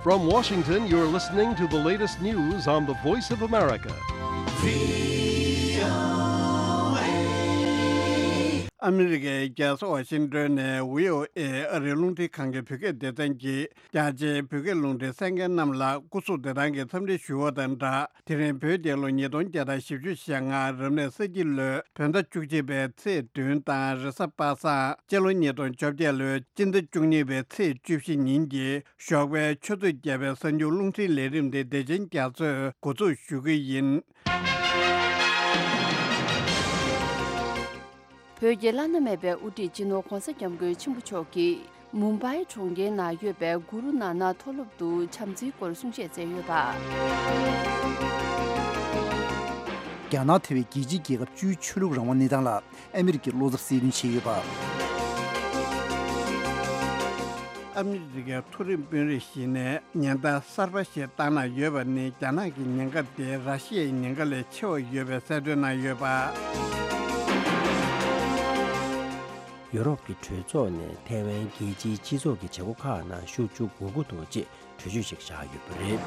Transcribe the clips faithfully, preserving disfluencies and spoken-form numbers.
From Washington, you're listening to the latest news on the Voice of America. ཨ་མི་རི་ཀའི་རྒྱལ་ས་ཝ་ཤིང་ཏོན་ནས་བྷི་ཨོ་ཨེ་ཨ་རིའི་རླུང་འཕྲིན་ཁང་གི་བོད་སྐད་སྡེ་ཚན་གྱིས། རྒྱ་ཆེའི་བོད་སྐད་རླུང་འཕྲིན་གསན་མཁན་རྣམས་ལ་སྐུ་གཟུགས་བདེ་ཐང་གི་འཚམས་འདྲི་ཞུ་བ་དང་སྦྲགས། དེ་རིང་བོད་རྒྱལ་ལོ་ཉིས་སྟོང་བརྒྱ་དང་བཞི་བཅུ་ཞེ་ལྔ་རབ་གནས་ས་ཁྱི་ལོའི་བོད་ཟླ་བཅུ་གཅིག་པའི་ཚེས་བདུན་དང་། རེས་གཟའ་པ་སངས། སྤྱི་ལོ་ཉིས་སྟོང་བཅོ་བརྒྱད་ལོའི་སྤྱི་ཟླ་བཅུ་གཉིས་པའི་ཚེས་བཅུ་བཞི་ཉིན་གྱི་ཞོགས་པའི་ཆུ་ཚོད་བརྒྱད་པའི་གསར་འགྱུར་རླུང་འཕྲིན་ལས་རིམ་དེ་བདེ་ཆེན་རྒྱ་མཚོས་འགོ་འཛུགས་ཞུ་གི་ཡིན། བོད་ཀྱི་བླ་ན་མེད་པའི་དབུ་ཁྲིད་སྤྱི་ནོར་གོང་ས་སྐྱབས་མགོན་ཆེན་པོ་མཆོག་གིས། མུམ་བྷའི་གྲོང་ཁྱེར་ནང་ཡོད་པའི་གུ་རུ་ནཱ་ནག་མཐོ་སློབ་ཏུ་བྱམས་བརྩེའི་སྐོར་གསུང་བཤད་མཛད་ཡོད་པ། རྒྱ་ནག་ཐེ་བའི་རྒྱལ་སྤྱིའི་རྒྱལ་ཁབ་བཅུའི་ཆོས་ལུགས་རང་དབང་གནས་སྟངས་ལ་ཨ་མི་རི་ཀའི་བློ་འཚབ་གསལ་སྟོན་བྱས་ཡོད་པ། ཨ་མི་རི་ཀའི་མཐོ་རིམ་དཔོན་རིགས་ཤིག་ནས་ཉེན་བརྡ་གསར་པ་ཞིག་བཏང་གནང་ཡོད་པ་ནི། རྒྱ་ནག་གི་ཉེན་ཁ་དེ་ར་ཤི་ཡའི་ཉེན་ཁ་ལས་ཆེ་བ་ཡོད་པའི་གསལ་སྟོན་གནང་ཡོད་པ། ཡོ་རོབ་ཀྱི་གྲོས་ཚོགས་ནས་ཐའེ་ཝན་རྒྱལ་སྤྱིའི་སྤྱི་ཚོགས་ཀྱི་བྱེད་སྒོ་ཁག་ནང་ཤུགས་ཆུ་དགོས་མཁོ་འདུག་ཅེས་གྲོས་ཆོད་ཞིག་བཞག་ཡོད་པ་རེད།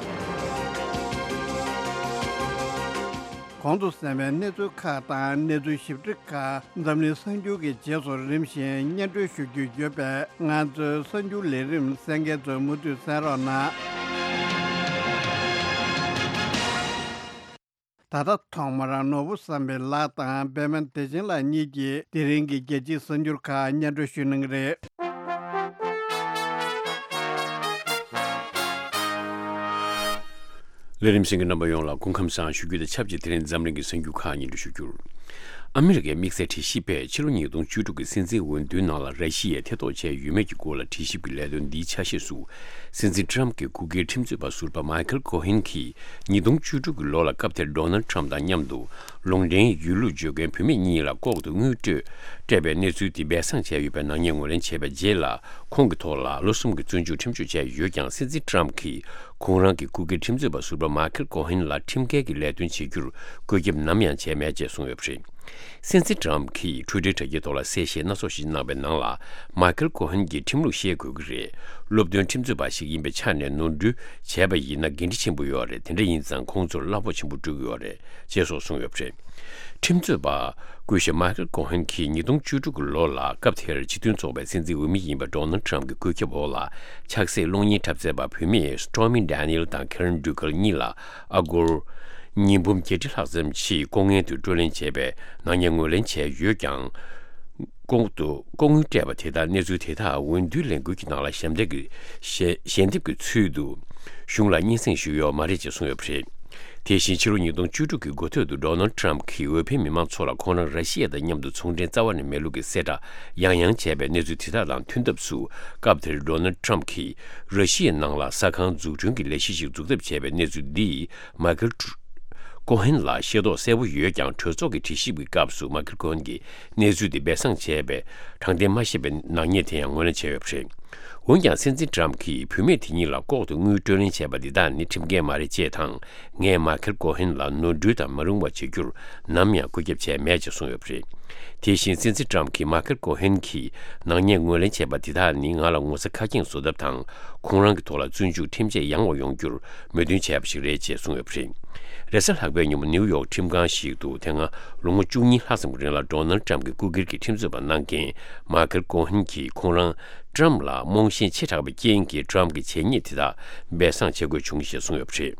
གོང་དུ་གསན་པའི་གནས་ཚུལ་ཁག་དང་གནས་ཚུལ་ཞིབ་ཕྲ་ཁག་འཛམ་གླིང་གསར་འགྱུར་གྱི་རྗེས་སུ་རིམ་བཞིན་སྙན་སྒྲོན་ཞུ་རྒྱུ་ཡོད་པས། ང་ཚོའི་གསར་འགྱུར་ལས་རིམ་གསན་མཁན་ཚོས་མུ་མཐུད་གསན་རོགས་གནང་། ད་ལྟ་ཐོག་མར་ནོར་བུ་བསམ་འཕེལ་ལགས་དང་པད་མ་བདེ་ཆེན་ལགས་གཉིས་ཀྱིས་དེ་རིང་གི་རྒྱལ་སྤྱིའི་གསར་འགྱུར་ཁག་སྙན་སྒྲོན་ཞུ་གནང་གི་རེད། ལས་རིམ་གསན་མཁན་རྣམ་པ་ཡོངས་ལ་སྐུ་ཁམས་བཟང་ཞུ་རྒྱུ་དང་ཆབས་ཅིག་དེ་རིང་འཛམ་གླིང་གི་གསར་འགྱུར་ཁག་སྙན་སྒྲོན་ཞུ་རྒྱུར། ཨ་མི་རི་ཀའི་དམིགས་བསལ་དྲི་ཞིབ་པས་ཕྱི་ལོ་ཉིས་སྟོང་བཅུ་དྲུག་གི་སྲིད་འཛིན་འོས་བསྡུའི་ནང་ལ་ར་ཤི་ཡས་ཐེ་གཏོགས་བྱས་ཡོད་མེད་ཀྱི་སྐོར་ལ་དྲི་ཞིབ་ཀྱི་ལས་དོན་འདིའི་ཆ་ཤས་སུ། སྲིད་འཛིན་ཊམ་གྱི་སྐུ་སྒེར་ཁྲིམས་རྩོད་པ་ཟུར་པ་མའི་ཁལ་ཀོ་ཧན་གྱིས་ཉིས་སྟོང་བཅུ་དྲུག་གི་ལོ་ལ་སྐབས་དེར་ཌོ་ནལ་ཊམ་དང་མཉམ་དུ་ལུང་འདྲེན་ཡོད་ལུགས་བརྗོད་མཁན་བུད་མེད་གཉིས་ལ་ལྐོག་ཏུ་དངུལ་སྤྲོད་སྤྲད་པའི་གནས་ཚུལ་དེ་སྦས་གསང་བྱས་ཡོད་པའི་ནག་ཉེས་ངོས་ལེན་བྱས་པའི་རྗེས་ལ། ཁོང་གི་ཐོག་ལ་ལོ་གསུམ་གྱི་བཙོན་འཇུག་ཁྲིམས་གཅོད་བྱས་ཡོད་ཀྱང་། སྲིད་འཛིན་ཊམ་གྱིས་ཁོང་རང་གི་སྐུ་སྒེར་ཁྲིམས་རྩོད་པ་ཟུར་པ་མའི་ཁལ་ཀོ་ཧན་ལ་ཁྲིམས་འགལ་གྱི་ལས་དོན་བྱེད་རྒྱུར་བཀོད་ཁྱབ་ནམ་ཡང་བྱས་མེད་ཅེས་གསུངས་ཡོད་པ་རེད། སྲིད་འཛིན་ཊམ་གྱིས་ཊུའི་ཊར་དྲ་རྒྱའི་ཐོག་ལ་གསལ་བཤད་སྣ་ཚོགས་ཤིག་གནང་བའི་ནང་ལ། མའི་ཁལ་ཀོ་ཧན་གྱིས་ཁྲིམས་ལུགས་ཤེས་དགོས་ཀྱི་རེད། སློབ་སྟོན་ཁྲིམས་རྩོད་པ་ཞིག་ཡིན་པའི་ཆ་ནས་ནོར་འཁྲུལ་བྱས་པ་ཡིན་ན་འགན་འཁྲི་ཆེན་པོ་ཡོད་རེད། དེ་འདྲ་ཡིན་ཙང་ཁོང་ཚོར་གླ་ཕོགས་ཆེན་པོ་སྤྲོད་ཀྱི་ཡོད་རེད་ཅེས་སོགས་གསུངས་ཡོད་པ་རེད། ཁྲིམས་རྩོད་པ་སྐུ་ཞབས་མའི་ཁལ་ཀོ་ཧན་གྱིས་ཉིས་སྟོང་བཅུ་དྲུག་གི་ལོ་ལ་སྐབས་དེར་སྤྱི་མཐུན་ཚོགས་པའི་སྲིད་འཛིན་འོས་མི་ཡིན་པ་ཌོ་ནལ་ཊམ་གྱི་བཀོད་ཁྱབ་འོག་ལ་ཆགས་སྲེད་གློག་བརྙན་འཁྲབ་མཛད་པ་བུད་མེད་སི་ཊོར་མི་ཌེ་ནི་ཨེལ་དང་ཁེ་རན་ཌུ་ཀལ་གཉིས་ལ་ཨ་སྒོར་ཉིས་འབུམ་བརྒྱད་ཁྲི་ལྷག་ཙམ་ཞིག་ལྐོག་རྔན་དུ་སྤྲོད་ལེན་བྱས་པའི་ནག་ཉེས་ངོས་ལེན་བྱས་ཡོད་ཀྱང་། ལྐོག་ཏུ་ལྐོག་དངུལ་སྤྲད་པ་དེ་དག་གནས་ཚུལ་དེ་དག་འོས་བསྡུའི་ལས་འགུལ་གྱི་ནང་ལ་ཞལ་འདེབས་ཀྱི་ཞལ་ཞལ་འདེབས་ཀྱི་ཚུལ་དུ་གཞུང་ལ་སྙན་སེང་ཞུས་ཡོད་མ་རེད་ཅེས་གསུངས་ཡོད་པ་རེད། དེ་བཞིན་ཕྱི་ལོ་ཉིས་སྟོང་བཅུ་དྲུག་གི་འགོ་སྟོད་དུ་ཌོ་ནལ་ཊམ་གྱིས་འོས་འཕེན་མི་མང་ཚོ་ལ་ཁོང་རང་ར་ཤི་ཡ་དང་མཉམ་དུ་ཚོང་འབྲེལ་རྩ་བ་ནས་མེད་ལུགས་ཀྱི་གསལ་བསྒྲགས་ཡང་ཡང་བྱས་པའི་གནས་ཚུལ་དེ་དག་དང་མཐུན་ཐབས་སུ། སྐབས་དེར་ཌོ་ནལ་ཊམ་གྱིས་ར་ཤི་ཡའི་ནང་ལ་ཟ་ཁང་འཛུགས་སྐྲུན་གྱི་ལས་གཞི་ཞིག་འཛུགས་ཐབས་བྱས་པའི་གནས་ཚུལ་འདིས་མའི་ཁལ་ཀོ་ཧན་ལ་ཤེས་རྟོགས་གསལ་པོ་ཡོད་ཀྱང་། གྲོས་ཚོགས་ཀྱི་དྲི་ཞིབ་ཀྱི་སྐབས་སུ་མའི་ཁལ་ཀོ་ཧན་གྱིས་གནས་ཚུལ་དེ་སྦས་གསང་བྱས་པའི་དྲང་བདེན་མ་ཤེས་པའི་ནག་ཉེས་དེ་ཡང་ངོས་ལེན་བྱས་ཡོད་པ་རེད། འོན་ཀྱང་། སྲིད་འཛིན་ཊམ་གྱིས་བུད་མེད་དེ་གཉིས་ལ་ལྐོག་ཏུ་དངུལ་སྤྲོད་ལེན་བྱས་པ་འདི་དག་ནི་ཁྲིམས་འགལ་མ་རེད་ཅེས་དང་། ངས་མའི་ཁལ་ཀོ་ཧན་ལ་ནོར་འཁྲུལ་དང་མ་རུང་བ་བྱེད་རྒྱུར་ནམ་ཡང་བཀོད་ཁྱབ་བྱས་མེད་ཅེས་གསུངས་ཡོད་པ་རེད། དེ་བཞིན་སྲིད་འཛིན་ཊམ་གྱིས་མའི་ཁལ་ཀོ་ཧན་གྱིས་ནག་ཉེས་ངོས་ལེན་བྱས་པ་འདི་དག་ནི་ང་ལ་ངོ་ཚ་ཁ་སྐྱེངས་བཟོ་ཐབས་དང་། ཁོང་རང་གི་ཐོག་ལ་བཙོན་འཇུག་ཁྲིམས་ཆད་ཡང་བ་ཡོང་རྒྱུར་མོས་མཐུན་བྱས་པ་ཞིག་རེད་ཅེས་གསུངས་ཡོད་པ་རེད། རེས་གཟའ་ལྷག་པའི་ཉིན་མོ་ནིའུ་ཡོག་ཁྲིམས་ཁང་ཞིག་ཏུ་དེ་སྔ་ལོ་ངོ་བཅུ་གཉིས་ལྷག་ཙམ་གྱི་རིང་ལ་ཌོ་ནལ་ཊམ་གྱི་སྐུ་སྒེར་གྱི་ཁྲིམས་རྩོད་པ་གནང་མཁན་མའི་ཁལ་ཀོ་ཧན་གྱིས་ཁོང་རང་ཊམ་ལ་རྨོངས་ཞེན་ཆེ་དྲགས་པའི་རྐྱེན་གྱིས་ཊམ་གྱི་བྱས་ཉེས་དེ་དག་སྦས་གསང་བྱེད་དགོས་བྱུང་ཞེས་གསུངས་ཡོད་པ་རེད།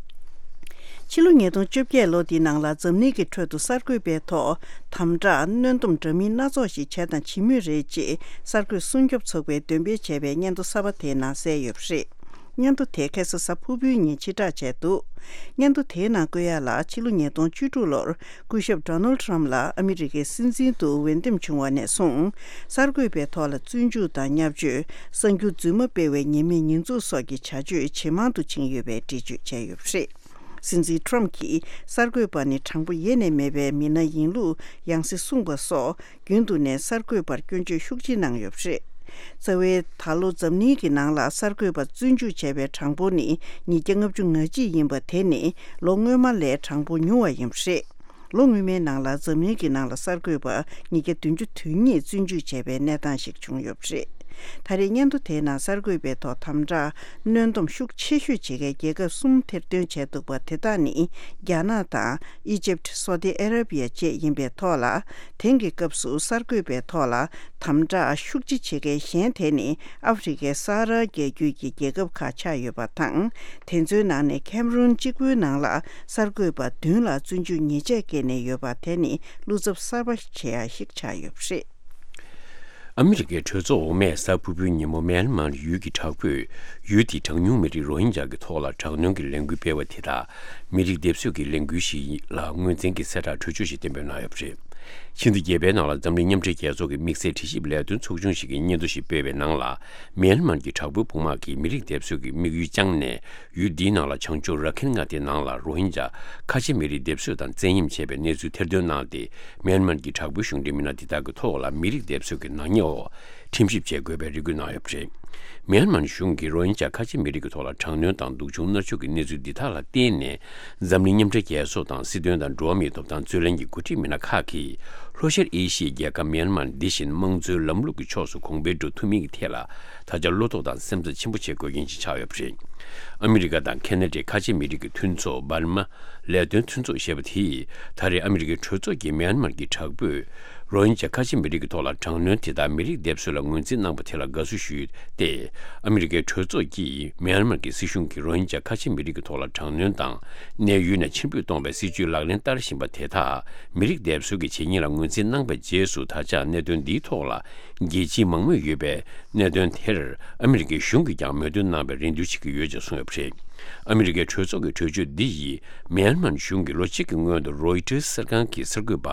ཕྱི་ལོ་ཉིས་སྟོང་བཅོ་བརྒྱད་ལོ་འདིའི་ནང་ལ་འཛམ་གླིང་གི་ཁྲོད་དུ་གསར་འགོད་པའི་ཐོག་དམ་དྲག་གནོན་སྡོམ་འདྲ་མིན་སྣ་ཚོགས་ཤིག་བྱས་དང་བྱེད་མུས་རེད་ཅེས་གསར་འགོད་སྲུང་སྐྱོབ་ཚོགས་པས་འདོན་སྤེལ་བྱས་པའི་སྙན་ཐོ་གསར་པ་དེའི་ནང་གསལ་ཡོད་པ་རེད། སྙན་ཐོ་དེ་ཁ་སང་གཟའ་ཕུར་བུའི་ཉིན་ཕྱིར་བསྒྲགས་བྱས་འདུག་སྙན་ཐོ་དེའི་ནང་བཀོད་ཡག་ལ། ཕྱི་ལོ་ཉིས་སྟོང་བཅུ་དྲུག་ལོར་སྐུ་ཞབས་ཌོ་ནལ་ཊམ་ལགས་ཨ་མི་རི་ཀའི་སྲིད་འཛིན་དུ་འོས་འདེམས་བྱུང་བ་ནས་བཟུང་། གསར་འགོད་པའི་ཐོག་ལ་བཙོན་འཇུག་དང་བརྙས་བཅོས། གསར་འགྱུར་རྫུན་མ་སྤེལ་བའི་ཉེས་མེད་ཉེས་འཛུགས་སོགས་ཀྱི་བྱ་སྤྱོད་ཇེ་མང་དུ་ཕྱིན་ཡོད་པའི་འགྲེལ་བརྗོད་བྱས་ཡོད་པ་རེད། སྲིད་འཛིན་ཊམ་གྱིས་གསར་འགོད་པ་ནི་དྲང་པོ་ཡེ་ནས་མེད་པའི་མི་སྣ་ཡིན་ལུགས་ཡང་སེ་གསུངས་པ་སོགས། རྒྱུན་དུ་ནས་གསར་འགོད་པར་སྐྱོན་བརྗོད་ཤུགས་ཆེ་གནང་ཡོད་པ་རེད། རྩ་བའི་ད་ལོ་འཛམ་གླིང་གི་ནང་ལ་གསར་འགོད་པ་བཙོན་འཇུག་བྱས་པའི་གྲངས་འབོར་ནི་ཉིས་བརྒྱ་ལྔ་བཅུ་ང་གཅིག་ཡིན་པ། དེ་ནི་ལོ་སྔོན་མ་ལས་གྲངས་འབོར་ཉུང་བ་ཡིན་པ་རེད། ལོ་སྔོན་མའི་ནང་ལ་འཛམ་གླིང་གི་ནང་ལ་གསར་འགོད་པ་ཉིས་བརྒྱ་བདུན་ཅུ་དོན་གཉིས་བཙོན་འཇུག་བྱས་པའི་གནས་སྟངས་ཤིག་བྱུང་ཡོད་པ་རེད། ད་རེས་སྙན་ཐོ་དེའི་ནང་གསར་འགོད་པའི་ཐོག་དམ་དྲག་གནོན་སྡོམ་ཤུགས་ཆེ་ཤོས་བྱེད་མཁན་རྒྱལ་ཁབ་གསུམ་ཐེར་འདོན་བྱས་འདུག་པ། དེ་དག་ནི་རྒྱ་ནག་དང་། ཨི་ཇིབ། སོ་ཏི་ཨ་ར་བི་ཡ་བཅས་ཡིན་པའི་ཐོག་ལ། དེང་གི་སྐབས་སུ་གསར་འགོད་པའི་ཐོག་ལ་དམ་དྲག་ཤུགས་ཆེ་བྱེད་མཁན་གཞན་དེ་ནི་ཨ་ཧྥེ་རི་ཁའི་ས་ཧ་ར་རྒྱལ་རྒྱུད་ཀྱི་རྒྱལ་ཁབ་ཁག་ཆགས་ཡོད་པ་དང་། དེ་ཚོའི་ནང་ནས་ཁེམ་རུན་གཅིག་པུའི་ནང་ལ་གསར་འགོད་པ་བདུན་ལ་བཙོན་འཇུག་ཉེས་ཆད་བཀལ་ནས་ཡོད་པ། དེ་ནི་བློ་འཚབ་གསར་པ་བྱེད་ཡ་ཞིག་ཆགས་ཡོད་པ་རེད། ཨ་མི་རི་ཀའི་གྲོས་ཚོགས་འོག་མས་གཟའ་ཕུར་བུའི་ཉིན་མོ་མེན་མར་ཡུལ་གྱི་དྲག་པོས་ཡུལ་དེའི་གྲངས་ཉུང་མི་རིགས་རོ་ཧིན་ཇཱ་གི་ཐོག་ལ་དྲག་གནོན་གྱི་ལས་འགུལ་སྤེལ་བ་དེ་དག་མི་རིགས་སྡེབ་གསོད་ཀྱི་ལས་འགུལ་ཞིག་ལ་ངོས་འཛིན་གྱི་གསལ་བསྒྲགས་གྲོས་ཆོད་ཞིག་གཏན་འབེབས་གནང་ཡོད་པ་རེད། ཕྱི་ཟླ་བརྒྱད་པའི་ནང་ལ་འཛམ་གླིང་མཉམ་འབྲེལ་རྒྱལ་ཚོགས་ཀྱི་དམིགས་བསལ་དྲི་ཞིབ་ལས་དོན་ཚོགས་ཆུང་ཞིག་གིས་སྙན་ཐོ་ཞིག་སྤེལ་བའི་ནང་ལ། མེན་མར་གྱི་དྲག་པོའི་དཔུང་དམག་གིས་མི་རིགས་སྡེབ་གསོད་ཀྱི་དམིགས་ཡུལ་བཅངས་ནས། ཡུལ་འདིའི་ནང་ལ་བྱང་ཕྱོགས་ར་ཁིན་མངའ་སྡེའི་ནང་ལ་རོ་ཧིན་ཇཱ་ཁ་ཆེ་མི་རིགས་སྡེབ་གསོད་དང་བཙན་གཡེམ་བྱས་པའི་གནས་ཚུལ་ཐེར་འདོན་གནང་སྟེ། མེན་མར་གྱི་དྲག་པོའི་གཞུང་འབྲེལ་མི་སྣ་འདི་དག་གི་ཐོག་ལ་མི་རིགས་སྡེབ་གསོད་ཀྱི་ནག་ཉེས་འོག་ཁྲིམས་ཞིབ་བྱེད་དགོས་པའི་རེ་སྐུལ་གནང་ཡོད་པ་རེད། མེན་མར་གཞུང་གིས་རོ་ཧིན་ཇཱ་ཁ་ཆེ་མི་རིགས་ཀྱི་ཐོག་ལ་དྲག་གནོན་དང་སྡུག་སྦྱོང་མནར་གཅོད་ཀྱི་གནས་ཚུལ་འདི་དག་ལ་བརྟེན་ནས། འཛམ་གླིང་མཉམ་འབྲེལ་རྒྱལ་ཚོགས་དང་སྲིད་དོན་དང་འགྲོ་བ་མིའི་ཐོབ་ཐང་རྩོད་ལེན་གྱི་འགོ་ཁྲིད་མི་སྣ་ཁག་གིས། ལྷོ་ཤར་ཨེ་ཤི་ཡའི་རྒྱལ་ཁབ་མེན་མར་འདི་བཞིན་དམངས་གཙོའི་ལམ་ལུགས་ཀྱི་ཕྱོགས་སུ་གོང་འཕེལ་འགྲོ་ཐུབ་མིན་གྱི་ཐད་ལ། ད་ཆ་བློ་དོགས་དང་སེམས་འཚབ་ཆེན་པོ་བྱེད་དགོས་མཁན་ཞིག་ཆགས་ཡོད་པ་རེད། ཨ་མི་རི་ཀ་དང་ཁེ་ན་ཌའི་ཁ་ཆེ་མི་རིགས་ཀྱི་མཐུན་ཚོགས། འབར་མ་ལས་དོན་མཐུན་ཚོགས་ཞེས་པ་དེས། ད་རེས་ཨ་མི་རི་ཀའི་གྲོས་ཚོགས་ཀྱིས་མེན་མར་གྱི་དྲག་པོས་རོ་ཧིན་ཇཱ་ཁ་ཆེ་མི་རིགས་ཀྱི་ཐོག་ལ་དྲག་གནོན་དེ་དག་མི་རིགས་སྡེབ་གསོད་ལ་ངོས་འཛིན་གནང་པ་དེ་ལ་དགའ་བསུ་ཞུས་ཏེ། ཨ་མི་རི་ཀའི་གྲོས་ཚོགས་ཀྱིས་མེན་མར་གྱི་སྲིད་གཞུང་གིས་རོ་ཧིན་ཇཱ་ཁ་ཆེ་མི་རིགས་ཀྱི་ཐོག་ལ་དྲག་གནོན་དང་། གནས་ཡུལ་ནས་ཕྱིར་འབུད་གཏོང་བའི་སྲིད་ཇུས་ལག་ལེན་བསྟར་བཞིན་པ་དེ་དག་མི་རིགས་སྡེབ་གསོད་ཀྱི་བྱེད་ཉེས་ལ་ངོས་འཛིན་གནང་པའི་རྗེས་སུ། ད་ཆ་གནད་དོན་འདིའི་ཐོག་ལ་རྒྱལ་སྤྱིའི་མང་མོས་ཡོད་པའི་གནད་དོན་དེར་ཨ་མི་རི་ཀའི་གཞུང་གིས་ཀྱང་མོས་མཐུན་གནང་བའི་རེ་འདུན་བྱེད་ཀྱི་ཡོད་ཅེས་གསུངས་ཡོད་པ་རེད། ཨ་མི་རི་ཀའི་གྲོས་ཚོགས་ཀྱི་གྲོས་ཆོད་འདི་ཡིས་མེན་མར་གཞུང་གིས་ལོ་གཅིག་གི་སྔོན་དུ་རོའི་ཊར་གསར་ཁང་གི་གསར་འགོད་པ་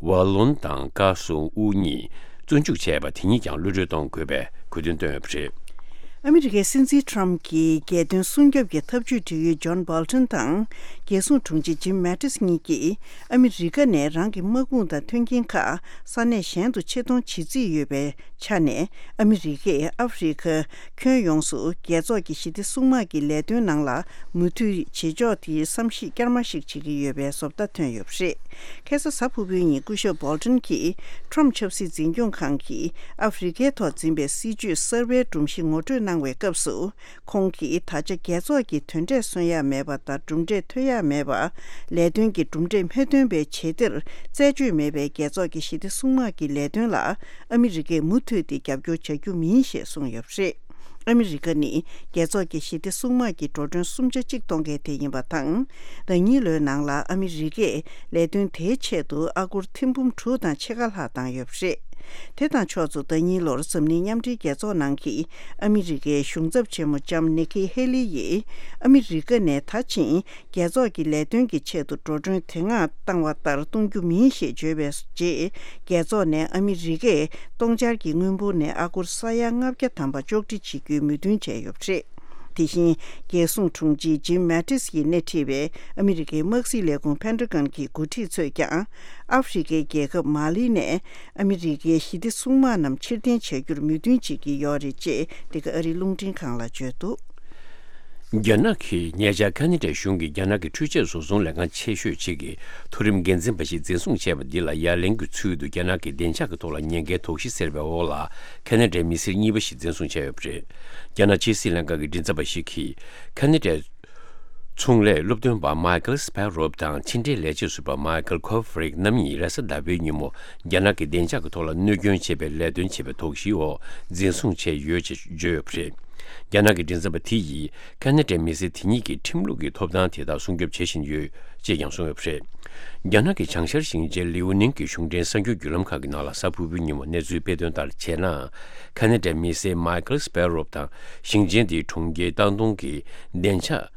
ཝ་ལོན་དང་ཀ་སོ་ཨུ་གཉིས་བཙོན་འཇུག་བྱས་པ་དེ་ཉིད་ཀྱང་གློད་གྲོལ་གཏོང་དགོས་པའི་དགོས་འདུན་བཏོན་ཡོད་པ་རེད། ཨ་མི་རི་ཀའི་སྲིད་འཛིན་ཊམ་གྱི་རྒྱལ་དོན་སྲུང་སྐྱོབ་ཀྱི་ཐབས་ཇུས་འབྲེལ་ཡོད་ཇོན་བྷོལ་ཊོན་དང་། རྒྱལ་སྲུང་དྲུང་ཆེ་ཇིམ་མེ་ཏིས་གཉིས་ཀྱིས་ཨ་མི་རི་ཀ་ནས་རང་གི་དམག་དཔུང་དང་མཐུན་རྐྱེན་ཁག་ས་གནས་གཞན་དུ་ཆེད་གཏོང་བྱེད་རྩིས་ཡོད་པའི་ཆ་ནས། ཨ་མི་རི་ཀས་ཨ་ཧྥེ་རི་ཁ་ཁྱོན་ཡོངས་སུ་རྒྱལ་ཚོགས་ཀྱི་ཞི་བདེ་སྲུང་དམག་གི་ལས་དོན་ནང་ལ་མུ་མཐུད་བྱེད་ཕྱོགས་དེའི་བསམ་གཞིག་བསྐྱར་མ་ཞིག་བྱེད་ཀྱི་ཡོད་པའི་བཟོ་ལྟ་ཐོན་ཡོད་པ་རེད། ཁ་སང་གཟའ་ཕུར་བུའི་ཉིན་སྐུ་ཞབས་བྷོལ་ཊོན་གྱིས་ཊམ་ཆབ་སྲིད་འཛིན་སྐྱོང་ཁང་གིས་ཨ་ཧྥེ་རི་ཁའི་ཐོག་འཛིན་པའི་སྲིད་ཇུས་གསར་པའི་སྒྲོམ་གཞི་ངོ་སྤྲོད་གནང་བའི་སྐབས་སུ། ཁོང་གིས་ད་ཆ་རྒྱལ་ཚོགས་ཀྱི་དོན་འབྲས་སོན་ཡ་མེད་པ་དང་གྲུབ་འབྲས་ཐོན་ཡ་མེད་པ། ལས་དོན་གྱི་གྲུབ་འབྲས་མི་ཐོན་པའི་བྱེད་གཏེར་རྩད་གཅོད་མེད་པའི་རྒྱལ་ཚོགས་ཀྱི་ཞི་བདེ་སྲུང་དམག་གི་ལས་དོན་ལ་ཨ་མི་རི་ཀས་མུ་མཐུད་དེ་རྒྱབ་སྐྱོར་བྱ་རྒྱུ་མིན་ཞེས་གསུངས་ཡོད་པ་རེད། ཨ་མི་རི་ཀ་ནི་རྒྱལ་ཚོགས་ཀྱི་ཞི་བདེ་སྲུང་དམག་གི་འགྲོ་གྲོན་སུམ་ཆ་གཅིག་གཏོང་མཁན་དེ་ཡིན་པ་དང་། ཟླ་ཉིན་ལོའི་ནང་ལ་ཨ་མི་རི་ཀས་ལས་དོན་དེའི་ཆེད་དུ་ཨ་སྒོར་ཐེར་འབུམ་དྲུག་དང་ཕྱེད་ཀ་ལྷག་བཏང་ཡོད་པ་རེད། དེ་དང་ཕྱོགས་མཚུངས་ཟླ་ཉིན་ལོར་འཛམ་གླིང་མཉམ་འབྲེལ་རྒྱལ་ཚོགས་ནང་གི་ཨ་མི་རི་ཀའི་གཞུང་ཚབ་ཆེན་མོ་ལྕམ་ནི་ཁི་ཧེ་ལི་ཡིས་ཨ་མི་རི་ཀ་ནས་ད་ཕྱིན་རྒྱལ་ཚོགས་ཀྱི་ལས་དོན་གྱི་ཆེད་དུ་འགྲོ་གྲོན་དེ་སྔ་བཏང་བ་ལྟར་གཏོང་རྒྱུ་མིན་ཞེས་བརྗོད་པའི་རྗེས། རྒྱལ་ཚོགས་ནས་ཨ་མི་རི་ཀས་སྟོང་འཆར་གྱི་དངུལ་འབོར་ནས་ཨ་སྒོར་ས་ཡ་ལྔ་བརྒྱ་ཐམ་པ་གཅོག་འཕྲི་བྱེད་རྒྱུའི་མོས་མཐུན་བྱས་ཡོད་པ་རེད། དེ་བཞིན། རྒྱལ་སྲུང་དྲུང་ཆེ་ཇིམ་མེ་ཏིས་ཡིས་སྣེ་ཁྲིད་པའི་ཨ་མི་རི་ཀའི་དམག་སྲིད་ལས་ཁུངས་ཕན་ཏྲ་གོན་གྱི་འགོ་ཁྲིད་ཚོས་ཀྱང་། ཨ་ཧྥེ་རི་ཁའི་རྒྱལ་ཁབ་མ་ལི་ནས་ཨ་མི་རི་ཀའི་ཞི་བདེ་སྲུང་དམག་རྣམས་ཕྱིར་འཐེན་བྱ་རྒྱུར་མོས་མཐུན་བྱེད་ཀྱི་ཡོད་རེད་ཅེས། འདི་ག་ཨ་རིའི་རླུང་འཕྲིན་ཁང་ལ་བརྗོད་འདུག་རྒྱ་ནག་གིས་ཉེ་ཆར་ཁ་ན་ཌའི་གཞུང་གིས་རྒྱ་ནག་གི་འཕྲུལ་ཆས་བཟོ་ཚོང་ལས་ཁང་ཆེ་ཤོས་གཅིག་གི་མཐོ་རིམ་འགན་འཛིན་པ་ཞིག་འཛིན་བཟུང་བྱས་པ་འདི་ལ་ཡ་ལན་གྱི་ཚུལ་དུ་རྒྱ་ནག་གི་བདེ་འཇགས་ཀྱི་ཐོག་ལ་ཉེན་ཁའི་དོགས་གཞི་ཟེར་བའི་འོག་ལ་ཁ་ན་ཌའི་མི་སེར་གཉིས་པ་ཞིག་འཛིན་བཟུང་བྱས་ཡོད་པ་རེད། རྒྱ་ནག་ཕྱི་སྲིད་ལྷན་ཁང་གི་མགྲིན་ཚབ་པ་ཞིག་གིས་ཁ་ན་ཌའི་ཚོང་ལས་སློབ་སྟོན་པ་མའི་ཁལ་སྤེ་རོབ་དང་ཕྱི་འབྲེལ་ལས་བྱེད་ཟུར་པ་མའི་ཁལ་ཁོ་ཧྥེ་རིག་རྣམ་གཉིས་རེས་གཟའ་ཟླ་བའི་ཉིན་མོ་རྒྱ་ནག་གི་བདེ་འཇགས་ཀྱི་ཐོག་ལ་གནོད་སྐྱོན་བྱེད་པའི་ལས་དོན་བྱེད་པའི་དོགས་གཞིའི་འོག་འཛིན་བཟུང་བྱས་ཡོད་ཅེས་བརྗོད་ཡོད་པ་རེད། རྒྱ་ནག་གི་མགྲིན་ཚབ་པ་དེ་ཡིས་ཁ་ན་ཌའི་མི་སེར་དེ་གཉིས་ཀྱི་ཁྲིམས་ལུགས་ཀྱི་ཐོབ་ཐང་དེ་དག་སྲུང་སྐྱོབ་བྱེད་བཞིན་ཡོད་ཅེས་ཀྱང་གསུངས་ཡོད་པ་རེད། རྒྱ་ནག་གི་བྱང་ཤར་ཞིང་ཆེན་ལིའུ་ནིང་གི་གཞུང་འབྲེལ་གསར་འགྱུར་བརྒྱུད་ལམ་ཁག་གི་ནང་ལ་གཟའ་ཕུར་བུའི་ཉིན་མོ་གནས་ཚུལ་སྤེལ་དོན་ལྟར་བྱས་ན། ཁ་ན་ཌའི་མི་སེར་མའི་ཁལ་སྤེ་རོབ་དང་ཞིང་ཆེན་དེའི་གྲོང་ཁྱེར་ཏང་ཏུང་གི་བདེ་འཇགས་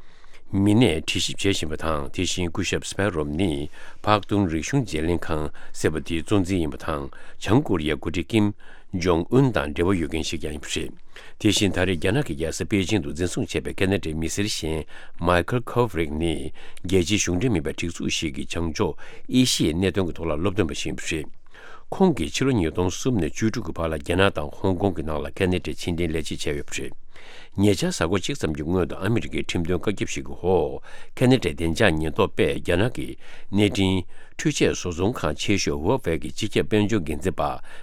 མི་སྣས་དྲི་ཞིབ་བྱེད་བཞིན་པ་དང་། དེ་བཞིན་སྐུ་ཞབས་སྤེ་རོབ་ནི་ཕག་ཏུང་རིག་གཞུང་བརྗེ་ལེན་ཁང་ཟེར་བ་དེའི་གཙོ་འཛིན་ཡིན་པ་དང་། བྱང་ཀོ་རི་ཡའི་འགོ་ཁྲིད་ཀིམ་ཇོང་ཨུན་དང་འབྲེལ་བ་ཡོད་མཁན་ཞིག་ཀྱང་ཡིན་པ་རེད། དེ་བཞིན་ད་རེས་རྒྱ་ནག་གི་རྒྱལ་ས་པེ་ཅིང་དུ་འཛིན་བཟུང་བྱས་པའི་ཁ་ན་ཌའི་མི་སེར་གཞན་མའི་ཁལ་ཁོ་ཧྥེ་རིག་ནི་རྒྱལ་སྤྱིའི་གཞུང་འབྲེལ་མིན་པའི་སྒྲིག་འཛུགས་ཤིག་གི་བྱང་ཕྱོགས་ཨེ་ཤི་ཡའི་གནད་དོན་གྱི་ཐོག་ལ་སློབ་སྟོན་པ་ཞིག་ཡིན་པ་རེད། ཁོང་གིས་ཕྱི་ལོ་ཉིས་སྟོང་གསུམ་ནས་བཅུ་དྲུག་གི་བར་ལ་རྒྱ་ནག་དང་ཧོང་ཀོང་གི་ནང་ལ་ཁ་ན་ཌའི་ཕྱི་འབྲེལ་ལས་བྱེད་བྱས་ཡོད་པ་རེད། ཉེ་ཆར་གཟའ་འཁོར་གཅིག་ཙམ་གྱི་སྔོན་དུ་ཨ་མི་རི་ཀའི་ཁྲིམས་དོན་བཀའ་ཁྱབ་ཞིག་གི་འོག་ཁ་ན་ཌའི་བདེ་འཇགས་ཉེན་རྟོག་པས་རྒྱ་ནག་གི་གནས་འཕྲིན་འཕྲུལ་ཆས་བཟོ་ཚོང་ཁང་ཆེ་ཤོས་ཧུའུ་ཝེ་གི་སྤྱི་ཁྱབ་དཔལ་འབྱོར་འགན་འཛིན་པ་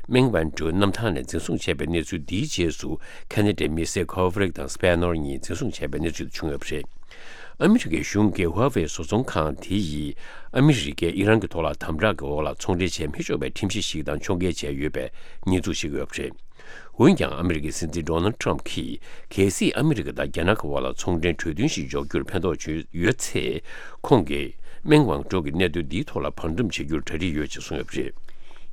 མེང་ཝན་ཀྲུའུ་གནམ་ཐང་ནས་འཛིན་བཟུང་བྱས་པའི་གནས་ཚུལ་འདིའི་རྗེས་སུ་ཁ་ན་ཌའི་མི་སེར་ཁོ་ཧྥེ་རིག་དང་སྤེ་ནོར་གཉིས་འཛིན་བཟུང་བྱས་པའི་གནས་ཚུལ་བྱུང་ཡོད་པ་རེད། ཨ་མི་རི་ཀའི་གཞུང་གིས་ཧུའུ་ཝེ་བཟོ་ཚོང་ཁང་དེ་ཡིས་ཨ་མི་རི་ཀས་ཨི་རན་གྱི་ཐོག་ལ་དམ་དྲག་གི་འོག་ལ་ཚོང་འབྲེལ་བྱེད་མི་ཆོག་པའི་ཁྲིམས་གཞི་ཞིག་དང་ཕྱོགས་འགལ་བྱས་ཡོད་པའི་ཉེས་འཛུགས་བྱེད་ཀྱི་ཡོད་པ་རེད། འོན་ཀྱང་ཨ་མི་རི་ཀའི་སྲིད་འཛིན་ཌོ་ནལ་ཁྲམ་གྱིས་གལ་སྲིད་ཨ་མི་རི་ཀ་དང་རྒྱ་ནག་གི་དབར་ལ་ཚོང་འབྲེལ་གྲོས་མཐུན་ཞིག་འཇོག་རྒྱུར་ཕན་ཐོགས་བྱུང་ཡོད་ཚེ། ཁོང་གིས་མེང་ཝང་ཀྲོ་གི་གནད་དོན་འདིའི་ཐོག་ལ་བར་འདུམ་བྱེད་རྒྱུར་གྲ་སྒྲིག་ཡོད་ཅེས་གསུངས་ཡོད་པ་རེད།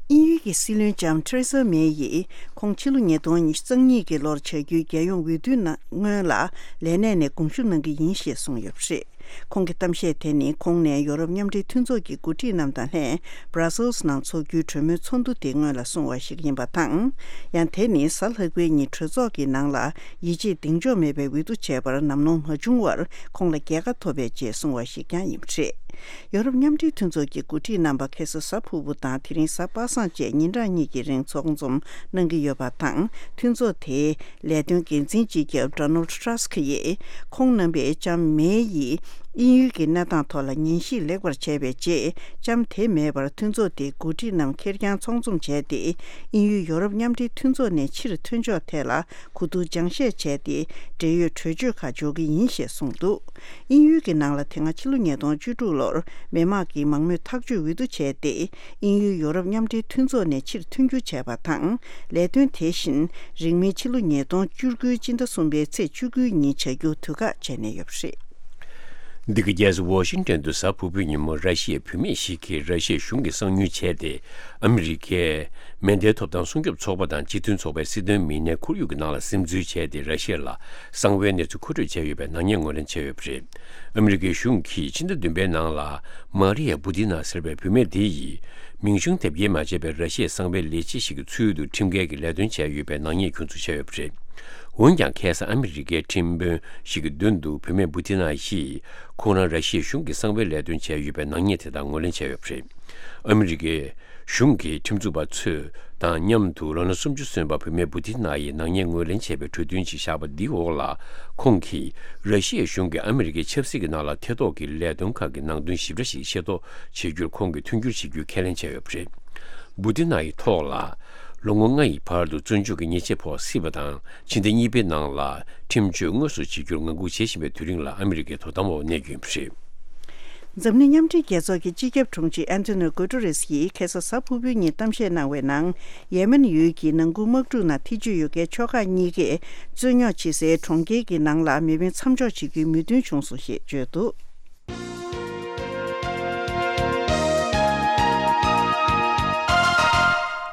དབྱིན་ཡུལ་གྱི་སྲིད་བློན་ལྕམ་ཐེ་རེ་ས་མེ་ཡིས་ཁོང་ཕྱི་ལོ་ཉིས་སྟོང་ཉི་ཤུ་རྩ་གཉིས་ཀྱི་ལོར་བྱ་རྒྱུའི་རྒྱལ་ཡོངས་འོས་བསྡུའི་ནང་སྔོན་ལ་ལས་གནས་ནས་དགོངས་ཞུ་གནང་གི་ཡིན་ཞེས་གསུངས་ཡོད་པ་རེད། ཁོང་གི་གཏམ་བཤད་དེ་ནི་ཁོང་ནས་ཡོ་རོབ་མཉམ་འབྲེལ་མཐུན་ཚོགས་ཀྱི་འགོ་ཁྲིད་རྣམས་དང་ལྷན་Brussels་ནང་འཚོགས་རྒྱུའི་གྲོས་མོལ་ཚོགས་འདུ་དེ་སྔོན་ལ་སོང་བ་ཞིག་ཡིན་པ་དང་། ཡང་དེ་ནི་གཟའ་ལྷག་པའི་ཉིན་གྲོས་ཚོགས་ཀྱི་ནང་ལ་ཡིད་ཆེས་གདེང་འཇོག་མེད་པའི་འོས་བསྡུ་བྱས་པར་ནམ་ལངས་མ་བྱུང་བར་ཁོང་ལ་རྒྱལ་ཁ་ཐོབ་པའི་རྗེས་སོང་བ་ཞིག་ཀྱང་ཡིན་པ་རེད། ཡོ་རོབ་མཉམ་འབྲེལ་མཐུན་ཚོགས་ཀྱི་འགོ་ཁྲིད་རྣམ་པ་ཁ་སང་གཟའ་ཕུར་བུ་དང་དེ་རིང་གཟའ་པ་སངས་བཅས་ཉིན་གྲངས་གཉིས་ཀྱི་རིང་ཚོགས་འཛོམས་གནང་གི་ཡོད་པ་དང་། མཐུན་ཚོགས་དེའི་ལས་དོན་འགན་འཛིན་སྤྱི་ཁྱབ་Donald Tusk་ཡིས་ཁོང་རྣམ་པས་ལྕམ་མེ་ཡིས་དབྱིན་ཡུལ་གྱི་གནས་སྟངས་ཐོག་ལ་ཉན་ཞིབ་ལེགས་པར་བྱས་པའི་རྗེས། ལྕམ་དེ་མེད་པར་མཐུན་ཚོགས་དེའི་འགོ་ཁྲིད་རྣམས་ཁེར་རྐྱང་ཚོགས་འཛོམས་བྱས་ཏེ། དབྱིན་ཡུལ་ཡོ་རོབ་མཉམ་འབྲེལ་མཐུན་ཚོགས་ནས་ཕྱིར་ཐོན་ཕྱོགས་ཐད་ལ་གོ་བསྡུར་སྦྱང་བཤད་བྱས་ཏེ། འབྲེལ་ཡོད་གྲོས་ཆོད་ཁག་འཇོག་གི་ཡིན་ཞེས་གསུངས་འདུག་དབྱིན་ཡུལ་གྱི་ནང་ལ་དེ་སྔ་ཕྱི་ལོ་ཉིས་སྟོང་བཅུ་དྲུག་ལོར་མི་དམངས་ཀྱི་མང་མོས་ཐག་གཅོད་འོས་བསྡུ་བྱས་ཏེ། དབྱིན་ཡུལ་ཡོ་རོབ་མཉམ་འབྲེལ་མཐུན་ཚོགས་ནས་ཕྱིར་ཐོན་རྒྱུ་བྱས་པ་དང་། ལས་དོན་དེ་བཞིན་རིང་མིན་ཕྱི་ལོ་ཉིས་སྟོང་བཅུ་དགུ་སྤྱི་ཟླ་གསུམ་པའི་ཚེས་བཅུ་དགུའི་ཉིན་བྱ་རྒྱུ་དུས་བཀག་བྱས་ནས་ཡོད་པ་རེད། འདི་ག་རྒྱལ་ས་ཝོ་ཤིང་ཏོན་དུ་གཟའ་ཕུར་བུའི་ཉིན་མོ་ར་ཤི་ཡའི་བུད་མེད་ཞིག་གིས་ར་ཤི་ཡའི་གཞུང་གི་གསང་ཉུལ་བྱས་ཏེ། ཨ་མི་རི་ཀའི་མེ་མདའི་ཐོབ་ཐང་སྲུང་སྐྱོབ་ཚོགས་པ་དང་སྤྱི་མཐུན་ཚོགས་པའི་སྲིད་དོན་མི་སྣའི་ཁོར་ཡུག་གི་ནང་ལ་སིམ་འཛུལ་བྱས་ཏེ། ར་ཤི་ཡ་ལ་གསང་བའི་གནས་ཚུལ་མཁོ་སྤྲོད་བྱས་ཡོད་པའི་ནག་ཉེས་ངོས་ལེན་བྱས་ཡོད་པ་རེད། ཨ་མི་རི་ཀའི་གཞུང་གིས་ཕྱི་ཟླ་བདུན་པའི་ནང་ལ་མ་རི་ཡ་བུ་ཏི་ན་ཟེར་བའི་བུད་མེད་དེ་ཡིས་མིང་གཞུང་དེབ་སྐྱེལ་མ་བྱས་པའི་ར་ཤི་ཡའི་གསང་བའི་ལས་བྱེད་ཞིག་གི་ཚུལ་དུ་ཁྲིམས་འགལ་གྱི་ལས་དོན་བྱས་ཡོད་པའི་ནག་ཉེས་ཁྱོན་འཛུགས་བྱས་ཡོད་པ་རེད། འོན་ཀྱང་ཁ་སང་ཨ་མི་རི་ཀའི་ཁྲིམས་དཔོན་ཞིག་གི་མདུན་དུ་བུད་མེད་བུ་ཏི་ན་ཡིས་ཁོང་རང་ར་ཤི་ཡའི་གཞུང་གི་གསང་བའི་ལས་དོན་བྱས་ཡོད་པའི་ནག་ཉེས་དེ་དག་ངོས་ལེན་བྱས་ཡོད་པ་རེད། ཨ་མི་རི་ཀའི་གཞུང་གི་ཁྲིམས་འཛུགས་པ་ཚོས་དང་མཉམ་དུ་ལོ་ན་སུམ་ཅུ་སོན་པ་བུད་མེད་བུ་ཏི་ན་ཡིས་ནག་ཉེས་ངོས་ལེན་བྱས་པའི་གྲོས་མཐུན་ཞིག་བཞག་པ་འདིའི་འོག་ལ། ཁོང་གིས་ར་ཤི་ཡའི་གཞུང་གིས་ཨ་མི་རི་ཀའི་ཆབ་སྲིད་ཀྱི་ནང་ལ་ཐེ་གཏོགས་ཀྱི་ལས་དོན་ཁག་གི་ནང་དོན་ཞིབ་ཕྲ་ཞིག་ཤེས་རྟོགས་བྱེད་རྒྱུར་ཁོང་གིས་མཐུན་འགྱུར་བྱེད་རྒྱུའི་ཁས་ལེན་བྱས་ཡོད་པ་རེད། བུ་ཏི་ན་ཡི་ཐོག་ལ་ལོ་ངོ་ལྔ་ཡི་བར་དུ་བཙོན་འཇུག་གི་ཉེས་ཆད་ཕོག་སྲིད་པ་དང་། ཕྱི་ཟླ་གཉིས་པའི་ནང་ལ་ཁྲིམས་གཅོད་དངོས་སུ་བྱེད་རྒྱུར་ངང་སྒུག་བྱེད་བཞིན་པའི་དུས་རིང་ལ་ཨ་མི་རི་ཀའི་དོ་དམ་འོག་གནས་རྒྱུ་ཡིན་པ་རེད། འཛམ་གླིང་མཉམ་འབྲེལ་རྒྱལ་ཚོགས་ཀྱི་སྤྱི་ཁྱབ་དྲུང་ཆེ་ཨན་ཐོ་ནིའོ་གུ་ཏུ་རེས་ཡིས་ཁ་སང་གཟའ་ཕུར་བུའི་ཉིན་གཏམ་བཤད་གནང་བའི་ནང་། ཡེ་མེན་ཡུལ་གྱི་ནང་ཁུལ་དམག་འཁྲུག་ནང་ཐེ་བྱུས་ཡོད་མཁན་ཕྱོགས་ཁག་གཉིས་ཀས་རྩོད་རྙོག་ཆེ་སའི་གྲོང་ཁྱེར་གྱི་ནང་ལ་མེ་འཕེན་མཚམས་འཇོག་བྱེད་རྒྱུའི་མོས་མཐུན་བྱུང་སོང་ཞེས་བརྗོད་འདུག་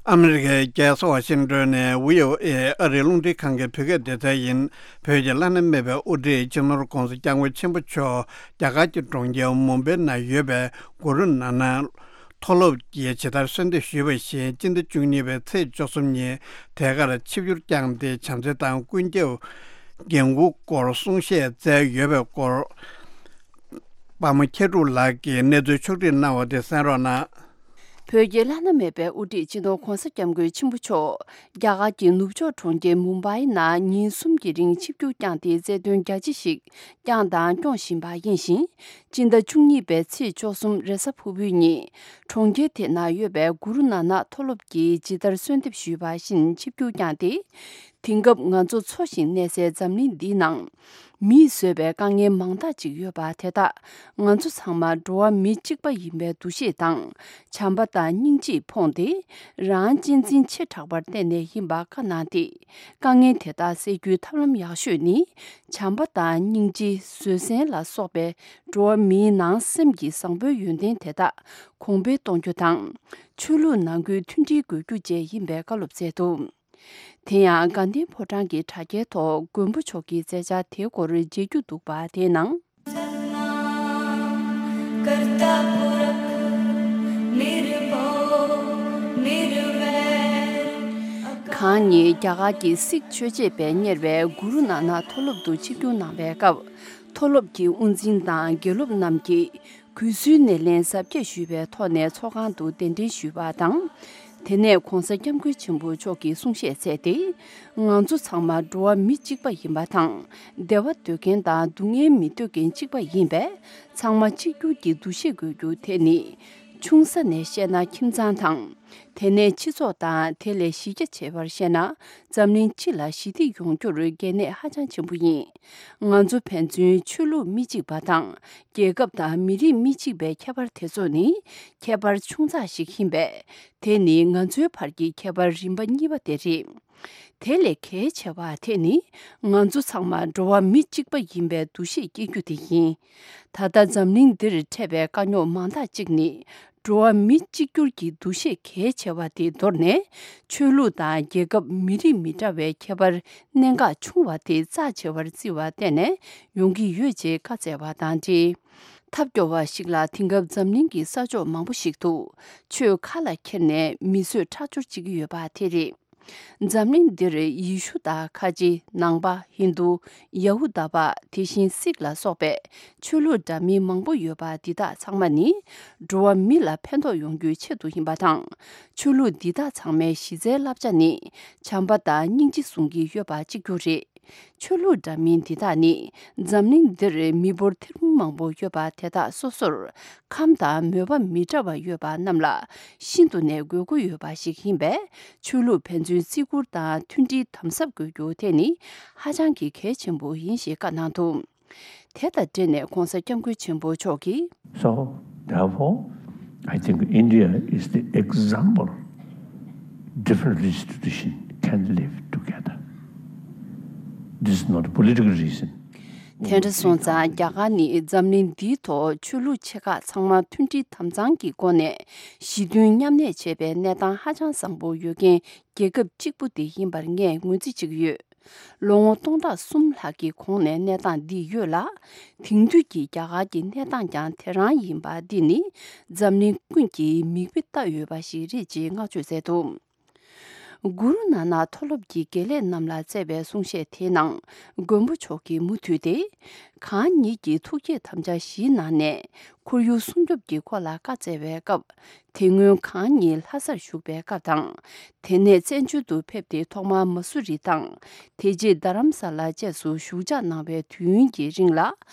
ཨ་མི་རི་ཀའི་རྒྱལ་ས་ཝ་ཤིང་ཏོན་ནས་བྷི་ཨོ་ཨེ་ཨ་རིའི་རླུང་འཕྲིན་ཁང་གི་བོད་སྐད་སྡེ་ཚན་ཡིན། བོད་ཀྱི་བླ་ན་མེད་པའི་དབུ་ཁྲིད་སྤྱི་ནོར་༧གོང་ས་༧སྐྱབས་མགོན་ཆེན་པོ་མཆོག་རྒྱ་གར་གྱི་གྲོང་ཁྱེར་མུམ་བྷེ་ནང་ཡོད་པའི་གུ་རུ་ནཱ་ནག་མཐོ་སློབ་ཀྱིས་ཇི་ལྟར་གསོལ་འདེབས་ཞུས་པ་བཞིན། སྤྱི་ཟླ་བཅུ་གཉིས་པའི་ཚེས་བཅུ་གསུམ་ཉིན་དེ་གར་ཆིབས་བསྒྱུར་བསྐྱངས་ཏེ། བྱམས་བརྩེ་དང་ཀུན་ཁྱབ་འགན་འཁུར་སྐོར་གསུང་བཤད་མཛད་ཡོད་པའི་སྐོར། པདྨ་མཁས་གྲུབ་ལགས་ཀྱིས་གནས་ཚུལ་ཕྱོགས་བསྒྲིགས་གནང་བ་དེ་གསན་རོགས་གནང་། བོད་ཀྱི་བླ་ན་མེད་པའི་དབུ་ཁྲིད་སྤྱི་ནོར་༧གོང་ས་༧སྐྱབས་མགོན་ཆེན་པོ་མཆོག་རྒྱ་གར་གྱི་ནུབ་ཕྱོགས་གྲོང་ཁྱེར་མུམ་བྷའི་ནང་ཉིན་གསུམ་གྱི་རིང་ཆིབས་བསྒྱུར་བསྐྱངས་ཏེ། རྩ་དོན་རྒྱ་ཆེ་ཞིག་བསྐྱངས་དང་སྐྱོང་བཞིན་པ་ཡིན་ཞིང་། སྤྱི་ཟླ་བཅུ་གཉིས་པའི་ཚེས་བཅུ་གསུམ་རེས་གཟའ་ཕུར་བུའི་ཉིན། གྲོང་ཁྱེར་དེ་ན་ཡོད་པའི་གུ་རུ་ནཱ་ནག་མཐོ་སློབ་ཀྱིས་ཇི་ལྟར་གསོལ་འདེབས་ཞུས་པ་བཞིན་ཆིབས་བསྒྱུར་བསྐྱངས་ཏེ། དེང་སྐབས་ང་ཚོ་འཚོ་ཞིང་གནས་སའི་འཛམ་གླིང་འདིའི་ནང་། མིས་བཟོས་པའི་དཀའ་ངལ་མང་དག་ཅིག་ཡོད་པ་དེ་དག་ང་ཚོ་ཚང་མ་འགྲོ་བ་མི་གཅིག་པ་ཡིན་པའི་འདུ་ཤེས་དང་། བྱམས་པ་དང་སྙིང་རྗེས་ཕོངས་ཏེ། རང་གཅེས་འཛིན་ཆེ་དྲགས་པར་བརྟེན་ནས་ཡིན་པ་བཀའ་གནང་སྟེ། དཀའ་ངལ་དེ་དག་སེལ་རྒྱུའི་ཐབས་ལམ་ཡག་ཤོས་ནི། བྱམས་པ་དང་སྙིང་རྗེ། བཟོད་བསྲན་ལ་སོགས་པའི་འགྲོ་བ་མིའི་ནང་སེམས་ཀྱི་བཟང་པོའི་ཡོན་ཏན་དེ་དག་གོང་འཕེལ་གཏོང་རྒྱུ་དང་། ཆོས་ལུགས་ནང་ཁུལ་མཐུན་སྒྲིལ་དགོས་རྒྱུ་བཅས་ཡིན་པའི་བཀའ་སློབ་སྩལ་འདུག་དེ་ཡང་དགའ་ལྡན་ཕོ་བྲང་གི་གྲ་རྒྱའི་ཐོག་མགོན་པོ་མཆོག་གི་མཛད་འཆར་དེའི་སྐོར་མཇལ་རྒྱུ་འདུག་པ། དེའི་ནང་། གང་ཉིད་རྒྱ་གར་གྱི་སིག་ཆོས་བྱེད་པས་གཉེར་བའི་གུ་རུ་ནཱ་ནག་མཐོ་སློབ་ཏུ་ཆིབས་བསྒྱུར་གནང་བའི་སྐབས། མཐོ་སློབ་ཀྱི་དབུ་འཛིན་དང་དགེ་སློབ་རྣམས་ཀྱིས། གུས་བསུའི་སྣེ་ལེན་གཟབ་རྒྱས་ཞུས་པའི་ཐོག་ནས་ཚོགས་ཁང་དུ་གདན་འདྲེན་ཞུས་པ་དང་། དེ་ནས་༧གོང་ས་༧སྐྱབས་མགོན་ཆེན་པོ་མཆོག་གིས་གསུང་བཤད་མཛད་དེ། ང་ཚོ་ཚང་མ་འགྲོ་བ་མི་གཅིག་པ་ཡིན་པ་དང་། བདེ་བ་འདོད་མཁན་དང་སྡུག་བསྔལ་མི་འདོད་མཁན་གཅིག་པ་ཡིན་པས། ཚང་མ་གཅིག་གྱུར་གྱི་འདུ་ཤེས་དགོས་རྒྱུ་དེ་ནི། ཆུང་ས་ནས་བཤད་ན་ཁྱིམ་ཚང་དང་། དེ་ནས་སྤྱི་ཚོགས་དང་དེ་ལས་གཞི་རྒྱ་ཆེ་བར་བཤད་ན། འཛམ་གླིང་སྤྱི་ལ་ཞི་བདེ་ཡོང་རྒྱུར་གལ་གནད་ཧ་ཅང་ཆེན་པོ་ཡིན། ང་ཚོ་ཕན་ཚུན་ཆོས་ལུགས་མི་གཅིག་པ་དང་། རྒྱལ་ཁབ་དང་མི་རིགས་མི་གཅིག་པའི་ཁྱད་པར་དེ་ཚོ་ནི། ཁྱད་པར་ཆུང་ཙག་ཞིག་ཡིན་པས། དེ་ནི་ང་ཚོའི་བར་གྱི་ཁྱད་པར་རིམ་པ་གཉིས་པ་དེ་རེད། དེ་ལས་གལ་ཆེ་བ་དེ་ནི། ང་ཚོ་ཚང་མ་འགྲོ་བ་མི་གཅིག་པ་ཡིན་པའི་འདུ་ཤེས་སྐྱེ་རྒྱུ་དེ་ཡིན། ད་ལྟ་འཛམ་གླིང་འདིར་འཕྲད་པའི་དཀའ་རྙོག་མང་དག་ཅིག་ནི། འགྲོ་བ་མི་གཅིག་གྱུར་གྱི་འདུ་ཤེས་གལ་ཆེ་བ་དེ་དོར་ནས། ཆོས་ལུགས་དང་རྒྱལ་ཁབ་མི་རིགས་མི་འདྲ་བའི་ཁྱད་པར་གནད་འགག་ཆུང་བ་དེ་རྩ་ཆེ་བར་བརྩི་བ་བརྟེན་ནས་ཡོང་གི་ཡོད་ཅེས་བཀའ་སྩལ་བ་དང་འབྲེལ། ཐབས་སྐྱོ་བ་ཞིག་ལ། དེང་སྐབས་འཛམ་གླིང་གི་ས་ཕྱོགས་མང་པོ་ཞིག་ཏུ། ཆོས་ཁ་ལ་འཁྱེར་ནས་མི་གསོད་ཁྲག་སྦྱོར་བྱེད་ཀྱི་ཡོད་པ་དེ་རེད། འཛམ་གླིང་འདིར་ཡེ་ཤུ་དང་ཁ་ཆེ། ནང་པ། ཧིན་རྡུ། ཡ་ཧུ་དཱ་པ། དེ་བཞིན་སིག་ལ་སོགས་པའི་ཆོས་ལུགས་འདྲ་མིན་མང་པོ་ཡོད་པ་འདི་དག་ཚང་མ་ནི། འགྲོ་བ་མི་ལ་ཕན་ཐོགས་ཡོང་རྒྱུའི་ཆེད་དུ་ཡིན་པ་དང་། ཆོས་ལུགས་འདི་དག་ཚང་མའི་གཞི་རྩའི་བསླབ་བྱ་ནི། བྱམས་པ་དང་སྙིང་རྗེ་བཟུང་གི་ཡོད་པ་གཅིག་གྱུར་རེད། ཆོས་ལུགས་འདྲ་མིན་འདི་དག་ནི། འཛམ་གླིང་འདིར་མི་འབོར་ཐེར་འབུམ་མང་པོ་ཡོད་པ་དེ་དག་སོ་སོར། ཁམས་དང་མོས་པ་མི་འདྲ་བ་ཡོད་པ་རྣམས་ལ་ཤིན་ཏུ་ནས་དགོས་མཁོ་ཡོད་པ་ཞིག་ཡིན་པས། ཆོས་ལུགས་ཕན་ཚུན་བརྩི་བཀུར་དང་མཐུན་སྒྲིལ་དམ་ཟབ་དགོས་རྒྱུ་དེ་ནི་ཧ་ཅང་གི་གལ་ཆེན་པོ་ཡིན་ཞེས་བཀའ་གནང་འདུག་དེ་དང་འབྲེལ་ནས་༧གོང་ས་༧སྐྱབས་མགོན་ཆེན་པོ་མཆོག་གིས། So, therefore, I think India is the example. Different religious tradition can live together. This is not a political reason. དེ་འདྲ་སོང་ཙང་། རྒྱ་གར་ནི་འཛམ་གླིང་འདིའི་ཐོག་ཆོས་ལུགས་ཆེ་ཁག་ཚང་མ་མཐུན་སྒྲིལ་དམ་གཙང་གི་སྒོ་ནས་ཞི་མཐུན་མཉམ་གནས་བྱེད་པའི་གནས་སྟངས་ཧ་ཅང་བཟང་པོ་ཡོད་མཁན་རྒྱལ་ཁབ་གཅིག་པུ་དེ་ཡིན་པར་ངས་ངོས་འཛིན་བྱེད་ཀྱི་ཡོད། ལོ་ངོ་སྟོང་ཕྲག་གསུམ་ལྷག་གི་གོང་ནས་གནས་སྟངས་འདི་ཡོད་ལ། དེང་དུས་ཀྱི་རྒྱ་གར་གྱི་གནས་སྟངས་ཀྱང་དེ་རང་ཡིན་པ་འདི་ནི་འཛམ་གླིང་ཀུན་གྱིས་མིག་དཔེ་ལྟ་འོས་པ་ཞིག་རེད་ཅེས་བསྔགས་བརྗོད་མཛད་འདུག་གུ་རུ་ནཱ་ནག་མཐོ་སློབ་ཀྱི་དགེ་ལས་རྣམས་ལ་སྩལ་བའི་གསུང་བཤད་དེའི་ནང་མགོན་པོ་མཆོག་གིས་མུ་མཐུད་དེ། གང་ཉིད་ཀྱི་ཐུགས་བསྐྱེད་དམ་བཅའ་བཞིའི་ནང་ནས་ཁོར་ཡུག་སྲུང་སྐྱོབ་ཀྱི་སྐོར་ལ་བཀའ་སྩལ་བའི་སྐབས། དེ་སྔོན་གང་ཉིད་ལྷ་སར་བཞུགས་པའི་སྐབས་དང་། དེ་ནས་བཙན་བྱོལ་དུ་ཕེབས་ཏེ་ཐོག་མར་མ་སུ་རི་དང་། དེ་རྗེས་རྡ་རམ་ས་ལ་བཅས་སུ་བཞུགས་ཞག་གནང་བའི་དུས་ཡུན་གྱི་རིང་ལ།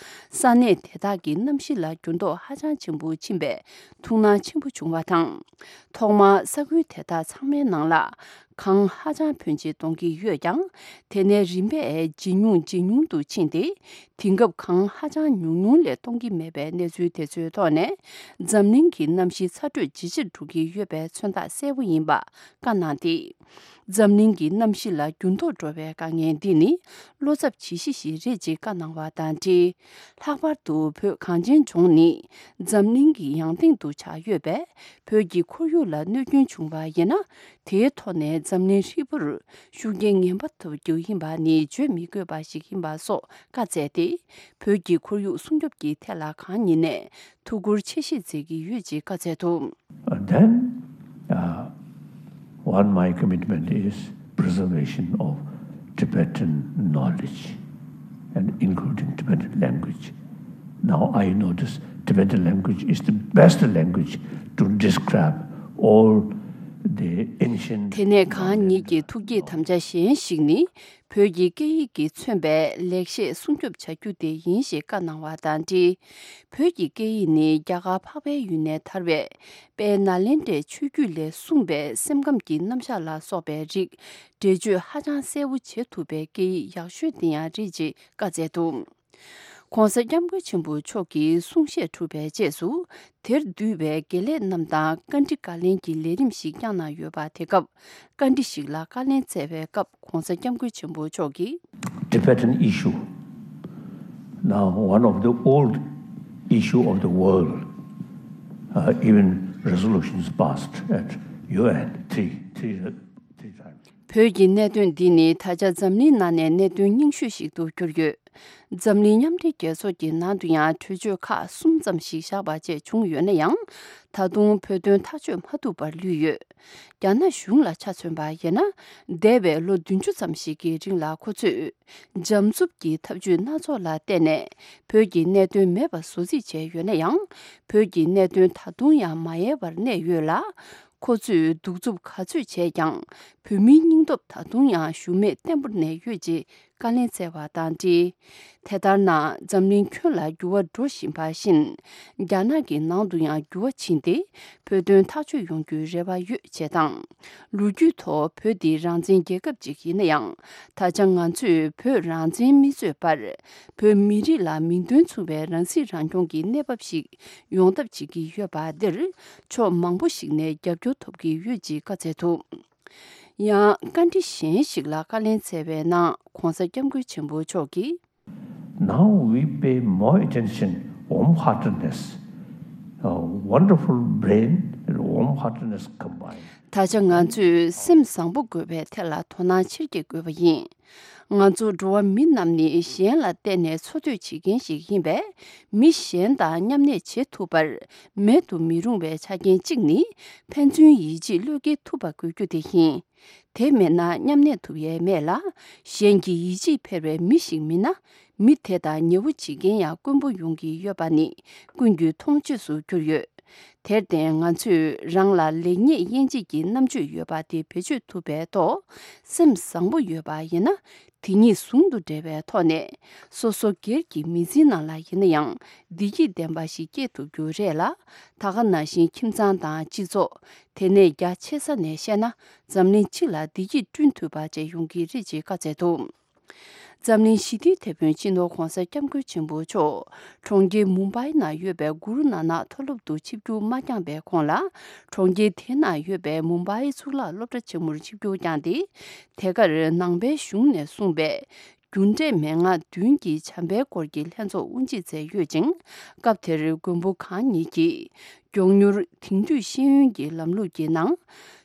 ས་གནས་དེ་དག་གི་གནམ་གཤིས་ལ་འགྱུར་ལྡོག་ཧ་ཅང་ཆེན་པོ་ཕྱིན་པས་ཐུགས་སྣང་ཆེན་པོ་བྱུང་བ་དང་། ཐོག་མར་ས་ཁུལ་དེ་དག་ཚང་མའི་ནང་ལ་གངས་ཧ་ཅང་ཕོན་ཆེ་གཏོང་གི་ཡོད་ཀྱང་། དེ་ནས་རིམ་པས་ཇེ་ཉུང་ཇེ་ཉུང་དུ་ཕྱིན་ཏེ། དེང་སྐབས་གངས་ཧ་ཅང་ཉུང་ཉུང་ལས་གཏོང་གི་མེད་པའི་གནས་ཚུལ་དེ་ཚོའི་ཐོག་ནས། འཛམ་གླིང་གི་གནམ་གཤིས་ཚ་དྲོད་ཇེ་ཆེར་འགྲོ་གི་ཡོད་པའི་མཚོན་རྟགས་གསལ་པོ་ཡིན་པ་བཀའ་གནང་སྟེ། འཛམ་གླིང་གི་གནམ་གཤིས་ལ་འགྱུར་ལྡོག་འགྲོ་བའི་དཀའ་ངལ་འདི་ནི་བློ་འཚབ་བྱེད་གཞི་ཞིག་རེད་ཅེས་བཀའ་གནང་བ་དང་འབྲེལ། ལྷག་པར་དུ་བོད་གངས་ཅན་ལྗོངས་ནི་འཛམ་གླིང་གི་ཡང་སྟེང་དུ་ཆགས་ཡོད་པས། བོད་ཀྱི་ཁོར་ཡུག་ལ་གནོད་སྐྱོན་བྱུང་བ་ཡིན་ན། དེའི་ཐོག་ནས་འཛམ་གླིང་ཧྲིལ་པོར་ཤུགས་རྐྱེན་ངན་པ་ཐེབས་རྒྱུ་ཡིན་པ་ནི་བརྗོད་མི་དགོས་པ་ཞིག་ཡིན་པ་སོགས་བཀའ་སྩལ་ཏེ། བོད་ཀྱི་ཁོར་ཡུག་སྲུང་སྐྱོབ་ཀྱི་ཐད་ལ་གང་ཉིད་ནས་ཐུགས་ཁུར་ཆེ་བཞེས་མཛད་ཀྱི་ཡོད་ཅེས་བཀའ་སྩལ་འདུག And then, uh, one, my commitment is preservation of Tibetan knowledge and including Tibetan language. Now I know this Tibetan language is the best language to describe all the ancient དེ་ནས་གང་ཉིད་ཀྱི་ཐུགས་བསྐྱེད་དམ་བཅའ་གཞན་ཞིག་ནི། བོད་ཀྱི་སྐད་ཡིག་གིས་མཚོན་པའི་ལེགས་བཤད་སྲུང་སྐྱོབ་བྱ་རྒྱུ་དེ་ཡིན་ཞེས་བཀའ་གནང་བ་དང་འབྲེལ། བོད་ཀྱི་སྐད་ཡིག་ནི་རྒྱ་གར་འཕགས་པའི་ཡུལ་ནས་དར་བའི་དཔལ་ནཱ་ལེནྡྲའི་ཆོས་བརྒྱུད་ལས་གསུངས་པའི་སེམས་ཁམས་ཀྱི་རྣམ་གཞག་ལ་སོགས་པའི་རིགས་འགྲེལ་བརྗོད་ཧ་ཅང་གསལ་པོ་བྱེད་ཐུབ་པའི་སྐད་ཡིག་ཡག་ཤོས་དེ་ཡང་རེད་ཅེས་བཀའ་སྩལ་འདུག ྋགོང་ས་ྋསྐྱབས་མགོན་ཆེན་པོ་མཆོག་གིས་གསུང་བཤད་གྲུབ་པའི་རྗེས་སུ། དེར་འདུས་པའི་དགེ་ལས་རྣམས་དང་བཀའ་འདྲི་བཀའ་ལན་གྱི་ལས་རིམ་ཞིག་བསྐྱངས་གནང་ཡོད་པ། དེ་སྐབས་བཀའ་འདྲི་ཞིག་ལ་བཀའ་ལན་སྩལ་བའི་སྐབས་༧གོང་ས་༧སྐྱབས་མགོན་ཆེན་པོ་མཆོག་གིས། Tibetan issue, now one of the old issue of the world, uh, even resolutions passed at U N three, three, three times. བོད་ཀྱི་གནད་དོན་འདི་ནི་ད་ཆ་འཛམ་གླིང་ནང་ནས་གནད་དོན་རྙིང་ཤོས་ཤིག་ཏུ་གྱུར་ཡོད། འཛམ་གླིང་མཉམ་འབྲེལ་རྒྱལ་ཚོགས་ཀྱི་ནང་དུ་ཡང་གྲོས་ཆོད་ཁག་གསུམ་ཙམ་ཞིག་བཞག་པ་བཅས་བྱུང་ཡོད་ན་ཡང་། ད་དུང་བོད་དོན་ཐག་གཅོད་མ་ཐུབ་པར་ལུས་ཡོད། རྒྱ་ནག་གཞུང་ལ་ཆ་མཚོན་པ་ཡིན་ན། འདས་པའི་ལོ་བདུན་ཅུ་ཙམ་ཞིག་གི་རིང་ལ་ཁོ་ཚོས་འཇམ་རྩུབ་ཀྱི་ཐབས་ཇུས་སྣ་ཚོགས་ལ་བརྟེན་ནས་བོད་ཀྱི་གནད་དོན་མེད་པ་བཟོ་རྩིས་བྱས་ཡོད་ན་ཡང་། བོད་ཀྱི་གནད་དོན་ད་དུང་ཡང་མ་ཡལ་བར་གནས་ཡོད་ལ། ཁོ་ཚོས་གདུག་རྩུབ་ག་ཚོད་བྱས་ཀྱང་བོད་མིའི་སྙིང་སྟོབས་ད་དུང་ཡང་ཞུམ་མེད་བརྟན་པོར་གནས་ཡོད་ཅེས་བཀའ་ལན་སྩལ་བ་དང་འབྲེལ། དེ་ལྟར་ན་འཛམ་གླིང་ཁྱོན་ལ་འགྱུར་བ་འགྲོ་བཞིན་པ་བཞིན། རྒྱ་ནག་གི་ནང་དུ་ཡང་འགྱུར་བ་ཕྱིན་ཏེ་བོད་དོན་ཐག་གཅོད་ཡོང་རྒྱུའི་རེ་བ་ཡོད་ཅེས་དང་། ལོ་རྒྱུས་ཐོག་བོད་འདི་རང་བཙན་རྒྱལ་ཁབ་ཅིག་ཡིན་ན་ཡང་། ད་ཆ་ང་ཚོས་བོད་རང་བཙན་མི་རྩོད་པར། བོད་མི་རིགས་ལ་མིང་དོན་མཚུངས་པའི་རང་སྲིད་རང་སྐྱོང་གི་གནས་བབ་ཞིག་ཡོང་ཐབས་བྱེད་ཀྱི་ཡོད་པ་འདིར། ཕྱོགས་མང་པོ་ཞིག་ནས་རྒྱབ་སྐྱོར་ཐོབ་ཀྱི་ཡོད་ཅེས་བཀའ་སྩལ་འདུག་ཡང་བཀའ་འདྲི་གཞན་ཞིག་ལ་བཀའ་ལན་སྩལ་བའི་ནང་གོང་ས་སྐྱབས་མགོན་ཆེན་པོ་མཆོག་གིས། Now we pay more attention, warm heartedness, a wonderful brain and warm heartedness combined. ད་ཆ་ང་ཚོས་སེམས་བཟང་པོ་དགོས་པའི་ཐད་ལ་དོ་སྣང་ཆེར་བསྐྱེད་དགོས་པ་ཡིན། ང་ཚོ་འགྲོ་བ་མི་རྣམས་ནི་གཞན་ལ་བརྟེན་ནས་འཚོ་སྡོད་བྱེད་མཁན་ཞིག་ཡིན་པས། མི་གཞན་དང་མཉམ་གནས་བྱེད་ཐུབ་པར་མེད་དུ་མི་རུང་བའི་ཆ་རྐྱེན་གཅིག་ནི། ཕན་ཚུན་ཡིད་ཆེས་བློས་འགེལ་ཐུབ་པ་དགོས་རྒྱུ་དེ་ཡིན། དེ་མེད་ན་མཉམ་གནས་ཐུབ་ཡས་མེད་ལ། གཞན་གྱི་ཡིད་ཆེས་འཕེར་བའི་མི་ཞིག་མིན་ན། མི་དེ་དང་ཉེ་བོ་བྱེད་མཁན་ཡང་དཀོན་པོ་ཡོང་གི་ཡོད་པ་ནི་ཀུན་གྱིས་མཐོང་ཆོས་སུ་གྱུར་ཡོད། དེར་བརྟེན་ང་ཚོས་རང་ལ་ལེགས་ཉེས་དབྱེ་འབྱེད་ཀྱི་རྣམ་དཔྱོད་ཡོད་པ་དེ་བེད་སྤྱོད་ཐུབ་པའི་ཐོག་སེམས་བཟང་པོ་ཡོད་པ་ཡིན་ན། དེ་གཉིས་ཟུང་དུ་འབྲེལ་བའི་ཐོག་ནས་སོ་སོ་སྒེར་གྱི་མི་ཚེའི་ནང་ལ་ཡིན་ན་ཡང་བདེ་སྐྱིད་ལྡན་པ་ཞིག་སྐྱེལ་ཐུབ་རྒྱུ་རེད་ལ། ད་ག་ནང་བཞིན་ཁྱིམ་ཚང་དང་སྤྱི་ཚོགས། དེ་ནས་རྒྱ་ཆེ་ས་ནས་བཤད་ན་འཛམ་གླིང་སྤྱི་ལ་བདེ་སྐྱིད་བསྐྲུན་ཐུབ་པ་བཅས་ཡོང་གི་རེད་ཅེས་བཀའ་སྩལ་འདུག་འཛམ་གླིང་ཞི་བདེའི་དེད་དཔོན་སྤྱི་ནོར་༧གོང་ས་༧སྐྱབས་མགོན་ཆེན་པོ་མཆོག་གྲོང་ཁྱེར་མུམ་བྷའི་ནང་ཡོད་པའི་གུ་རུ་ནཱ་ནག་མཐོ་སློབ་ཏུ་ཆིབས་བསྒྱུར་མ་བསྐྱངས་པའི་གོང་ལ། གྲོང་ཁྱེར་དེ་ནང་ཡོད་པའི་མུམ་བྷའི་གཙུག་ལག་སློབ་གྲྭ་ཆེན་མོར་ཆིབས་བསྒྱུར་བསྐྱངས་ཏེ། དེ་གར་ནང་པའི་གཞུང་ནས་གསུངས་པའི་རྒྱུ་འབྲས་མན་ངག་བདུན་གྱི་བྱམས་པའི་སྐོར་གྱི་ལྷན་ཚོགས་དབུ་འབྱེད་མཛད་ཡོད་ཅིང་། སྐབས་དེར་མགོན་པོ་གང་ཉིད་ཀྱིས། མགྱོགས་མྱུར་དེང་དུས་ཤེས་ཡོན་གྱི་ལམ་ལུགས་ཀྱི་ནང་།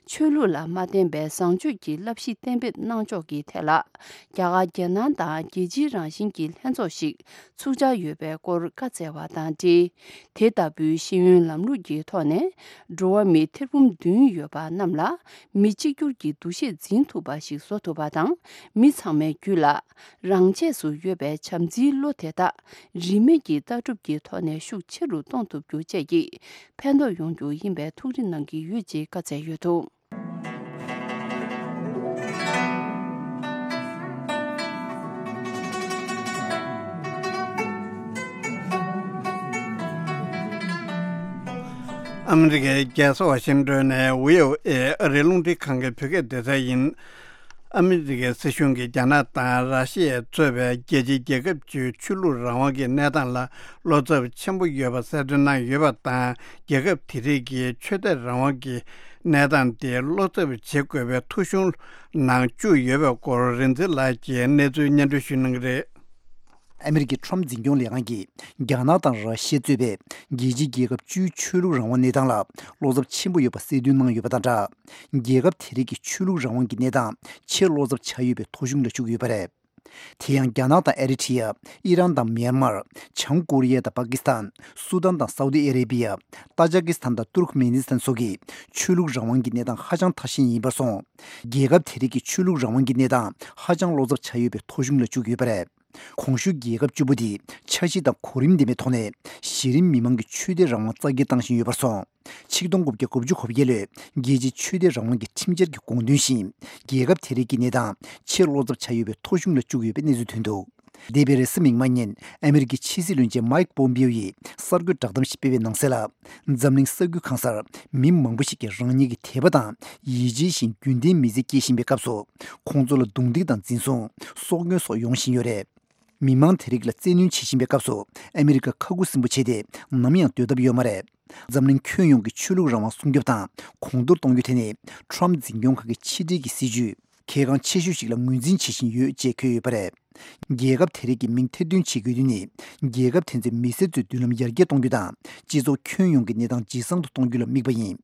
ཆོས་ལུགས་ལ་མ་བརྟེན་པའི་བཟང་སྤྱོད་ཀྱི་བསླབ་གཞི་གཏན་འབེབས་གནང་ཕྱོགས་ཀྱི་ཐད་ལ། རྒྱ་གར་རྒྱལ་ནང་དང་རྒྱལ་སྤྱིའི་རང་བཞིན་གྱི་ལྷན་ཚོགས་ཤིག་ཚུགས་འཆར་ཡོད་པའི་སྐོར་བཀའ་སྩལ་བ་དང་འབྲེལ། དེ་ལྟ་བུའི་ཤེས་ཡོན་ལམ་ལུགས་ཀྱི་ཐོག་ནས། འགྲོ་བ་མི་ཐེར་འབུམ་བདུན་ཡོད་པ་རྣམས་ལ། མི་གཅིག་གྱུར་གྱི་འདུ་ཤེས་འཛིན་ཐུབ་པ་ཞིག་བཟོ་ཐུབ་པ་དང་། མི་ཚང་མའི་རྒྱུད་ལ། རང་ཆས་སུ་ཡོད་པའི་བྱམས་བརྩེའི་བློ་དེ་དག་རིས་མེད་ཀྱི་ལྟ་གྲུབ་ཀྱི་ཐོག་ནས་ཤུགས་ཆེ་རུ་གཏོང་ཐུབ་རྒྱུ་བཅས་ཀྱི་ཕན་ཐོགས་ཡོང་རྒྱུ་ཡིན་པའི་ཐུགས་རེ་གནང་གི་ཡོད་ཅེས་བཀའ་སྩལ་ཡོད་འདུག་ཨ་མི་རི་ཀའི་རྒྱལ་ས་ཝ་ཤིང་ཏོན་ནས་བྷི་ཨོ་ཨེ་ཨ་རིའི་རླུང་འཕྲིན་ཁང་གི་བོད་སྐད་སྡེ་ཚན་ཡིན། ཨ་མི་རི་ཀའི་སྲིད་གཞུང་གིས་རྒྱ་ནག་དང་ར་ཤི་ཡས་གཙོས་པའི་རྒྱལ་སྤྱིའི་རྒྱལ་ཁབ་བཅུའི་ཆོས་ལུགས་རང་དབང་གི་གནས་སྟངས་ལ་བློ་འཚབ་ཆེན་པོ་ཡོད་པ་གསལ་སྟོན་གནང་ཡོད་པ་དང་། རྒྱལ་ཁབ་དེ་རིགས་ཀྱི་ཆོས་དད་རང་དབང་གི་གནས་སྟངས་དེ་བློ་འཚབ་བྱེད་དགོས་པའི་ཐོ་གཞུང་ནང་བཅུག་ཡོད་པའི་སྐོར་རིག་འཛིན་ལགས་ཀྱིས་གནས་ཚུལ་སྙན་སྒྲོན་ཞུ་གནང་གི་རེད། ཨ་མི་རི་ཀའི་ཁྲོམ་འཛིན་སྐྱོང་ལས་ཁང་གིས་རྒྱ་ནག་དང་ར་ཤི་ཡ་གཙོས་པའི་རྒྱལ་སྤྱིའི་རྒྱལ་ཁབ་བཅུའི་ཆོས་ལུགས་རང་དབང་གནས་སྟངས་ལ་བློ་འཚབ་ཆེན་པོ་ཡོད་པ་གསལ་སྟོན་གནང་ཡོད་པ་དང་སྦྲགས། རྒྱལ་ཁབ་དེ་རིགས་ཀྱི་ཆོས་ལུགས་རང་དབང་གི་གནས་སྟངས་ཆེས་བློ་འཚབ་ཆགས་ཡོད་པའི་ཐོ་གཞུང་ལ་བཅུག་ཡོད་པ་རེད། དེ་ཡང་རྒྱ་ནག་དང་ཨེ་རི་ཐི་ཡ། ཨི་རན་དང་མྱན་མར། བྱང་ཀོ་རི་ཡ་དང་པ་ཀི་སི་ཐན། སུ་དཱན་དང་སའུ་དི་ཨ་རེ་བི་ཡ། ཏཱ་ཇ་ཀི་སི་ཐན་དང་ཏུར་ཁི་མེ་ནི་སི་ཐན་སོགས་ཀྱི་ཆོས་ལུགས་རང་དབང་གི་གནས་སྟངས་ཧ་ཅང་ཐ་ཞན་ཡིན་པར་སོང་། རྒྱལ་ཁབ་དེ་རིགས་ཀྱི་ཆོས་ལུགས་རང་དབང་གི་གནས་སྟངས་ཧ་ཅང་བློ་འཚབ་ཆགས་ཡོད་པའི་ཐོ་གཞུང་ལ་བཅུག་ཡོད་པ་རེད། གོང་ཞུས་རྒྱལ་ཁབ་བཅུ་པོ་དེ་འཆར་གཞི་དང་གོ་རིམ་ལྡན་པའི་ཐོག་ནས་གཞི་རིམ་མི་མང་གི་ཆོས་དད་རང་དབང་རྩ་འགེངས་བཏང་བཞིན་ཡོད་པར་སོང་། ཆིག་སྟོང་དགུ་བརྒྱ་གོ་བརྒྱད་ལོའི་རྒྱལ་སྤྱིའི་ཆོས་དད་རང་དབང་གི་ཁྲིམས་འཆར་གྱི་དགོངས་དོན་བཞིན། རྒྱལ་ཁབ་དེ་རིགས་ཀྱི་གནས་སྟངས་ཆེས་བློ་འཚབ་ཆགས་ཡོད་པའི་ཐོ་གཞུང་ལ་བཅུག་ཡོད་པའི་གནས་ཚུལ་ཐོན་འདུག་འདས་པའི་རེས་གཟའ་མིག་དམར་ཉིན་ཨ་མི་རི་ཀའི་ཕྱི་སྲིད་བློན་ཆེན་མའིག་པོམ་པིའོ་ཡིས་གསར་འགོད་བསྒྲགས་གཏམ་ཞིག་སྤེལ་བའི་ནང་གསལ་ལ། འཛམ་གླིང་ས་ཁུལ་གང་སར་མི་མང་པོ་ཞིག་གིས་རང་ཉིད་ཀྱི་དད་པ་དང་ཡིད་ཆེས་བཞིན་རྒྱུན་ལྡན་མི་ཚེ་སྐྱེལ་བཞིན་པའི་སྐབས་སུ། ཁོང་ཚོ་ལ་རྡུང་རྡེག་དང་འཛིན་བཟུང་། སྲོག་སྐྱོན་སོགས་ཡོང་བཞིན་ཡོད་རེད། མི་མང་དེ་རིགས་ལ་བཙན་གནོན་བྱེད་བཞིན་པའི་སྐབས་སུ། ཨ་མི་རི་ཀ་ཁ་ཁུ་སིམ་པོ་བྱས་ཏེ་ནམ་ཡང་སྡོད་ཐབས་ཡོད་མ་རེད། འཛམ་གླིང་ཁྱོན་ཡོངས་ཀྱི་ཆོས་ལུགས་རང་དབང་སྲུང་སྐྱོབ་དང་གོང་མཐོར་གཏོང་རྒྱུ་དེ་ནི་ཁྲོམ་འཛིན་སྐྱོང་ཁང་གི་ཕྱི་འབྲེལ་གྱི་སྲིད་ཇུས་གལ་འགངས་ཆེ་ཤོས་ཤིག་ལ་ངོས་འཛིན་བྱེད་བཞིན་ཡོད་ཅེས་འཁོད་ཡོད་པ་རེད། རྒྱལ་ཁབ་དེ་རིགས་ཀྱི་མིང་ཐེར་འདོན་བྱེད་དགོས་དོན་ནི། རྒྱལ་ཁབ་དེ་ཚོའི་མི་སེར་ཚོའི་མདུན་ལམ་ཡར་རྒྱས་གཏོང་རྒྱུ་དང་། སྤྱི་ཚོགས་ཁྱོན་ཡོངས་ཀྱི་གནས་སྟངས་ཇེ་བཟང་དུ་གཏོང་རྒྱུ་ལ་དམིགས་པ་ཡིན།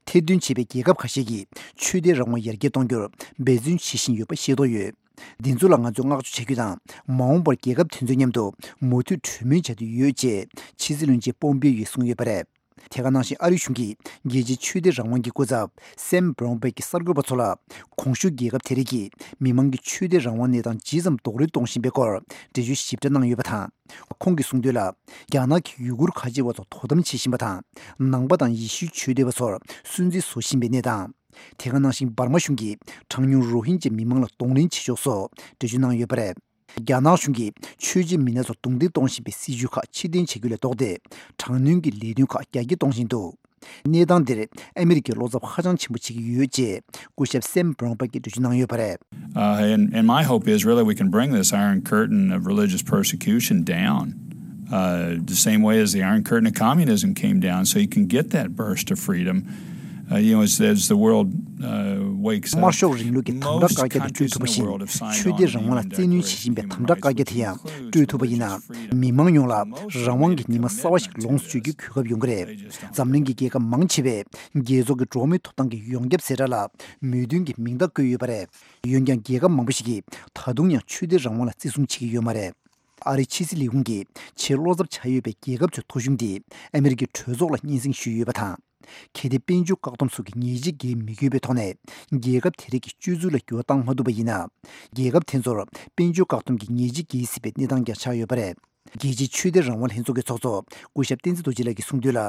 ཐེར་འདོན་བྱས་པའི་རྒྱལ་ཁབ་ཁ་ཤས་ཀྱིས་ཆོས་དད་རང་དབང་ཡར་རྒྱས་གཏོང་རྒྱུར་འབད་བརྩོན་བྱེད་བཞིན་ཡོད་པ་ཤེས་རྟོགས་ཡོད། འདི་ཚོ་ལ་ང་ཚོས་བསྔགས་བརྗོད་བྱ་རྒྱུ་དང་། མ་འོངས་པར་རྒྱལ་ཁབ་དེ་ཚོའི་མཉམ་དུ་མོས་མཐུན་གྲོས་མོལ་བྱ་རྒྱུ་ཡོད་ཅེས་ཕྱི་སྲིད་བློན་ཆེན་པོམ་པིའོ་ཡིས་གསུངས་ཡོད་པ་རེད། དེ་ག་ནང་བཞིན་ཨ་རིའི་གཞུང་གིས་རྒྱལ་སྤྱིའི་ཆོས་དད་རང་དབང་གི་སྐུ་ཚབ་སེམ་བྷ་རོན་བྷེག་གིས་གསར་འགོད་པ་ཚོ་ལ། གོང་ཞུས་རྒྱལ་ཁབ་དེ་རིགས་ཀྱིས་མི་མང་གི་ཆོས་དད་རང་དབང་གནས་སྟངས་ཇི་ཙམ་རྡོག་རོལ་གཏོང་བཞིན་པའི་སྐོར་འགྲེལ་བརྗོད་ཞིབ་ཕྲ་གནང་ཡོད་པ་དང་། ཁོང་གིས་གསུངས་དོན་ལ། རྒྱ་ནག་གིས་ཡུ་གུར་ཁ་ཆེ་བ་ཚོར་དོ་དམ་བྱེད་བཞིན་པ་དང་། ནང་པ་དང་ཡེ་ཤུའི་ཆོས་དད་པ་ཚོར་སུན་གཙེར་བཟོ་བཞིན་པའི་གནས་སྟངས། དེ་ག་ནང་བཞིན་འབར་མ་གཞུང་གིས་གྲངས་ཉུང་རོ་ཧིན་ཇ་མི་མང་ལ་གདོང་ལེན་བྱེད་ཕྱོགས་སོགས་འགྲེལ་བརྗོད་གནང་ཡོད་པ་རེད། རྒྱ་ནག་གཞུང་གིས་ཆོས་བྱེད་མི་སྣ་ཚོར་རྡུང་རྡེག་གཏོང་བཞིན་པའི་སྲིད་བྱུས་ཁག་ཕྱིར་འཐེན་བྱེད་རྒྱུ་ལས་ལྡོག་སྟེ། དྲག་གནོན་གྱི་ལས་དོན་ཁག་རྒྱ་སྐྱེད་གཏོང་བཞིན་འདུག་གནས་སྟངས་འདིར་ཨ་མི་རི་ཀས་བློ་འཚབ་ཧ་ཅང་ཆེན་པོ་བྱེད་ཀྱི་ཡོད་ཅེས་སྐུ་ཞབས་སེམ་བྷ་རོན་བྷེག་གིས་འགྲེལ་བརྗོད་གནང་ཡོད་པ་རེད། Uh, and, and my hope is really we can bring this Iron Curtain of religious persecution down, uh, the same way as the Iron Curtain of communism came down, so you can get that burst of freedom. Uh, you know, as, as the world uh, wakes up, དམར་ཤོག་རིང་ལུགས་ཀྱི་དམ་དྲག་བཀག་རྒྱ་དེ་སྤྲོད་ཐུབ་པ་བཞིན། ཆོས་དད་རང་དབང་ལ་བཙན་གནོན་བྱེད་བཞིན་པའི་དམ་དྲག་བཀག་རྒྱ་དེ་ཡང་སྤྲོད་ཐུབ་པ་ཡིན་ན། མི་མང་ཡོངས་ལ་རང་དབང་གི་ཉི་མ་གསར་བ་ཞིག་ལོངས་སུ་སྤྱོད་རྒྱུའི་གོ་སྐབས་ཡོང་གི་རེད། འཛམ་གླིང་གི་རྒྱལ་ཁབ་མང་ཆེ་བས་རྒྱལ་ཚོགས་ཀྱི་འགྲོ་བ་མིའི་ཐོབ་ཐང་གི་ཡོངས་ཁྱབ་ཟེར་སྒྲ་ལ་མོས་མཐུན་གྱི་མིང་རྟགས་བཀོད་ཡོད་པ་རེད། འོན་ཀྱང་རྒྱལ་ཁབ་མང་པོ་ཞིག་གིས་ད་དུང་ཡང་ཆོས་དད་རང་དབང་ལ་བརྩི་སྲུང་བྱེད་ཀྱི་ཡོད་མ་རེད། ཨ་རིའི་ཕྱི་སྲིད་ལས་ཁུངས་ཀྱིས་ཆེས་བློ་འཚབ་ཆགས་ཡོད་པའི་རྒྱལ་ཁབ་ཚོའི་ཐོ་གཞུང་དེ་ཨ་མི་རི་ཀའི་གྲོས་ཚོགས་ལ་སྙན་སེང་ཞུས་ཡོད་པ་དང་། གལ་ཏེ་དཔལ་འབྱོར་བཀག་སྡོམ་སོགས་ཀྱི་ཉེས་ཆད་འགེལ་མི་དགོས་པའི་ཐོག་ནས། རྒྱལ་ཁབ་དེ་རིགས་ཀྱི་སྤྱོད་ཚུལ་ལ་འགྱུར་བ་བཏང་མ་ཐུབ་པ་ཡིན་ན། རྒྱལ་ཁབ་དེ་ཚོར་དཔལ་འབྱོར་བཀག་སྡོམ་གྱི་ཉེས་ཆད་འགེལ་སྲིད་པའི་གནས་སྟངས་ཀྱང་ཆགས་ཡོད་པ་རེད། རྒྱལ་སྤྱིའི་ཆོས་དད་རང་དབང་ལྷན་ཚོགས་ཀྱི་ཚོགས་གཙོ་སྐུ་ཞབས་བསྟན་འཛིན་རྡོ་རྗེ་ལགས་ཀྱིས་གསུངས་དོན་ལ།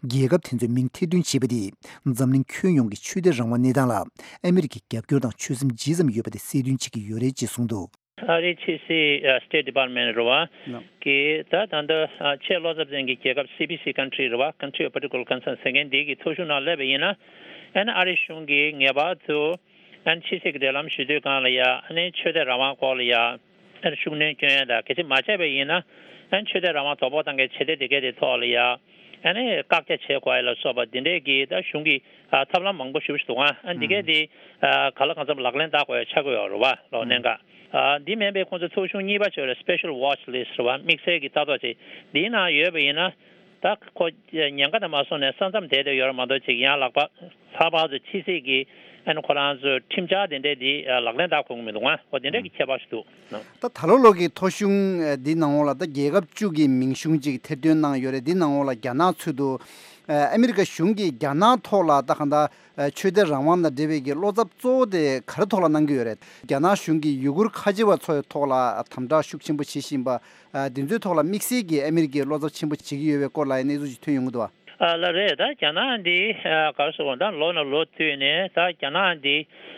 རྒྱལ་ཁབ་དེ་ཚོའི་མིང་ཐེར་འདོན་བྱས་པ་དེས་འཛམ་གླིང་ཁྱོན་ཡོངས་ཀྱི་ཆོས་དད་རང་དབང་གནས་སྟངས་ལ་ཨ་མི་རི་ཀའི་རྒྱབ་སྐྱོར་དང་ཆོད་སེམས་ཇི་ཙམ་ཡོད་པ་དེ་གསལ་སྟོན་བྱེད་ཀྱི་ཡོད་རེད་ཅེས་གསུངས་འདུག་ཨ་རིའི་ཕྱི་སྲིད་ཨ་State Department་རེད་བ། ལགས། གི་ད་ད་ལྟ་ཨ་ཆེས་བློ་འཚབ་ཅན་གྱི་རྒྱལ་ཁབ་སི་པི་སི་country་རེད་བ། Country of Particular Concern་ཟེར་མཁན་འདི་གི་ཐོ་གཞུང་ནང་སླེབས་པ་ཡིན་ན། ཨ་ནི་ཨ་རིའི་གཞུང་གིས་ངེས་པར་དུ་ཨ་ནི་ཕྱི་སྲིད་ཀྱི་འབྲེལ་ལམ་ཞུ་དུས་སྒང་ལ་ཡ། ཨ་ནི་ཆོས་དད་རང་དབང་སྐོར་ལ་ཡ། ཨ་ནི་ཤུགས་སྣོན་སྐྱོན་ཡ་དང་། གལ་སྲིད་མ་བྱས་པ་ཡིན་ན། ཨ་ནི་ཆོས་དད་རང་དབང་དོ་ཕོག་བཏང་མཁན་བྱེད་གཏེ་དེ་གས་དེ་ཐོག་ལ་ཡ། ཨ་ནི་བཀག་རྒྱ་བྱེད་དགོས་ཡ་ལ་སོགས་པ་འདི་འདྲས་ཀྱི་ད་གཞུང་གི་ཨ་ཐབས་ལམ་མང་པོ་ཞེ་པོ་ཞིག་འདུག་ཨ། ཨ་འདི་གས་དེ་ཨ་ག་ལ་གང་འཚམ་ལག་ལེན་བསྟར་དགོས་ཡ་ཆགས་ཀྱི་ཡོད་རེད་བ་ལོ། གནད་འགག་ཨ་འདི་མིན་པའི་ཁོང་ཚོ་ཐོ་གཞུང་གཉིས་པ་ཅིག་ཡོད་རེད། Special Watch List་རེད་བ། དམིགས་བསལ་གྱི་ལྟ་རྟོག་ཅིག་འདིའི་ནང་ཡོད་པ་ཡིན་ན། ད་ཁོ་ཉེན་ཁ་དེ་མ་སོང་ནས་ས་མཚམས་དེད་དེ་ཡོད་རེད་མ་གཏོགས། ཅིག་ཡང་ལྷག་པ་ལྷག་པར་དུ་ཕྱི་སྲིད་ཀྱི་ཨ་ནི་ཁོ་རང་ཚོའི་ཁྲིམས་འཆར་དེ་འདྲས་འདི་ལག་ལེན་བསྟར་དགོས་ཀྱི་མི་འདུག་ཨ། འོ་དེ་འདྲས་ཀྱི་ཁྱད་པར་ཞིག་འདུག་ད་ད་ལོ་ལོ་གི་ཐོ་གཞུང་འདི་ནང་ལོགས་ལ་ད་རྒྱལ་ཁབ་བཅུ་གི་མིང་གཞུང་ཅིག་ཐེར་འདོན་གནང་ཡོད་རེད། འདི་ནང་ལོགས་ལ་རྒྱ་ནག་ཚུད་འདུག་ཨ་མི་རི་ཀ་གཞུང་གིས་རྒྱ་ནག་ཐོག་ལ་ད་གང་ལྟར་ཆོས་དད་རང་དབང་དང་འབྲེལ་བའི་གི་བློ་འཚབ་གཙོ་བོ་དེ་ག་རེ་ཐོག་ལ་གནང་གི་ཡོད་རེད། རྒྱ་ནག་གཞུང་གིས་ཡུ་གུར་ཁ་ཆེ་བ་ཚོའི་ཐོག་ལ་དམ་དྲག་ཤུགས་ཆེན་པོ་བྱེད་བཞིན་པ། ཨ་འདི་ཚོའི་ཐོག་ལ་དམིགས་བསལ་གྱིས་ཨ་མི་རི་ཀས་བློ་འཚབ་ཆེན་པོ་བྱེད་ཀྱི་ཡོད་པའི་སྐོར་ལ་ཡང་གནས་ཚུལ་ཅིག་ཐོན་ཡོང་གི་འདུག་བ། ཨ་ལགས་རེད། ད་རྒྱ་ནག་འདི་ཨ་ག་རེ་ཟེར་དགོས། ད་ལོ་ནས་ལོ་བསྟུད་ནས་ད་རྒྱ་ནག་འདི་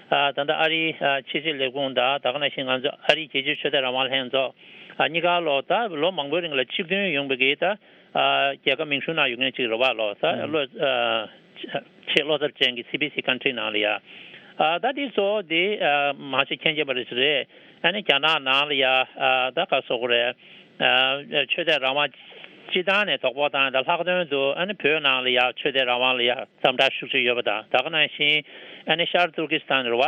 ཨ་ད་ལྟ་ཨ་རིའི་ཨ་ཕྱི་སྲིད་ལས་ཁུངས་དང་། ད་ག་ནང་བཞིན་ང་ཚོ་ཨ་རིའི་རྒྱལ་སྤྱིའི་ཆོས་དད་རང་དབང་ལྷན་ཚོགས་ཨ་གཉིས་ཀ་ལོ་ད་ལོ་མང་པོའི་རིང་ལ་གཅིག་མཐུན་ཡོང་བའི་གི་ད་ཨ་རྒྱལ་ཁབ་མིང་གཞུང་ནང་ཡོད་མཁན་ཅིག་རེད་བ་ལོ། ད་ཨ་ལོ་ཨ་ཆེས་བློ་འཚབ་ཅན་གྱི་སི་པི་སི་country་ནང་ལ་ཡ། ཨ་ད་འདི་གཙོ་བོ་འདི་ཨ་མང་ཆེ་མཁྱེན་མཁྱེན་པ་རེད་ཟེར་རེད། ཨ་ནི་རྒྱ་ནག་ནང་ལ་ཡ་ཨ་ད་ག་སོག་རེད། ཨ་ཆོས་དད་རང་དབང་སྤྱི་བཏང་ནས་དོ་ཕོག་བཏང་ཡ་དང་། ལྷག་དོན་དུ་ཨ་ནི་བོད་ནང་ལ་ཡ་ཆོས་དད་རང་དབང་ལ་ཡ་དམ་དྲག་ཤུགས་ཆེ་ཡོད་པ་དང་། ད་ག་ནང་བཞིན་ཨ་ནི་ཤར་ཏུར་ཀི་སི་ཐན་རེད་བ།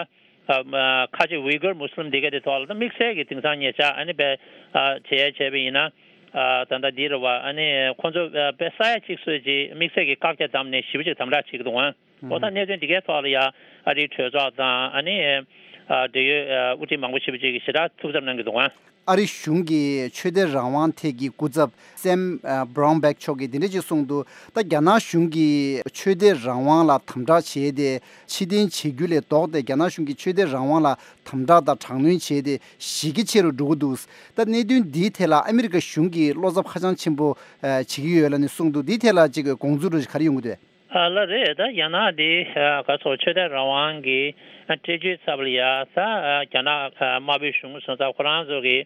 ཨ་ཁ་ཆེ་ཝི་གུར་མུ་སི་ལིམ་འདི་ག་དེ་ཐོག་ལ་ད་དམིགས་བསལ་གྱི་དེང་སང་ཉེ་ཆར་ཨ་ནི་བས་ཨ་བྱས་བྱས་པ་ཡིན་ན། ཨ་ད་ལྟ་འདི་རེད་བ། ཨ་ནི་ཁོང་ཚོ་ཨ་དཔེ་ས་ཡ་གཅིག་སོད་ཅིག་དམིགས་བསལ་གྱི་བཀག་རྒྱ་བརྒྱབ་ནས་ཞེ་པོ་ཅིག་དམ་དྲག་བྱེད་ཀྱི་འདུག་ཨང་། འོ་ད་གནད་དོན་འདི་གའི་ཐོག་ལ་ཡ་ཨ་རིའི་གྲོས་ཚོགས་དང་ཨ་ནི་ཨ་འབྲེལ་ཡོད་ཨ་དབུ་ཁྲིད་མང་པོ་ཞེ་པོ་ཅིག་གིས་ཞེ་དྲག་ཐུགས་འཚབ་གནང་གི་འདུག་ཨང་། ཨ་རི་གཞུང་གི་ཆོས་དད་རང་དབང་ཐད་ཀྱི་སྐུ་ཚབ་སེམ་ཨ་བྷ་རོན་བྷེག་མཆོག་གིས་འདི་འདྲ་ཅིག་གསུངས་འདུག་ད་རྒྱ་ནག་གཞུང་གིས་ཆོས་དད་རང་དབང་ལ་དམ་དྲག་བྱས་ཏེ་ཕྱིར་འཐེན་བྱེད་རྒྱུ་ལས་ལྡོག་སྟེ། རྒྱ་ནག་གཞུང་གིས་ཆོས་དད་རང་དབང་ལ་དམ་དྲག་དང་དྲག་གནོན་བྱས་ཏེ་གཞི་རྒྱ་ཆེ་རུ་འགྲོ་གི་འདུག་ད་གནད་དོན་འདིའི་ཐད་ལ་ཨ་མི་རི་ཀ་གཞུང་གིས་བློ་འཚབ་ཧ་ཅང་ཆེན་པོ་ཨ་བྱེད་ཀྱི་ཡོད་ལབ་ནས་གསུངས་འདུག་འདིའི་ཐད་ལ་ཅིག་དགོངས་ཚུལ་རེ་ག་རེ་ཡོང་གི་འདུག་ཨ་ལགས་རེད། ད་རྒྱ་ནག་འདི་ཨ་ག་ཚོད་ཆོས་དད་རང་དབང་གི་ཨ་སྤྲད་རྒྱུའི་ཚབ་ལ་ཡ་ད་ཨ་རྒྱ་ནག་ཨ་དམར་པོའི་གཞུང་སོང་ཙང་ཁོ་རང་ཚོ་གི་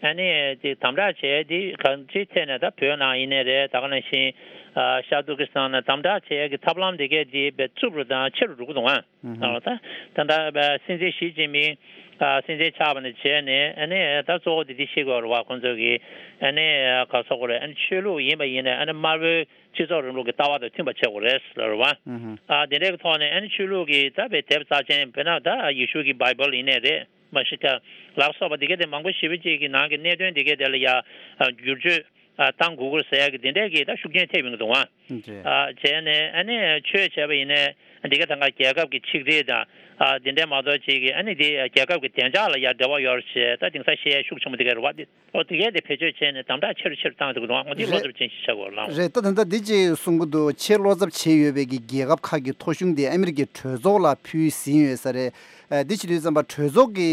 ཨ་ནི་དེ་དམ་དྲག་བྱས་དེ་གང་ཅིའི་ཐད་ནས་ད་བོད་ནང་ཡིན་ནའི་རེད། ད་ག་ནང་བཞིན་ཨ་ཤར་ཏུར་ཀི་སི་ཐན་ནང་དམ་དྲག་བྱས་ཀྱི་ཐབས་ལམ་དེ་གས་དེ་བས་རྩུབ་རུ་དང་ཆེ་རུ་འགྲོ་གི་འདུག་ཨ། ཨ་ད་ད་ལྟ་སྲིད་འཛིན་ཞི་ཅིན་ཕིང་ཨ་སྲིད་འཛིན་ཆགས་པ་ནས་བྱས་ནས་ཨ་ནི་ད་གཙོ་བོ་དེ་དེ་ཤེས་དགོས་རེད་བ། ཁོང་ཚོ་གི་ཨ་ནི་ག་ཚོད་དགོས་རེད། ཨ་ནི་ཆོས་ལུགས་ཡིན་པ་ཡིན་ནའི་ཨ་ནི་དམར་པོའི་སྤྱི་ཚོགས་རིང་ལུགས་ཀྱི་ལྟ་བ་དང་མཐུན་པ་བྱེད་དགོས་རེད་ལབ་རེད་བ། ཨ་དེ་འདྲའི་ཐོག་ནས་ཨ་ནི་ཆོས་ལུགས་ཀྱི་ད་བའི་དེབ་རྩ་ཆེན་དཔེར་ན་ད་ཡེ་ཤུ་གི་བྷའི་བལ་ཡིན་ནའི་རེད། མ་གཞི་ཀ་ལ་སོགས་པ་དེ་ག་དེ་མང་པོ་ཞེ་པོ་ཅིག་གི་ནང་གི་གནད་དོན་དེ་ག་དེ་ལ་ཡ་བསྒྱུར་བཅོས་ ཨ་བཏང་དགོས་ཀྱི་རེད་ཟེར་ཡ་གི་དེ་འདྲས་ཀྱི་ད་ཤུགས་རྐྱེན་ཐེབས་ཡོང་གི་འདུག་ཨང་། རེད། ཨ་བྱས་ནས་ཨ་ནི་ཆོས་བྱས་པ་ཡིན་ནའི་འདི་ག་ད་ག་རྒྱལ་ཁབ་ཀྱི་ཆིག་སྒྲིལ་དང་ཨ་དེ་འདྲས་མ་གཏོགས་ཅིག་གི་ཨ་ནི་དེ་རྒྱལ་ཁབ་ཀྱི་བདེ་འཇགས་ལ་ཡ་འབྲེལ་བ་ཡོད་རེད་ཅེས་ད་དེང་སང་བཤད་ཡ་ཤུགས་ཆེན་པོ་དེ་ག་རེད་བ། འོ་དེ་གས་དེ་བེད་སྤྱོད་བྱས་ནས་དམ་དྲག་ཆེ་རུ་ཆེ་རུ་བཏང་འདུག་འདུག་ཨང་། འོ་དེ་བློ་རེད། འཚབ་ཅན་ཞིག་ཆགས་དགོས་རེད་ལགས། རེད། ད་ད་ལྟ་འདི་ཅིག་གསུང་གི་འདུག་ཆེས་བློ་འཚབ་བྱེད་ཡོད་པའི་གི་རྒྱལ་ཁབ་ཁག་གི་ཐོ་གཞུང་དེ་ཨ་མི་རི་ཀའི་གྲོས་ཚོགས་ལ་ཕུལ་ཟིན་ཡོད་ས་རེད། ཨ་འདི་བྱེད་དུས་ཙམ་པ་གྲོས་ཚོགས་ཀྱི་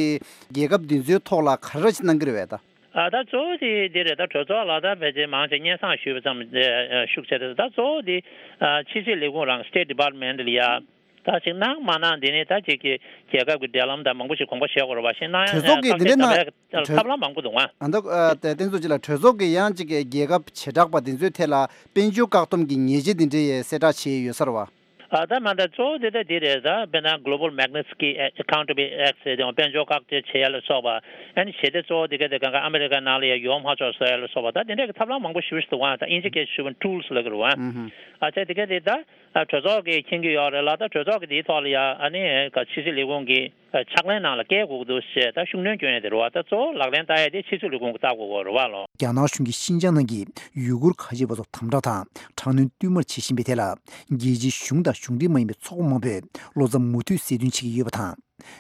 རྒྱལ་ཁབ་འདི་ཚོའི་ཐོག་ལ་ག་རེ་ཅིག་གནང་གི་རེད་བས་ད། ཨ་ད་གཙོ་བོ་དེ་འདི་རེད། ད་གྲོས་ཚོགས་ལ་ད་ཕལ་ཆེར་མང་ཆེ་སྙན་སེང་ཞུས་པ་ཙམ་ཨ་ཤུགས་ཆེ་རེད། ད་གཙོ་བོ་དེ་ཨ་ཕྱི་སྲིད་ལས་ཁུངས་རང་State Department ལ་ཡ་ད་ཅིག་གནང་མ་གནང་འདི་ནི་ད་ཅིག་གི་རྒྱལ་ཁབ་ཀྱི་འབྲེལ་ལམ་དང་མང་པོ་ཞིག་དགོངས་པ་བཞེས་དགོས་རེད་བ། ཞེ་གནང་གྲོས་ཚོགས་ཀྱི་འདི་འདྲ་གནང་ཐབས་ལམ་མང་པོ་འདུག་ཨ། ཨ་ད་ཨ་ད་བསྟན་ཚོགས་ཅིག་ལ་གྲོས་ཚོགས་ཀྱི་ཡང་ཅིག་གི་རྒྱལ་ཁབ་བྱེ་བྲག་པ་འདི་ཚོའི་ཐད་ལ་དཔལ་འབྱོར་བཀག་སྡོམ་གྱི་ཉེས་ཆད་འདི་འདྲའི་ཡས་གསལ་བསྒྲགས་བྱས་ཡོད་ས་རེད་བ། ཨ་ད་མ་ད་གཙོ་བོ་དེ་ད་འདི་རེད། ད་དཔེར་ན་Global Magnitsky Accountability Act ཟེར་དེ་དཔལ་འབྱོར་བཀག་སྡོམ་བྱེད་ཡ་ལ་སོགས་པ། ཨ་ནི་ཞེ་དེ་གཙོ་བོ་དེ་ག་དེ་གང་ག་ཨ་མི་རི་ཀ་ནང་ལ་ཡ་ཡོང་མ་ཆོག་བཟོ་ཡ་ལ་སོགས་པ། ད་དེ་འདྲ་གི་ཐབས་ལམ་མང་པོ་ཞིག་འདུག་ཨ། ད་དབྱིན་ཇི་སྐད་ཞུ་བ་tools ལབ་ཀྱི་རེད་བ། ཨ་ཅག་དེ་ག་དེ་ད་གྲོས་ཚོགས་ཀྱིས་མཁྱེན་གྱི་ཡོད་རེད་ལ། ད་གྲོས་ཚོགས་ཀྱིས་དེའི་ཐོག་ལ་ཡ་ཨ་ནི་ག་ཕྱི་སྲིད་ལས་ཁུངས་ཀྱི་ཕྱག་ལེན་ནང་ལ་བཀལ་དགོས་ཀྱི་འདུག་ཞེས་ད་ཤུགས་སྣོན་སྐྱོན་ཡ་དེ་རེད་བ། ད་གཙོ་བོ་ལག་ལེན་བསྟར་ཡ་དེ་ཕྱི་སྲིད་ལས་ཁུངས་ཀྱིས་བལྟ་དགོས་ཀྱི་རེད་བ་ལོ། རྒྱ་ནག་གཞུང་གིས་ཤིན་ཅང་ནང་གི་ཡུ་གུར་ཁ་ཆེ་བ་ཚོར་དམ་དྲག་དང་དྲག་གནོན་བསྟུད་མར་བྱེད་བཞིན་པའི་ཐད་ལ། རྒྱལ་སྤྱིའི་གཞུང་དང་གཞུང་འབྲེལ་མ་ཡིན་པའི་ཚོགས་པ་མང་པོས་བློ་འཚབ་མུ་མཐུད་གསལ་སྟོན་བྱེད་ཀྱི་ཡོད་པ་དང་།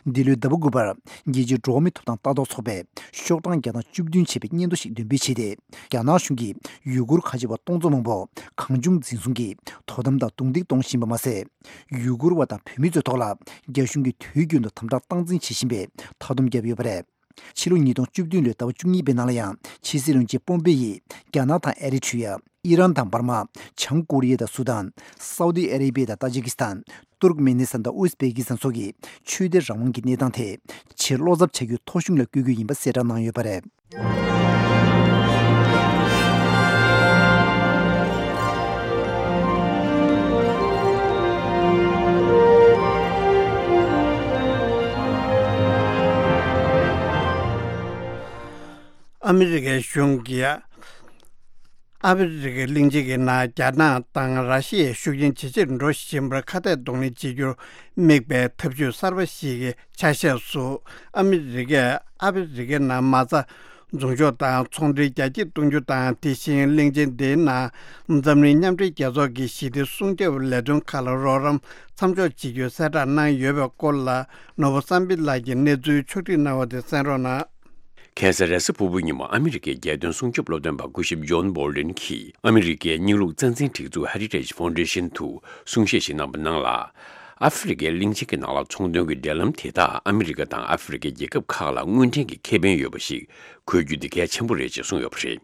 འདི་ལོའི་ཟླ་བ་དགུ་པར་རྒྱལ་སྤྱིའི་འགྲོ་བ་མིའི་ཐོབ་ཐང་ལྟ་རྟོག་ཚོགས་པས་ཤོག་གྲངས་བརྒྱ་དང་བཅུ་བདུན་བྱས་པའི་སྙན་ཐོ་ཞིག་འདོན་སྤེལ་བྱས་ཏེ། རྒྱ་ནག་གཞུང་གིས་ཡུ་གུར་ཁ་ཆེ་བ་སྟོང་ཚོ་མང་པོ་གང་བྱུང་འཛིན་བཟུང་གིས་དོ་དམ་དང་རྡུང་རྡེག་གཏོང་བཞིན་པ་མ་ཟད། ཡུ་གུར་བ་དང་བོད་མི་ཚོའི་ཐོག་ལ་རྒྱ་གཞུང་གིས་དུས་རྒྱུན་དུ་དམ་དྲག་སྟངས་འཛིན་བྱེད་བཞིན་པའི་མཐའ་སྡོམ་བརྒྱབ་ཡོད་པ་རེད། ཕྱི་ལོ་ཉིས་སྟོང་བཅུ་བདུན་ལོའི་ཟླ་བ་བཅུ་གཉིས་པའི་ནང་ལ་ཡང་ཕྱི་སྲིད་བློན་ཆེན་པོམ་པེ་ཡིས་རྒྱ་ནག་དང་ཨེ་རི་ཊི་རི་ཡ། ཨི་རན་དང་འབར་མ། བྱང་ཀོ་རི་ཡ་དང་སུ་དཱན། སའུ་ཏི་ཨ་རེ་བྷི་ཡ་དང་ཏཱ་ཇི་ཀི་སི་ཐན། ཏུར་ཀ་མེ་ནི་སི་ཐན་དང་ཨུ་ཟི་བེ་ཀི་སི་ཐན་སོགས་ཀྱི་ཆོས་དད་རང་དབང་གི་གནས་སྟངས་ཐད་ཆེས་བློ་འཚབ་བྱ་རྒྱུའི་ཐོ་གཞུང་ལ་བསྐོས་རྒྱུ་ཡིན་པ་གསལ་བསྒྲགས་གནང་ཡོད་པ་རེད། ཨ་མི་རི་ཀའི་གཞུང་གིས་ཨ་ཧྥེ་རི་ཁའི་གླིང་ཆེན་གྱི་ནང་རྒྱ་ནག་དང་ར་ཤི་ཡའི་ཤུགས་རྐྱེན་ཇེ་ཆེར་འགྲོ་བཞིན་པར་ཁ་གཏད་གདོང་ལེན་བྱེད་རྒྱུར་དམིགས་པའི་ཐབས་ཇུས་གསར་པ་ཞིག་གི་ཆ་ཤས་སུ། ཨ་མི་རི་ཀས་ཨ་ཧྥེ་རི་ཁའི་ནང་མ་རྩ་འཛུགས་འཇོག་དང་ཚོང་འབྲེལ་རྒྱ་སྐྱེད་གཏོང་རྒྱུ་དང་། དེ་བཞིན་གླིང་ཆེན་དེའི་ནང་འཛམ་གླིང་མཉམ་འབྲེལ་རྒྱལ་ཚོགས་ཀྱི་ཞི་བདེ་སྲུང་སྐྱོབ་ལས་དོན་ཁག་ལ་རོགས་རམ་མཚམས་འཇོག་བྱེད་རྒྱུའི་གསལ་བསྒྲགས་གནང་ཡོད་པའི་སྐོར་ལ། ནོར་བུ་བསམ་འཕེལ་ལགས་ཀྱིས་གནས་ཚུལ་ཕྱོགས་སྒྲིག་གནང་བ་དེ་གསན་རོགས་གནང་། ཁ་སང་རེས་གཟའ་ཕུར་བུ་ཉིན་མོ་ཨ་མི་རི་ཀའི་རྒྱལ་དོན་སྲུང་སྐྱོབ་སློབ་སྟོན་པ་སྐུ་ཞབས་ཇོན་བྷོལ་ཌིན་གྱིས་ཨ་མི་རི་ཀའི་རྙིང་ལུགས་རྩ་འཛིན་སྒྲིག་འཛུགས་Heritage Foundation དུ་གསུང་བཤད་ཞིག་གནང་པ་ནང་ལ། ཨ་ཧྥེ་རི་ཀའི་གླིང་ཆེན་གྱི་ནང་ལ་ཚོང་དོན་གྱི་འབྲེལ་ལམ་དེ་དག་ཨ་མི་རི་ཀ་དང་ཨ་ཧྥེ་རི་ཀའི་རྒྱལ་ཁབ་ཁག་ལ་དངུལ་འདྲེན་གྱི་ཁེ་ཕན་ཡོད་པ་ཞིག་དགོས་རྒྱུ་འདི་གལ་ཆེན་པོ་རེད་ཅེས་གསུངས་ཡོད་པ་རེད།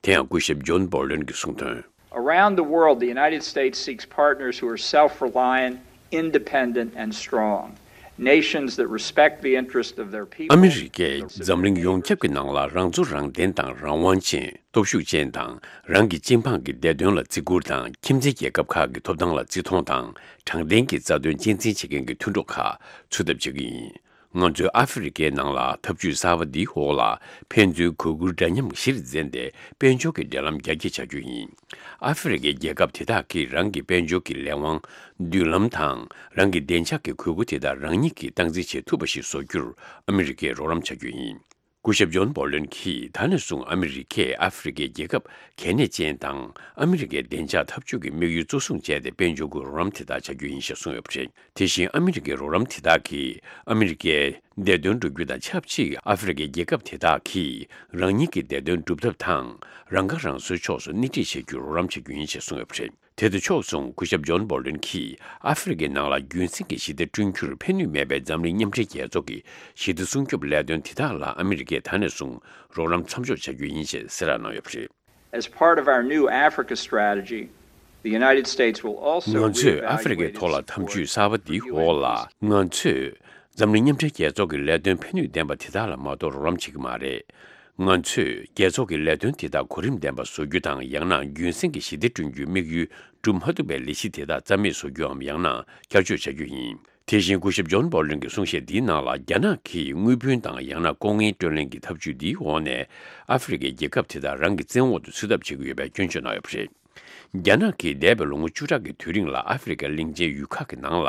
དེ་ཡང་སྐུ་ཞབས་ཇོན་བྷོལ་ཌིན་གྱིས་གསུངས་དོན། Around the world, the United States seeks partners who are self-reliant, independent, and strong. Nations that respect the interest of their people. ཨ་མི་རི་ཀས་འཛམ་གླིང་ཡོངས་ཁྱབ་ཀྱི་ནང་ལ་རང་ཚོ་རང་བདེན་དང་རང་དབང་ཅན། སྟོབས་ཤུགས་ཅན་དང་། རང་གི་སྤྱི་འབངས་ཀྱི་བདེ་དོན་ལ་བརྩི་བཀུར་དང་། ཁྱིམ་མཚེས་རྒྱལ་ཁབ་ཁག་གི་ཐོབ་ཐང་ལ་བརྩི་མཐོང་དང་། དྲང་བདེན་གྱི་རྩ་དོན་གཅེས་འཛིན་བྱེད་མཁན་གྱི་མཐུན་གྲོགས་ཁག་ཚུད་ཐབས་བྱེད་ཀྱི་ཡིན། ང་ཚོས་ཨ་ཧྥེ་རི་ཁའི་ནང་ལ་ཐབས་ཇུས་གསར་པ་འདིའི་འོག་ལ་ཕན་ཚུན་གུས་བཀུར་འདྲ་མཉམ་གཞིར་འཛིན་ཏེ་དཔལ་འབྱོར་གྱི་འབྲེལ་ལམ་རྒྱ་སྐྱེད་བྱ་རྒྱུ་ཡིན། ཨ་ཧྥེ་རི་ཁའི་རྒྱལ་ཁབ་དེ་དག་གིས་རང་གི་དཔལ་འབྱོར་གྱི་ལས་དབང་། མདུན་ལམ་དང་། རང་གི་བདེ་འཇགས་ཀྱི་དགོས་མཁོ་དེ་དག་རང་ཉིད་ཀྱིས་སྟངས་འཛིན་བྱེད་ཐུབ་པ་ཞིག་བཟོ་རྒྱུར་ཨ་མི་རི་ཀས་རོགས་རམ་བྱ་རྒྱུ་ཡིན། སྐུ་ཞབས་ཇོན་བྷོ་ལོན་གྱིས་ད་ནས་བཟུང་ཨ་མི་རི་ཀས་ཨ་ཧྥེ་རི་ཁའི་རྒྱལ་ཁབ་གལ་གནད་ཅན་དང་ཨ་མི་རི་ཀའི་བདེ་འཇགས་འཐབ་ཇུས་ཀྱི་དམིགས་ཡུལ་གཙོ་བཟུང་བྱས་ཏེ་དཔལ་འབྱོར་གྱི་རོགས་རམ་དེ་དག་བྱ་རྒྱུ་ཡིན་ཞེས་གསུངས་ཡོད་པ་རེད། དེ་བཞིན་ཨ་མི་རི་ཀའི་རོགས་རམ་དེ་དག་གིས་ཨ་མི་རི་ཀའི་བདེ་དོན་སྒྲུབ་རྒྱུ་དང་ཆབས་ཅིག་ཨ་ཧྥེ་རི་ཁའི་རྒྱལ་ཁབ་དེ་དག་གིས་རང་ཉིད་ཀྱི་བདེ་དོན་སྒྲུབ་ཐབས་དང་རང་ཁ་རང་གསོའི་ཕྱོགས་སུ་སྣེ་ཁྲིད་བྱེད་རྒྱུར་རོགས་རམ་བྱ་རྒྱུ་ཡིན་ཞེས་གསུངས་ཡོད་པ་རེད། དེ་དང་ཕྱོགས་མཚུངས་སྐུ་ཞབས་ཇོན་བྷོ་ལོན་གྱིས་ཨ་ཧྥེ་རི་ཁའི་ནང་ལ་རྒྱུན་སྲིང་གི་ཞི་བདེ་བསྐྲུན་རྒྱུར་ཕན་ནུས་མེད་པའི་འཛམ་གླིང་མཉམ་འབྲེལ་རྒྱལ་ཚོགས་ཀྱི་ཞི་བདེ་སྲུང་སྐྱོབ་ལས་དོན་དེ་དག་ལ་ཨ་མི་རི་ཀས་ད་ནས་བཟུང་རོགས་རམ་མཚམས་འཇོག་བྱ་རྒྱུ་ཡིན་ཞེས་གསལ་བསྒྲགས་གནང་ཡོད་པ་རེད། As part of our new Africa strategy, the United States will also ང་ཚོས་ཨ་ཧྥེ་རི་ཁའི་ཐོག་ལ་ཐབས་ཇུས་གསར་པ་འདིའི་འོག་ལ་ང་ཚོས་འཛམ་གླིང་མཉམ་འབྲེལ་རྒྱལ་ཚོགས་ཀྱི་ལས་དོན་ཕན་ནུས་ལྡན་པ་དེ་དག་ལ་མ་གཏོགས་རོགས་རམ་བྱེད་ཀྱི་མ་རེད། ང་ཚོས་རྒྱལ་ཚོགས་ཀྱི་ལས་དོན་དེ་དག་གོ་རིམ་ལྡན་པ་བཟོ་རྒྱུ་དང་ཡང་ན་རྒྱུན་སྲིང་གི་ཞི་བདེ་བསྐྲུན་རྒྱུའི་དམིགས་ཡུལ་སྒྲུབ་མ་ཐུབ་པའི་ལས་གཞི་དེ་དག་རྩ་མེད་བཟོ་རྒྱུའམ་ཡང་ན་བསྐྱར་བཅོས་བྱ་རྒྱུ་ཡིན། དེ་བཞིན་སྐུ་ཞབས་ཇོན་བྷོ་ལོན་གྱི་གསུང་བཤད་འདིའི་ནང་ལ་རྒྱ་ནག་གིས་དངུལ་བུན་དང་ཡང་ན་ལྐོག་རྔན་སྤྲོད་ལེན་གྱི་ཐབས་ཇུས་འདིའི་འོག་ནས་ཨ་ཧྥེ་རི་ཁའི་རྒྱལ་ཁབ་དེ་དག་རང་གི་བཙན་འོག་ཏུ་ཚུད་ཐབས་བྱེད་ཀྱི་ཡོད་པའི་སྐྱོན་བརྗོད་གནང་ཡོད་པ་རེད། རྒྱ་ནག་གིས་འདས་པའི་ལོ་ངོ་བཅུ་ཕྲག་གི་དུས་རིང་ལ་ཨ་ཧྥེ་རི་ཁའི་གླིང་ཆེན་ཡུལ་ཁག་གི་ནང་ལ་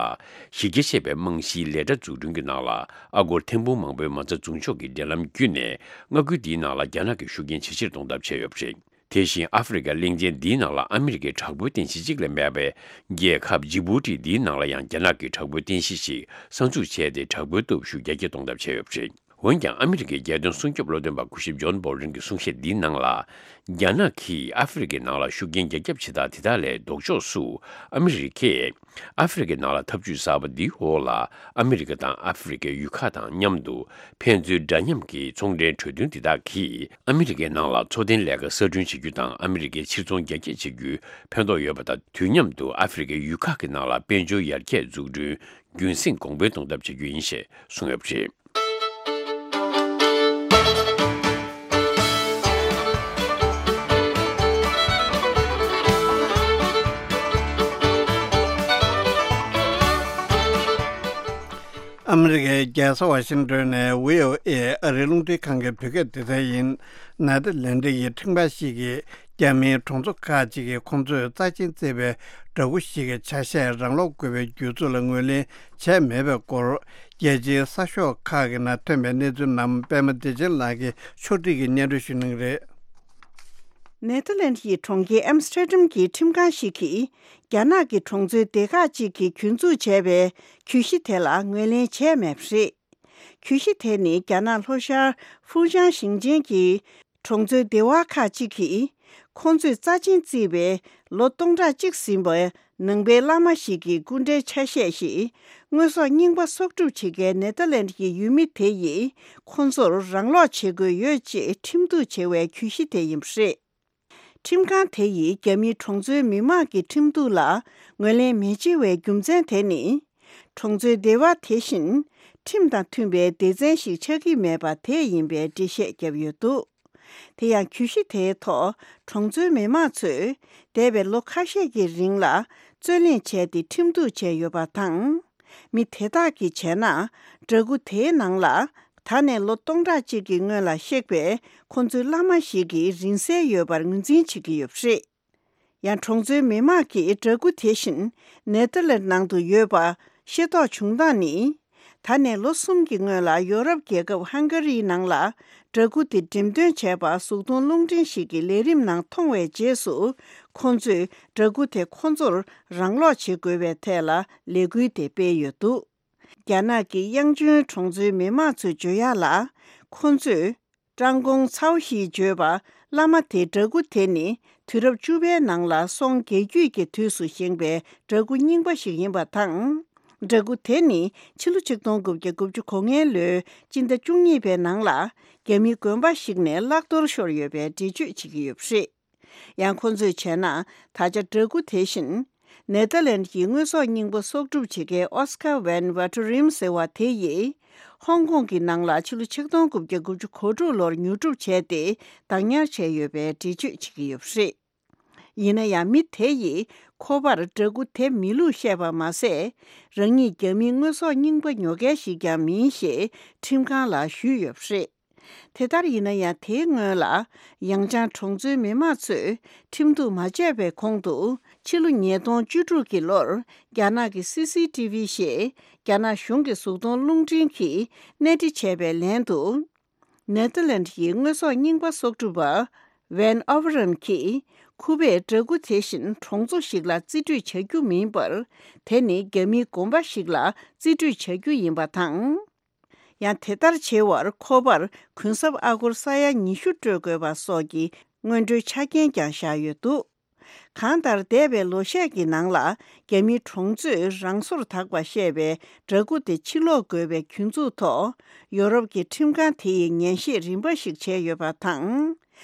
གཞི་རྒྱ་ཆེ་བའི་རྨང་གཞིའི་ལས་གྲྭ་འཛུགས་སྐྲུན་གྱི་ནང་ལ་ཨ་སྒོར་ཐེར་འབུམ་མང་པོའི་མ་རྩ་འཛུགས་འཇོག་གི་འབྲེལ་ལམ་བརྒྱུད་ནས་མངའ་ཁུལ་འདིའི་ནང་ལ་རྒྱ་ནག་གི་ཤུགས་རྐྱེན་ཇེ་ཆེར་གཏོང་ཐབས་བྱས་ཡོད་པ་རེད། དེ་བཞིན་ཨ་ཧྥེ་རི་ཁའི་གླིང་ཆེན་འདིའི་ནང་ལ་ཨ་མི་རི་ཀའི་དྲག་པོའི་རྟེན་གཞི་གཅིག་ལས་མེད་པའི་རྒྱལ་ཁབ་ཇི་བྷུ་ཊི་འདིའི་ནང་ལ་ཡང་རྒྱ་ནག་གི་དྲག་པོའི་རྟེན་གཞི་ཞིག་གསར་འཛུགས་བྱས་ཏེ། དྲག་པོའི་སྟོབས་ཤུགས་རྒྱ་སྐྱེད་གཏོང་ཐབས་བྱས་ཡོད་པ་རེད། འོན་ཀྱང་། ཨ་མི་རི་ཀའི་རྒྱལ་དོན་སྲུང་སྐྱོབ་བློ་འདོན་པ་སྐུ་ཞབས་ཇོན་བོལ་ཊོན་གྱི་གསུང་བཤད་འདིའི་ནང་ལ། རྒྱ་ནག་གིས་ཨ་ཧྥེ་རི་ཁའི་ནང་ལ་ཤུགས་རྐྱེན་རྒྱ་ཁྱབ་བྱེད་སྟངས་དེ་དག་ལས་ལྡོག་ཕྱོགས་སུ། ཨ་མི་རི་ཀས་ཨ་ཧྥེ་རི་ཁའི་ནང་ལ་འཐབ་ཇུས་གསར་པ་འདིའི་འོག་ལ། ཨ་མི་རི་ཀ་དང་ཨ་ཧྥེ་རི་ཁའི་ཡུལ་ཁག་དང་མཉམ་དུ། ཕན་ཚུན་འདྲ་མཉམ་གྱི་ཚོང་འབྲེལ་གྲོས་མཐུན་དེ་དག་གིས། ཨ་མི་རི་ཀའི་ནང་ལ་འཚོ་རྟེན་ལས་ཀ་གསར་སྐྲུན་བྱེད་རྒྱུ་དང་། ཨ་མི་རི་ཀའི་ཕྱིར་ཚོང་རྒྱ་སྐྱེད་བྱེད་རྒྱུའི་ཕན་ཐོགས་ཡོད་པ་དང་། དུས་མཉམ་དུ་ཨ་ཧྥེ་རི་ཁའི་ཡུལ་ཁག་གི་ནང་ལ་དཔལ་འབྱོར་ཡར་རྒྱས་འཛུགས་སྐྲུན་རྒྱུན་སྲིང་གོང་འཕེལ་གཏོང་ཐབས་བྱ་རྒྱུ་ཡིན་ཞེས་གསུངས་ཡོད་པ་རེད། ཨ་མི་རི་ཀའི་རྒྱལ་ས་ཝ་ཤིང་ཏོན་ནས་བྷི་ཨོ་ཨེ་ཨ་རིའི་རླུང་འཕྲིན་ཁང་གི་བོད་སྐད་སྡེ་ཚན་ཡིན། ནེ་ཐར་ལན་ཌི་ཡི་ཁྲིམས་ཁང་ཞིག་གིས། རྒྱ་མིའི་གྲོང་ཚོ་ཁག་ཅིག་གིས་ཁོང་ཚོས་རྩ་ཆེན་བརྩིས་པའི་འདྲ་སྐུ་ཞིག་གི་ཆ་ཤས་རང་སློག་དགོས་པའི་སྒྱུར་ཚུལ་ལ་ངོས་ལེན་བྱས་མེད་པའི་སྐོར། རྒྱལ་སྤྱིའི་གསར་ཤོག་ཁག་གི་ནང་ཐོན་པའི་གནས་ཚུལ་རྣམས། པད་མ་བདེ་ཆེན་ལགས་ཀྱིས་ཕྱོགས་སྒྲིག་གིས་སྙན་སྒྲོན་ཞུ་གནང་གི་རེད། ནེ་ཐར་ལན་ཌི་ཡི་གྲོང་ཁྱེར་ཨེམ་སི་ཏྲ་ཌམ་གྱི་ཁྲིམས་ཁང་ཞིག་གིས། རྒྱ་ནག་གི་གྲོང་ཚོའི་སྡེ་ཁག་ཅིག་གིས་རྒྱུན་འཛུགས་བྱས་པའི་གྱོད་གཞི་དེ་ལ་ངོས་ལེན་བྱས་མེད་པ་རེད། གྱོད་གཞི་དེ་ནི། རྒྱ་ནག་ལྷོ་ཤར་ཧྥུའུ་ཅན་ཞིང་ཆེན་གྱི་གྲོང་ཚོའི་སྡེ་བ་ཁག་ཅིག་གིས། ཁོང་ཚོས་རྩ་ཆེན་བརྩིས་པའི་ལོ་སྟོང་ཕྲག་གཅིག་ཟིན་པའི་ནང་པའི་བླ་མ་ཞིག་གི་སྐུ་འདྲའི་ཆ་ཤས་ཤིག་དངོས་ཟོག་རྙིང་པ་གསོག་སྒྲུབ་བྱེད་མཁན་ནེ་ཐར་ལན་ཌི་ཡི་ཡུལ་མི་དེ་ཡིས་ཁོང་ཚོར་རང་སློག་བྱེད་དགོས་ཡོད་ཅེས་ཁྲིམས་གཏུག་བྱས་པའི་གྱོད་གཞི་དེ་ཡིན་པ་རེད། ཁྲིམས་ཁང་དེ་ཡིས་རྒྱ་མིའི་གྲོང་ཚོའི་མི་མང་གི་ཁྲིམས་གཏུག་ལ་ངོས་ལེན་མི་བྱེད་པའི་རྒྱུ་མཚན་དེ་ནི། གྲོང་ཚོའི་སྡེ་བ་དེ་བཞིན་ཁྲིམས་དང་མཐུན་པའི་སྡེ་ཚན་ཞིག་ཆགས་ཀྱི་མེད་པ་དེས་ཡིན་པའི་འགྲེལ་བཤད་བརྒྱབ་ཡོད་འདུག་དེ་ཡང་། གྱོད་གཞི་དེའི་ཐོག་གྲོང་ཚོའི་མི་མང་ཚོས་འདས་པའི་ལོ་ཁ་ཤས་ཀྱི་རིང་ལ་རྩོད་གླེང་བྱས་ཏེ་ཁྲིམས་གཏུག་བྱས་ཡོད་པ་དང་། མི་དེ་དག་གིས་བྱས་ན། འདྲ་སྐུ་དེའི་ནང་ལ། ད་ནས་ལོ་སྟོང་ཕྲག་གཅིག་གི་སྔོན་ལ་གཤེགས་པའི་ཁོང་ཚོའི་བླ་མ་ཞིག་གི་རིང་བསྲེལ་ཡོད་པར་ངོས་འཛིན་བྱེད་ཀྱི་ཡོད་པ་རེད། ཡང་། གྲོང་ཚོའི་མི་མང་གིས་འདྲ་སྐུ་དེ་བཞིན་ནེ་ཐར་ལན་ནང་དུ་ཡོད་པ་ཤེས་རྟོགས་བྱུང་སྟངས་ནི། ད་ནས་ལོ་གསུམ་གྱི་སྔོན་ལ་ཡོ་རོབ་རྒྱལ་ཁབ་ཧང་ག་རིའི་ནང་ལ་འདྲ་སྐུ་དེ་འགྲེམས་སྟོན་བྱས་པ་གཟུགས་མཐོང་རླུང་འཕྲིན་ཞིག་གི་ལས་རིམ་ནང་མཐོང་བའི་རྗེས་སུ། ཁོང་ཚོས་འདྲ་སྐུ་དེ་ཁོང་ཚོར་རང་སློག་བྱེད་དགོས་པའི་ཐད་ལ་ལས་འགུལ་དེ་སྤེལ་ཡོད་འདུག་རྒྱ་ནག་གི་དབྱང་ཅུན་གྲོང་ཚོའི་མི་མང་ཚོས་བརྗོད་ཡག་ལ། ཁོང་ཚོས་ཀྲང་ཀོང་ཚའོ་ཞེས་བརྗོད་པ་བླ་མ་དེའི་འདྲ་སྐུ་དེ་ནི། དུས་རབས་བཅུ་པའི་ནང་ལ་སོང་རྒྱལ་རྒྱུད་ཀྱི་དུས་སུ་བཞེངས་པའི་འདྲ་སྐུ་རྙིང་པ་ཞིག་ཡིན་པ་དང་། འདྲ་སྐུ་དེ་ནི་ཕྱི་ལོ་ཆིག་སྟོང་དགུ་བརྒྱ་དགུ་བཅུ་གོ་ལྔའི་ལོའི་སྤྱི་ཟླ་བཅུ་གཉིས་པའི་ནང་ལ་རྒྱ་མིའི་དགོན་པ་ཞིག་ནས་བརླག་གཏོར་ཤོར་ཡོད་པའི་འགྲེལ་བརྗོད་བྱེད་ཀྱི་ཡོད་པ་རེད། ཡང་། ཁོང་ཚོས་བྱས་ན། ད་ཆ་འདྲ་སྐུ་དེ་བཞིན། ནེ་ཐར་ལན་ཌི་ཡི་དངོས་ཟོག་རྙིང་པ་གསོག་སྒྲུབ་བྱེད་མཁན་ཨོ་སི་ཀར་ཝན་ཝ་ཏོ་རིམ་ཟེར་བ་དེ་ཡིས། ཧོང་ཀོང་གི་ནང་ལ་ཕྱི་ལོ་ཆིག་སྟོང་དགུ་བརྒྱ་དགུ་བཅུ་གོ་དྲུག་ལོར་ཉོ་སྒྲུབ་བྱས་ཏེ། བདག་ཉར་བྱས་ཡོད་པའི་འགྲེལ་བརྗོད་བྱེད་ཀྱི་ཡོད་པ་རེད། ཡིན་ན་ཡང་། མི་དེ་ཡིས་ཁོ་པར་འདྲ་སྐུ་དེ་མིན་ལུགས་བཤད་པ་མ་ཟད། རང་ཉིད་རྒྱ་མིའི་དངོས་ཟོག་རྙིང་པ་ཉོ་མཁན་ཞིག་ཀྱང་མིན་ཞེས་ཁྲིམས་ཁང་ལ་ཞུས་ཡོད་པ་རེད། དེ་ལྟར་ཡིན་ན་ཡང་། དེའི་སྔོན་ལ་ཡང་ཅང་གྲོང་ཚོའི་མི་མང་ཚོས་ཁྲིམས་གཏུག་མ་བྱས་པའི་གོང་དུ། ཕྱི་ལོ་ཉིས་སྟོང་བཅུ་དྲུག་གི་ལོར་རྒྱ་ནག་གི་སི་སི་ཊི་ཝི་ཞེས་རྒྱ་ནག་གཞུང་གི་གཟུགས་མཐོང་རླུང་འཕྲིན་གྱིས་གནས་འདྲི་བྱས་པའི་ལན་དུ། ནེ་ཐར་ལན་ཌི་ཡི་དངོས་ཟོག་རྙིང་པ་གསོག་སྒྲུབ་པ་ཝན་ཨོ་ཝ་རམ་གྱིས། ཁོ་པས་འདྲ་སྐུ་དེ་བཞིན་གྲོང་ཚོ་ཞིག་ལ་རྩིས་སྤྲོད་བྱ་རྒྱུ་མིན་པར། དེ་ནི་རྒྱ་མིའི་དགོན་པ་ཞིག་ལ་རྩིས་སྤྲོད་བྱ་རྒྱུ་ཡིན་པ་དང་། ཡང་། དེ་ལྟར་བྱེད་པར་ཁོ་པར་གུན་གསབ་ཨ་སྒོར་ས་ཡ་ཉི་ཤུ་སྤྲོད་དགོས་པ་སོགས་ཀྱི་སྔོན་འགྲོའི་ཆ་རྐྱེན་ཀྱང་བཞག་ཡོད་འདུག་གང་ལྟར། འདས་པའི་ལོ་ཤས་ཀྱི་ནང་ལ་རྒྱ་མིའི་གྲོང་ཚོས་རང་སོར་དག་པ་བཤད་པའི་འདྲ་སྐུ་དེ་ཕྱིར་སློག་དགོས་པའི་གྱོད་འཛུགས་ཐོག་ཡོ་རོབ་ཀྱི་ཁྲིམས་ཁང་དེ་ཡིས་ཉན་བཤད་རིམ་པ་ཞིག་བྱས་ཡོད་པ་དང་།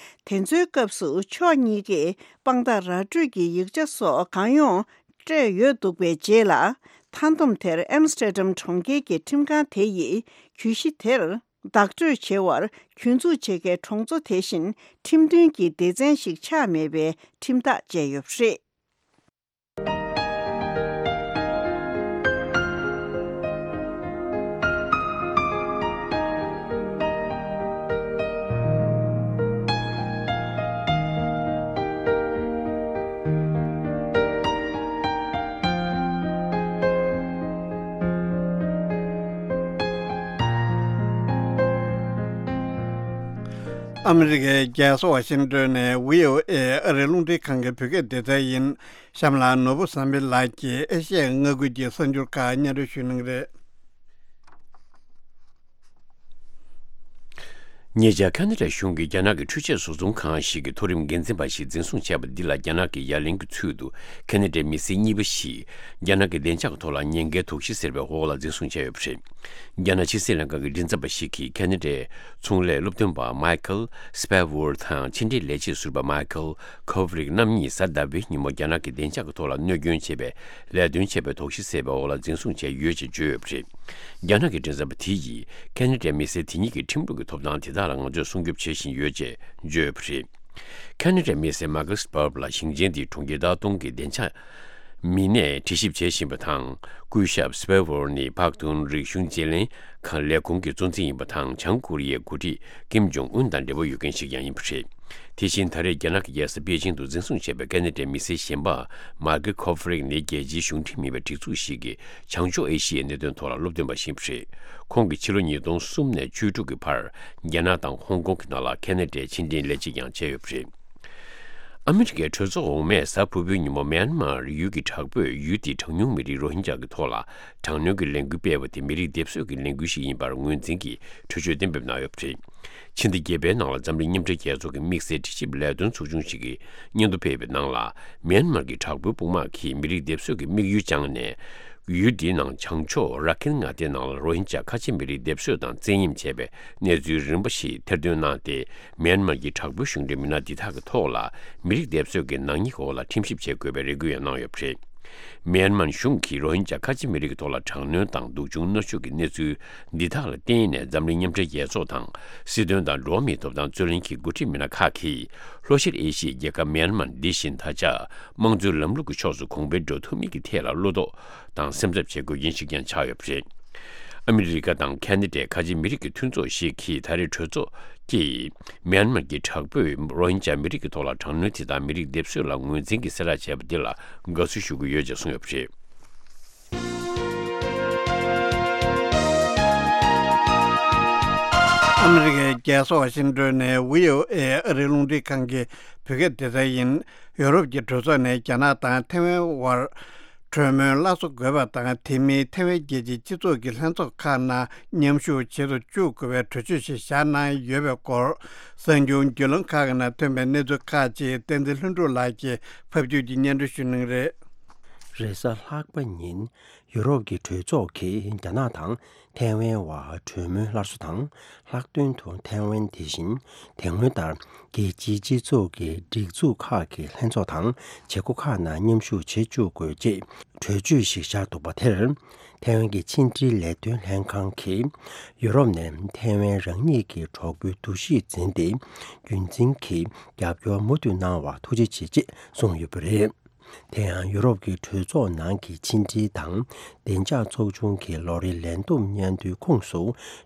དེ་ཚོའི་སྐབས་སུ་ཕྱོགས་གཉིས་ཀས་དཔང་རྟགས་ར་སྤྲོད་ཀྱི་ཡིག་ཆ་སོགས་གང་ཡོང་སྤྲད་ཡོད་འདུག་པའི་རྗེས་ལ། མཐའ་བསྡོམས་དེར་ཨེམ་སི་ཏྲ་ཌམ་གྲོང་ཁྱེར་གྱི་ཁྲིམས་ཁང་དེ་ཡིས་གྱོད་གཞི་དེར་བདག་སྤྲོད་བྱེད་པར་གྱོད་འཛུགས་བྱེད་མཁན་གྲོང་ཚོ་དེ་བཞིན་ཁྲིམས་མཐུན་གྱི་སྡེ་ཚན་ཞིག་ཆགས་མེད་པའི་ཁྲིམས་ཐག་བཅད་ཡོད་པ་རེད། ཨ་མི་རི་ཀའི་རྒྱལ་ས་ཝ་ཤིང་ཏོན་ནས་བྷི་ཨོ་ཨེ་ཨ་རིའི་རླུང་འཕྲིན་ཁང་གི་བོད་སྐད་སྡེ་ཚན་ཡིན། གཤམ་ལ་ནོར་བུ་བསམ་འཕེལ་ལགས་ཀྱིས་ཨེ་ཤ་ཡའི་མངའ་ཁུལ་གྱི་གསར་འགྱུར་ཁག་སྙན་སྒྲོན་ཞུ་གནང་གི་རེད། ཉེ་ཆར་ཁ་ན་ཌ་གཞུང་གིས་རྒྱ་ནག་གི་འཕྲུལ་ཆས་བཟོ་ཚོང་ཁང་ཞིག་གི་མཐོ་རིམ་འགན་འཛིན་པ་ཞིག་འཛིན་བཟུང་བྱས་པ་འདི་ལ་རྒྱ་ནག་གི་ཡ་ལན་གྱི་ཚུལ་དུ་ཁ་ན་ཌའི་མི་སེར་གཉིས་པ་ཞིག་རྒྱ་ནག་གི་བདེ་འཇགས་ཐོག་ལ་ཉེན་ཁའི་དོགས་གཞི་ཟེར་བའི་འོག་ལ་འཛིན་བཟུང་བྱས་ཡོད་པ་རེད། རྒྱ་ནག་ཕྱི་སྲིད་ལྷན་ཁང་གི་མགྲིན་ཚབ་པ་ཞིག་གིས་ཁ་ན་ཌའི་ཚོང་ལས་སློབ་སྟོན་པ་མའི་ཁལ་སི་པེ་ཝར་དང་ཕྱི་འབྲེལ་ལས་བྱེད་ཟུར་པ་མའི་ཁལ་ཁོ་ཕི་རིག་རྣམ་གཉིས་གཟའ་ཟླ་བའི་ཉིན་མོ་རྒྱ་ནག་གི་བདེ་འཇགས་ཀྱི་ཐོག་ལ་གནོད་སྐྱོན་བྱས་པའི་ལས་དོན་བྱས་པའི་དོགས་གཞི་ཟེར་བའི་འོག་ལ་འཛིན་བཟུང་བྱས་ཡོད་ཅེས་བརྗོད་ཡོད་པ་རེད། རྒྱ་ནག་གི་མགྲིན་ཚབ་པ་དེ་ཡིས་ཁ་ན་ཌའི་མི་སེར་དེ་གཉིས་ཀྱི་ཁྲིམས་ལུགས་ཀྱི་ཐོབ་ཐང་དེ་དག་ལ་ང་ཚོས་སྲུང་སྐྱོབ་བྱེད་བཞིན་ཡོད་ཅེས་བརྗོད་ཡོད་པ་རེད། ཁ་ན་ཌའི་མི་སེར་མ་ཀལ་སི་པརབ་ལ་ཞིང་ཆེན་དེའི་གྲོང་ཁྱེར་ཏཱ་ཏུང་གི་བདེ་འཇགས་མི་སྣས་དྲི་ཞིབ་བྱེད་བཞིན་པ་དང་། སྐུ་ཞབས་སི་པེ་ཝར་ནི་པག་ཏུན་རིག་གཞུང་བརྗེ་ལེན་ཁང་ལས་ཁུངས་ཀྱི་གཙོ་འཛིན་ཡིན་པ་དང་། བྱང་ཀོ་རི་ཡའི་འགོ་ཁྲིད་ཀིམ་ཇོང་ཨུན་དང་འབྲེལ་བ་ཡོད་མཁན་ཞིག་ཀྱང་ཡིན་པ་རེད། དེ་བཞིན་ད་རེས་རྒྱ་ནག་གི་རྒྱལ་ས་པེ་ཅིང་དུ་འཛིན་བཟུང་བྱས་པའི་ཁ་ན་ཌའི་མི་སེར་གཞན་པ་མར་ཀེ་ཁོ་ཕི་རིག་ནི་རྒྱལ་སྤྱིའི་གཞུང་འབྲེལ་མིན་པའི་སྒྲིག་འཛུགས་ཤིག་གི་བྱང་ཕྱོགས་ཨེ་ཤི་ཡའི་གནད་དོན་ཐོག་ལ་སློབ་སྟོན་པ་ཞིག་ཡིན་པ་རེད། ཁོང་གིས་ཕྱི་ལོ་ཉིས་སྟོང་གསུམ་ནས་བཅུ་དྲུག་གི་བར་རྒྱ་ནག་དང་ཧོང་ཀོང་གི་ནང་ལ་ཁ་ན་ཌའི་ཕྱི་འབྲེལ་ལས་བྱེད་ཀྱང་བྱས་ཡོད་པ་རེད། ཨ་མི་རི་ཀའི་གྲོས་ཚོགས་འོག་མས་གཟའ་ཕུར་བུའི་ཉིན་མོ་མེན་མར་ཡུལ་གྱི་དྲག་པོས་ཡུལ་དེའི་གྲངས་ཉུང་མི་རིགས་རོ་ཧིན་ཇཱ་གི་ཐོག་ལ་དྲག་གནོན་གྱི་ལས་འགུལ་སྤེལ་བ་དེ་མི་རིགས་སྡེབ་གསོད་ཀྱི་ལས་འགུལ་ཞིག་ཡིན་པར་ངོས་འཛིན་གྱིས་གྲོས་ཆོད་གཏན་འབེབས་གནང་ཡོད་པ་རེད། ཕྱི་ཟླ་བརྒྱད་པའི་ནང་ལ་འཛམ་གླིང་མཉམ་འབྲེལ་རྒྱལ་ཚོགས་ཀྱི་དམིགས་བསལ་དྲི་ཞིབ་ལས་དོན་ཚོགས་ཆུང་ཞིག་གིས་སྙན་ཐོ་ཕེབས་པའི་ནང་ལ། མེན་མར་གྱི་དྲག་པོའི་དཔུང་དམག་གིས་མི་རིགས་སྡེབ་གསོད་ཀྱི་དམིགས་ཡུལ་བཅངས་ནས། ཡུལ་འདིའི་ནང་བྱང་ཕྱོགས་ར་ཁིན་མངའ་སྡེའི་ནང་ལ་རོ་ཧིན་ཇཱ་ཁ་ཆེ་མི་རིགས་སྡེབ་གསོད་དང་བཙན་གཡེམ་བྱས་པའི་གནས་ཚུལ་རིམ་པ་ཞིག་ཐེར་འདོན་གནང་སྟེ། མེན་མར་གྱི་དྲག་པོའི་གཞུང་འབྲེལ་མི་སྣ་འདི་དག་གི་ཐོག་ལ་མི་རིགས་སྡེབ་གསོད་ཀྱི་ནག་ཉེས་འོག་ལ་ཁྲིམས་ཞིབ་བྱེད་དགོས་པའི་རེ་སྐུལ་ཡང་གནང་ཡོད་པ་རེད། མེན་མར་གཞུང་གིས་རོ་ཧིན་ཇཱ་ཁ་ཆེ་མི་རིགས་ཀྱི་ཐོག་ལ་དྲག་གནོན་དང་སྡུག་སྦྱོང་མནར་གཅོད་ཀྱི་གནས་ཚུལ་འདི་དག་ལ་བརྟེན་ནས་འཛམ་གླིང་མཉམ་འབྲེལ་རྒྱལ་ཚོགས་དང་སྲིད་དོན་དང་འགྲོ་བ་མིའི་ཐོབ་ཐང་རྩོད་ལེན་གྱི་འགོ་ཁྲིད་མི་སྣ་ཁག་གིས་ལྷོ་ཤར་ཨེ་ཤི་ཡའི་རྒྱལ་ཁབ་མེན་མར་འདི་བཞིན་ད་ཆ་དམངས་གཙོའི་ལམ་ལུགས་ཀྱི་ཕྱོགས་སུ་གོང་འཕེལ་འགྲོ་ཐུབ་མིན་གྱི་ཐད་ལ་བློ་དོགས་དང་སེམས་འཚབ་བྱེད་དགོས་རྐྱེན་ཞིག་ཀྱང་ཆགས་ཡོད་པ་རེད། ཨ་མི་རི་ཀ་དང་ཁ་ན་ཌའི་ཁ་ཆེ་མི་རིགས་ཀྱི་མཐུན་ཚོགས་ཤིག་གིས་ད་རེས་གྲོས་ཚོགས་ཀྱིས་མེན་མར་གྱི་དྲག་པོས་རོ་ཧིན་ཇཱ་མི་རིགས་ཀྱི་ཐོག་ལ་དྲག་གནོན་དེ་དག་མི་རིགས་སྡེབ་གསོད་ལ་ངོས་འཛིན་གྱིས་གསལ་བསྒྲགས་བྱས་པ་འདི་ལ་དགའ་བསུ་ཞུ་གི་ཡོད་ཅེས་གསུངས་ཡོད་པ་རེད། ཨ་མི་རི་ཀའི་རྒྱལ་ས་ཝ་ཤིང་ཏོན་ནས་བྷི་ཨོ་ཨེ་ཨ་རིའི་རླུང་འཕྲིན་ཁང་གི་བོད་སྐད་སྡེ་ཚན་ཡིན། ཡོ་རོབ་ཀྱི་གྲོས་ཚོགས་ནས་རྒྱ་ནག་དང་ཐའེ་ཝན་དབར་གྲོས་མོལ་སླར་གསོ་དགོས་པ་དང་། དེ་མིན་ཐའེ་ཝན་རྒྱལ་སྤྱིའི་སྤྱི་ཚོགས་ཀྱི་ལྷན་ཚོགས་ཁག་ནང་མཉམ་ཞུགས་བྱེད་དུ་བཅུག་དགོས་པའི་གྲོས་ཆོད་ཞིག་བཞག་གནང་ཡོད་པའི་སྐོར། གསར་འགྱུར་བརྒྱུད་ལམ་ཁག་གི་ནང་ཐོན་པའི་གནས་ཚུལ་ཁག་ཅིག་བསྟན་འཛིན་ལྷུན་གྲུབ་ལགས་ཀྱིས་ཕབ་སྒྱུར་གྱིས་སྙན་སྒྲོན་ཞུ་གནང་གི་རེད། རེས་གཟའ་ལྷག་པ་ཉིན་ཡུ་རོབ་ཀྱི་གྲོས་ཚོགས་ཀྱིས་རྒྱ་ནག་དང་ཐའེ་ཝན་བར་གྲོས་མོལ་སླར་གསོ་དང་། ལྷག་དོན་དུ་ཐའེ་ཝན་དེ་བཞིན་དེ་སྔོན་ལྟར་རྒྱལ་སྤྱིའི་སྤྱི་ཚོགས་ཀྱི་སྒྲིག་འཛུགས་ཁག་གི་ལྷན་ཚོགས་དང་བྱེད་སྒོ་ཁག་ནང་མཉམ་ཞུགས་བྱེད་བཅུག་དགོས་ཅེས་གྲོས་ཆོད་ཞིག་བཞག་འདུག་པ་དེར། ཐའེ་ཝན་གྱི་ཕྱི་འབྲེལ་ལས་དོན་ལྷན་ཁང་གིས་ཡུ་རོབ་ནས་ཐའེ་ཝན་རང་ཉིད་ཀྱི་གྲོགས་པོའི་འདུ་ཤེས་འཛིན་ཏེ། རྒྱུན་འཛིན་གྱིས་རྒྱབ་སྐྱོར་མུ་མཐུད་གནང་བར་ཐུགས་རྗེ་ཆེ་ཅེས་གསུངས་ཡོད་པ་རེད། དེ་ཡང་ཡུ་རོབ་ཀྱི་གྲོས་ཚོགས་ནང་གི་ཕྱི་འབྲེལ་དང་བདེ་འཇགས་ཚོགས་ཆུང་གི་ལོ་རེའི་ལས་བསྡོམས་སྙན་ཐོའི་ཁོངས་སུ་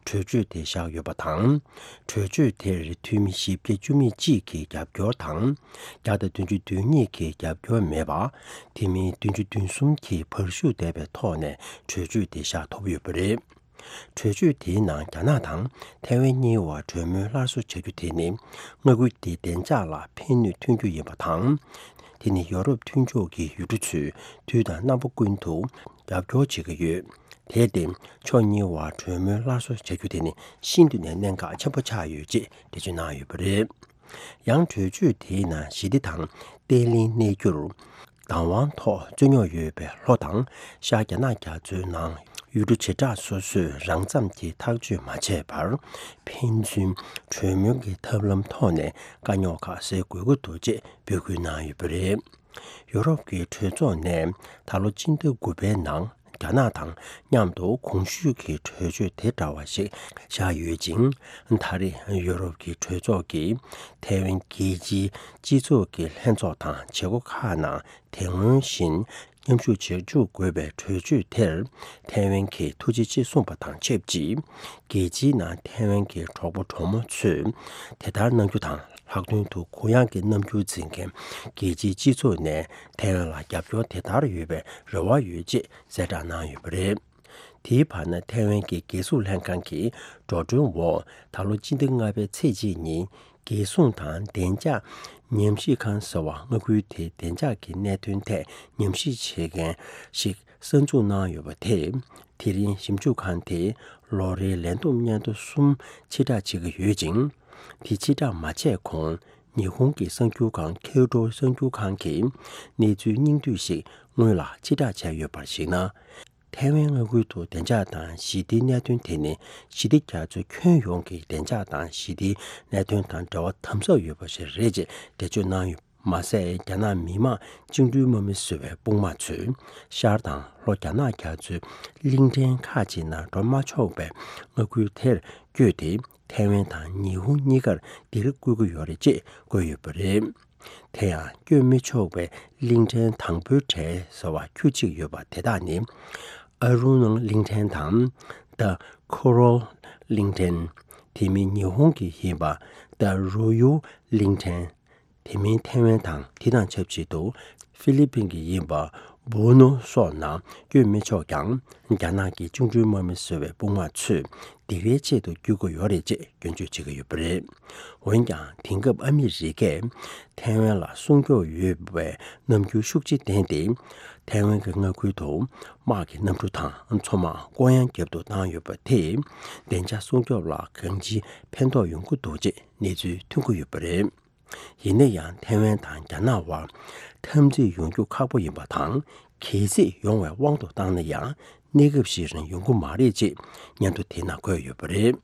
གྲོས་ཆོད་དེ་བཞག་ཡོད་པ་དང་། གྲོས་ཆོད་དེར་འཐུས་མི་བཞི་བརྒྱ་བཅུ་མེད་གཅིག་གི་རྒྱབ་སྐྱོར་དང་། བརྒྱ་དང་བདུན་ཅུ་དོན་གཉིས་ཀྱི་རྒྱབ་སྐྱོར་མེད་པ། དེ་མིན་བདུན་ཅུ་དོན་གསུམ་གྱིས་བར་ཞུགས་བསྡད་པའི་ཐོག་ནས་གྲོས་ཆོད་དེ་བཞག་ཐུབ་ཡོད་པ་རེད། གྲོས་ཆོད་དེའི་ནང་རྒྱ་ནག་དང་ཐའེ་ཝན་གཉིས་བར་གྲོས་མོལ་སླར་གསོ་བྱ་རྒྱུ་དེ་ནི་མངའ་ཁུལ་དེའི་བདེ་འཇགས་ལ་ཕན་ནུས་ཐོན་རྒྱུ་ཡིན་པ་དང་། དེ་ནི་ཡོ་རོབ་མཐུན་ཕྱོགས་ཀྱི་ཡུལ་གྲུ་ཚོས་དུས་དང་རྣམ་པ་ཀུན་ཏུ་རྒྱབ་སྐྱོར་བྱེད་ཀྱི་ཡོད། དེར་བརྟེན་ཕྱོགས་གཉིས་བར་གྲོས་མོལ་སླར་གསོ་བྱ་རྒྱུ་དེ་ནི་ཤིན་ཏུ་ནས་གནད་འགག་ཆེན་པོ་ཆགས་ཡོད་ཅེས་འགྲེལ་བརྗོད་གནང་ཡོད་པ་རེད། ཡང་གྲོས་ཆོད་དེའི་ནང་ཞི་བདེ་དང་བརྟན་ལྷིང་གནས་རྒྱུར་བདག་དབང་ཐོག་རྩོད་རྙོག་ཡོད་པའི་ལྷོ་དང་ཤར་རྒྱ་ནག་རྒྱ་མཚོའི་ནང་ཡུལ་གྲུ་བྱེ་བྲག་སོ་སོས་རང་འཚམས་ཀྱིས་ཐག་གཅོད་མ་བྱས་པར་ཕན་ཚུན་གྲོས་མོལ་གྱི་ཐབས་ལམ་ཐོག་ནས་དཀའ་རྙོག་ཁག་སེལ་དགོས་ཀྱི་འདུག་ཅེས་འབོད་སྐུལ་གནང་ཡོད་པ་རེད། ཡོ་རོབ་ཀྱི་གྲོས་ཚོགས་ནས་ད་ལོ་སྤྱི་ཟླ་དགུ་པའི་ནང་རྒྱ་ནག་དང་མཉམ་དུ་གོང་ཞུས་ཀྱི་གྲོས་ཆོད་དེ་འདྲ་བ་ཞིག་བཞག་ཡོད་ཅིང་། ད་རེས་ཡོ་རོབ་ཀྱི་གྲོས་ཚོགས་ཀྱིས་ཐའེ་ཝན་རྒྱལ་སྤྱིའི་སྤྱི་ཚོགས་ཀྱི་ལྷན་ཚོགས་དང་བྱེད་སྒོ་ཁག་ནང་དེ་སྔོན་བཞིན་མཉམ་ཞུགས་བྱེད་བཅུག་དགོས་པའི་གྲོས་ཆོད་དེར་ཐའེ་ཝན་གྱིས་ཐུགས་རྗེ་ཆེ་གསུངས་པ་དང་ཆབས་ཅིག་རྒྱལ་སྤྱིའི་ནང་ཐའེ་ཝན་གྱི་གྲོགས་པོ་གྲོགས་མོ་ཚོས་དེ་ལྟར་གནང་རྒྱུ་དང་། ལྷག་དོན་དུ་གུ་ཡངས་ཀྱི་རྣམ་འགྱུར་འཛིན་མཁན་རྒྱལ་སྤྱིའི་སྤྱི་ཚོགས་ནས་ཐའེ་ཝན་ལ་རྒྱབ་སྐྱོར་དེ་ལྟར་ཡོད་པའི་རེ་བ་ཡོད་ཅེས་གསལ་བསྒྲགས་གནང་ཡོད་པ་རེད། དེའི་བར་ན་ཐའེ་ཝན་གྱི་རྒྱལ་སྲུང་ལྷན་ཁང་གི་འགྲོ་གྲོན་འོག་ད་ལོ་སྤྱི་ཟླ་ལྔ་པའི་ཚེས་གཅིག་ཉིན་ རྒྱལ་སྲུང་དང་བདེ་འཇགས་ཉམས་ཞིབ་ཁང་ཟེར་བ་མངའ་ཁུལ་དེའི་བདེ་འཇགས་ཀྱི་གནད་དོན་ཐད་ཉམས་ཞིབ་བྱེད་མཁན་ཞིག་གསར་འཛུགས་གནང་ཡོད་པ་དེས། དེ་རིང་ཞིབ་འཇུག་ཁང་དེས་ལོ་རེའི་ལས་བསྡོམས་སྙན་ཐོ་གསུམ་ཕྱིར་བསྒྲགས་བྱེད་ཀྱི་ཡོད་ཅིང་། དེ་ཕྱིར་བསྒྲགས་མ་བྱས་གོང་ཉི་ཧོང་གི་གསར་འགྱུར་ཁང་ཁེའུ་ཏྲོ་གསར་འགྱུར་ཁང་གིས་གནས་ཚུལ་སྙིང་བསྡུས་ཤིག་སྔོན་ལ་ཕྱིར་བསྒྲགས་བྱས་ཡོད་པར་གཞིགས་ན། ཐའེ་ཝན་མངའ་ཁུལ་དུ་བདེ་འཇགས་དང་ཞི་བདེའི་གནད་དོན་དེ་ནི་ཞི་བདེ་རྒྱ་མཚོའི་ཁྱོན་ཡོངས་ཀྱི་བདེ་འཇགས་དང་ཞི་བདེའི་གནད་དོན་དང་འབྲེལ་བ་དམ་ཟབ་ཡོད་པ་ཞིག་རེད་ཅེས་འགྲེལ་བརྗོད་གནང་ཡོད། མ་ཟད། རྒྱ་ནག་མི་དམངས་བཅིངས་འགྲོལ་དམག་མི་ཟེར་བའི་དཔུང་དམག་ཚོས་ཤར་དང་ལྷོ་རྒྱ་ནག་རྒྱ་མཚོའི་གླིང་ཕྲན་ཁག་ཅིག་ནང་འགྲོ་མ་ཆོག་པའི་མངའ་ཁུལ་དེར་བསྐྱོད་དེ། ཐའེ་ཝན་དང་ཉི་ཧོང་གཉིས་ཀར་འདིར་བསྐུལ་གྱི་ཡོད་རེད་ཅེས་བཀོད་ཡོད་པ་རེད། དེ་ཡང་བསྐྱོད་མི་ཆོག་པའི་གླིང་ཕྲན་དང་པོའི་གྲས་ཟེར་བ་ཁྱུ་གཅིག་ཡོད་པ་དེ་དག་ནི། ཨ་རུ་ནང་གླིང་ཕྲན་དང་། The Kuril གླིང་ཕྲན། དེ་མིན་ཉི་ཧོང་གི་ཡིན་པ། The Ryukyu གླིང་ཕྲན། དེ་མིན་ཐའེ་ཝན་དང་དེ་དང་ཆབས་ཅིག་ཏུ་ཧྥི་ལི་པིན་གྱི་ཡིན་པ། སྦུ་ནོ་སོགས་ནང་བསྐྱོད་མི་ཆོག་ཀྱང་། རྒྱ་ནག་གི་བཅིངས་འགྲོལ་དམག་མི་ཟེར་བའི་དཔུང་དམག་ཚོས་སྡིགས་རའི་ཆེད་དུ་བསྐྱོད་ཀྱི་ཡོད་རེད་ཅེས་སྐྱོན་བརྗོད་བྱེད་ཀྱི་ཡོད་པ་རེད། འོན་ཀྱང་དེང་སྐབས་ཨ་མི་རི་ཀས་ཐའེ་ཝན་ལ་སྲུང་སྐྱོབ་ཡོད་པའི་རྣམ་འགྱུར་ཤུགས་ཆེ་བསྟན་ཏེ། ཐའེ་ཝན་གྱི་མངའ་ཁུལ་དུ་དམག་གི་གནམ་གྲུ་དང་མཚོ་དམག་བསྐོར་གཡང་རྒྱབ་ཏུ་བཏང་ཡོད་པ་དེས་བདེ་འཇགས་སྲུང་སྐྱོབ་ལ་གང་ཅིའི་ཕན་ཐོགས་ཡོང་གི་འདུག་ཅེས་གནས་ཚུལ་ཐོན་གྱི་ཡོད་པ་རེད། ཡིན་ན་ཡང་ཐའེ་ཝན་དང་རྒྱ་ནག་དབར་འཐབ་འཛིང་ཡོང་རྒྱུ་ཁག་པོ་ཡིན་པ་དང་། གལ་སྲིད་ཡོང་བའི་དབང་དུ་བཏང་ན་ཡང་གནས་སྐབས་ཤིག་རིང་ཡོང་གི་མ་རེད་ཅེས་སྙན་ཐོ་དེ་ནང་འཁོད་ཡོད་པ་རེད།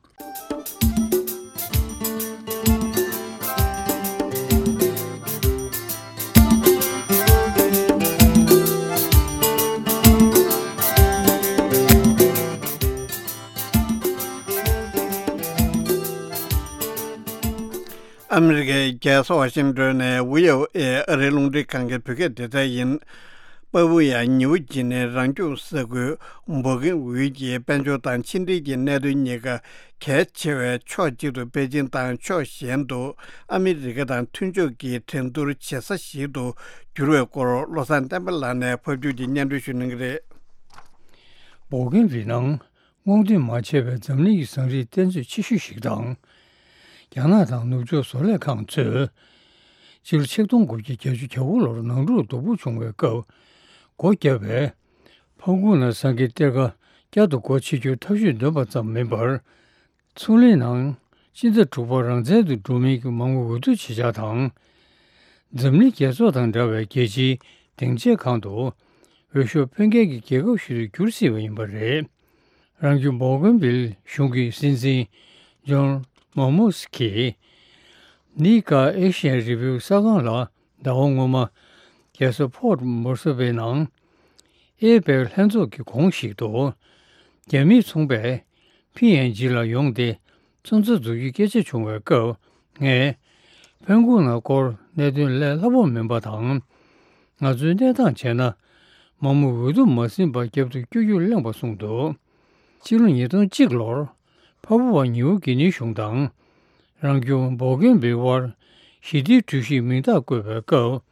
ཨ་མི་རི་ཀའི་རྒྱལ་ས་ཝ་ཤིང་ཏོན་ནས་བྷི་ཨོ་ཨེ་ཨ་རིའི་རླུང་འཕྲིན་ཁང་གི་བོད་སྐད་སྡེ་ཚན་ཡིན། པ་པུ་ཡ་ཉིའུ་ཇི་ནའི་རང་སྐྱོང་ས་ཁུལ་འབོ་ཀིན་ཝི་གྱི་དཔལ་འབྱོར་དང་ཕྱི་འབྲེལ་གྱི་གནད་དོན་གཉིས་ཀ་གལ་ཆེ་བའི་ཕྱོགས་གཅིག་ཏུ་པེ་ཅིན་དང་ཕྱོགས་གཞན་དུ་ཨ་མི་རི་ཀ་དང་མཐུན་ཕྱོགས་ཀྱི་འགྲན་བསྡུར་བྱེད་ས་ཞིག་ཏུ་གྱུར་བའི་སྐོར་བློ་བཟང་བསྟན་པ་ལགས་ནས་ཕབ་སྒྱུར་གྱིས་སྙན་སྒྲོན་ཞུ་གནང་གི་རེད། འབོ་ཀིན་ཝི་ནང་སྔོག་འདོན་མ་བྱས་པའི་འཛམ་གླིང་གི་ཟངས་རིགས་གཏེར་མཛོད་ཆེ་ཤོས་ཤིག་དང་། རྒྱ་ནག་དང་ནུབ་ཕྱོགས་བཟོ་ལས་ཁང་ཚོས་ཕྱི་ལོ་ཆིག་སྟོང་དགུ་བརྒྱ་བརྒྱད་ཅུ་གྱ་དགུ་ལོར་ནང་འཁྲུག་སྡུག་པོ་བྱུང་བའི་སྐབས་སྒོ་བརྒྱབ་པའི་ཕང་ཀུང་ན་ཟངས་ཀྱི་གཏེར་ཁ་བསྐྱར་དུ་སྒོ་ཕྱེ་རྒྱུར་ཐབས་ཇུས་འདོན་པ་ཙམ་མིན་པར། ཚོང་ལས་ནང་སྤྱི་ཟླ་དྲུག་པར་རང་བཙན་དུ་འགྲོ་མིན་གྱི་མང་མོས་འོས་བསྡུ་བྱེད་འཆར་དང་། འཛམ་གླིང་རྒྱལ་ཚོགས་དང་འདྲ་བའི་རྒྱལ་སྤྱིའི་སྡིངས་ཆའི་སྒང་དུ་འོས་ཤོག་འཕེན་མཁན་གྱི་རྒྱལ་ཁབ་ཞིག་ཏུ་འགྱུར་སྲིད་པ་ཡིན་པ་རེད། རང་སྐྱོང་བོ་གྷན་ཝིལ་གཞུང་གི་སྲིད་འཛིན་ཇོན་མོ་མོ་སི་ཀིས་ནི་ཀ་ཨེ་ཤི་ཡན་རི་བིའུ་གསར་ཁང་ལ་ཟླ་བ་སྔོན་མ་རྒྱལ་ས་ཕོར་ཊི་མོ་སི་བྷེ་ནང་ཨེ་པེག་ལྷན་ཚོགས་ཀྱི་གོང་ཞིག་ཏུ་རྒྱ་མིས་མཚོན་པའི་ཕི་ཨེན་ཇི་ལ་ཡོང་སྟེ་མཚོན་ཚ་འཛུགས་རྒྱུའི་སྐད་ཆ་བྱུང་བའི་སྐབས། ངས་ཕན་ཀུང་ན་སྐོར་གནད་དོན་ལས་སླ་པོ་མིན་པ་དང་། ང་ཚོའི་གནས་སྟངས་བྱས་ན་མང་མོས་འོས་བསྡུ་མ་ཟིན་པར་རྒྱབ་ཏུ་བསྐྱོད་རྒྱུར་གླེང་བ་གསུངས་འདུག་ཕྱི་ལོ་ཉིས་སྟོང་གཅིག་ལོར་ཕ་བུ་བ་ཉིའུ་གི་ནི་གཞུང་དང་རང་སྐྱོང་བོ་གྷན་ཝིལ་དབར་ཞི་བདེའི་གྲོས་གཞིའི་མིང་རྟགས་བཀོད་པའི་སྐབས།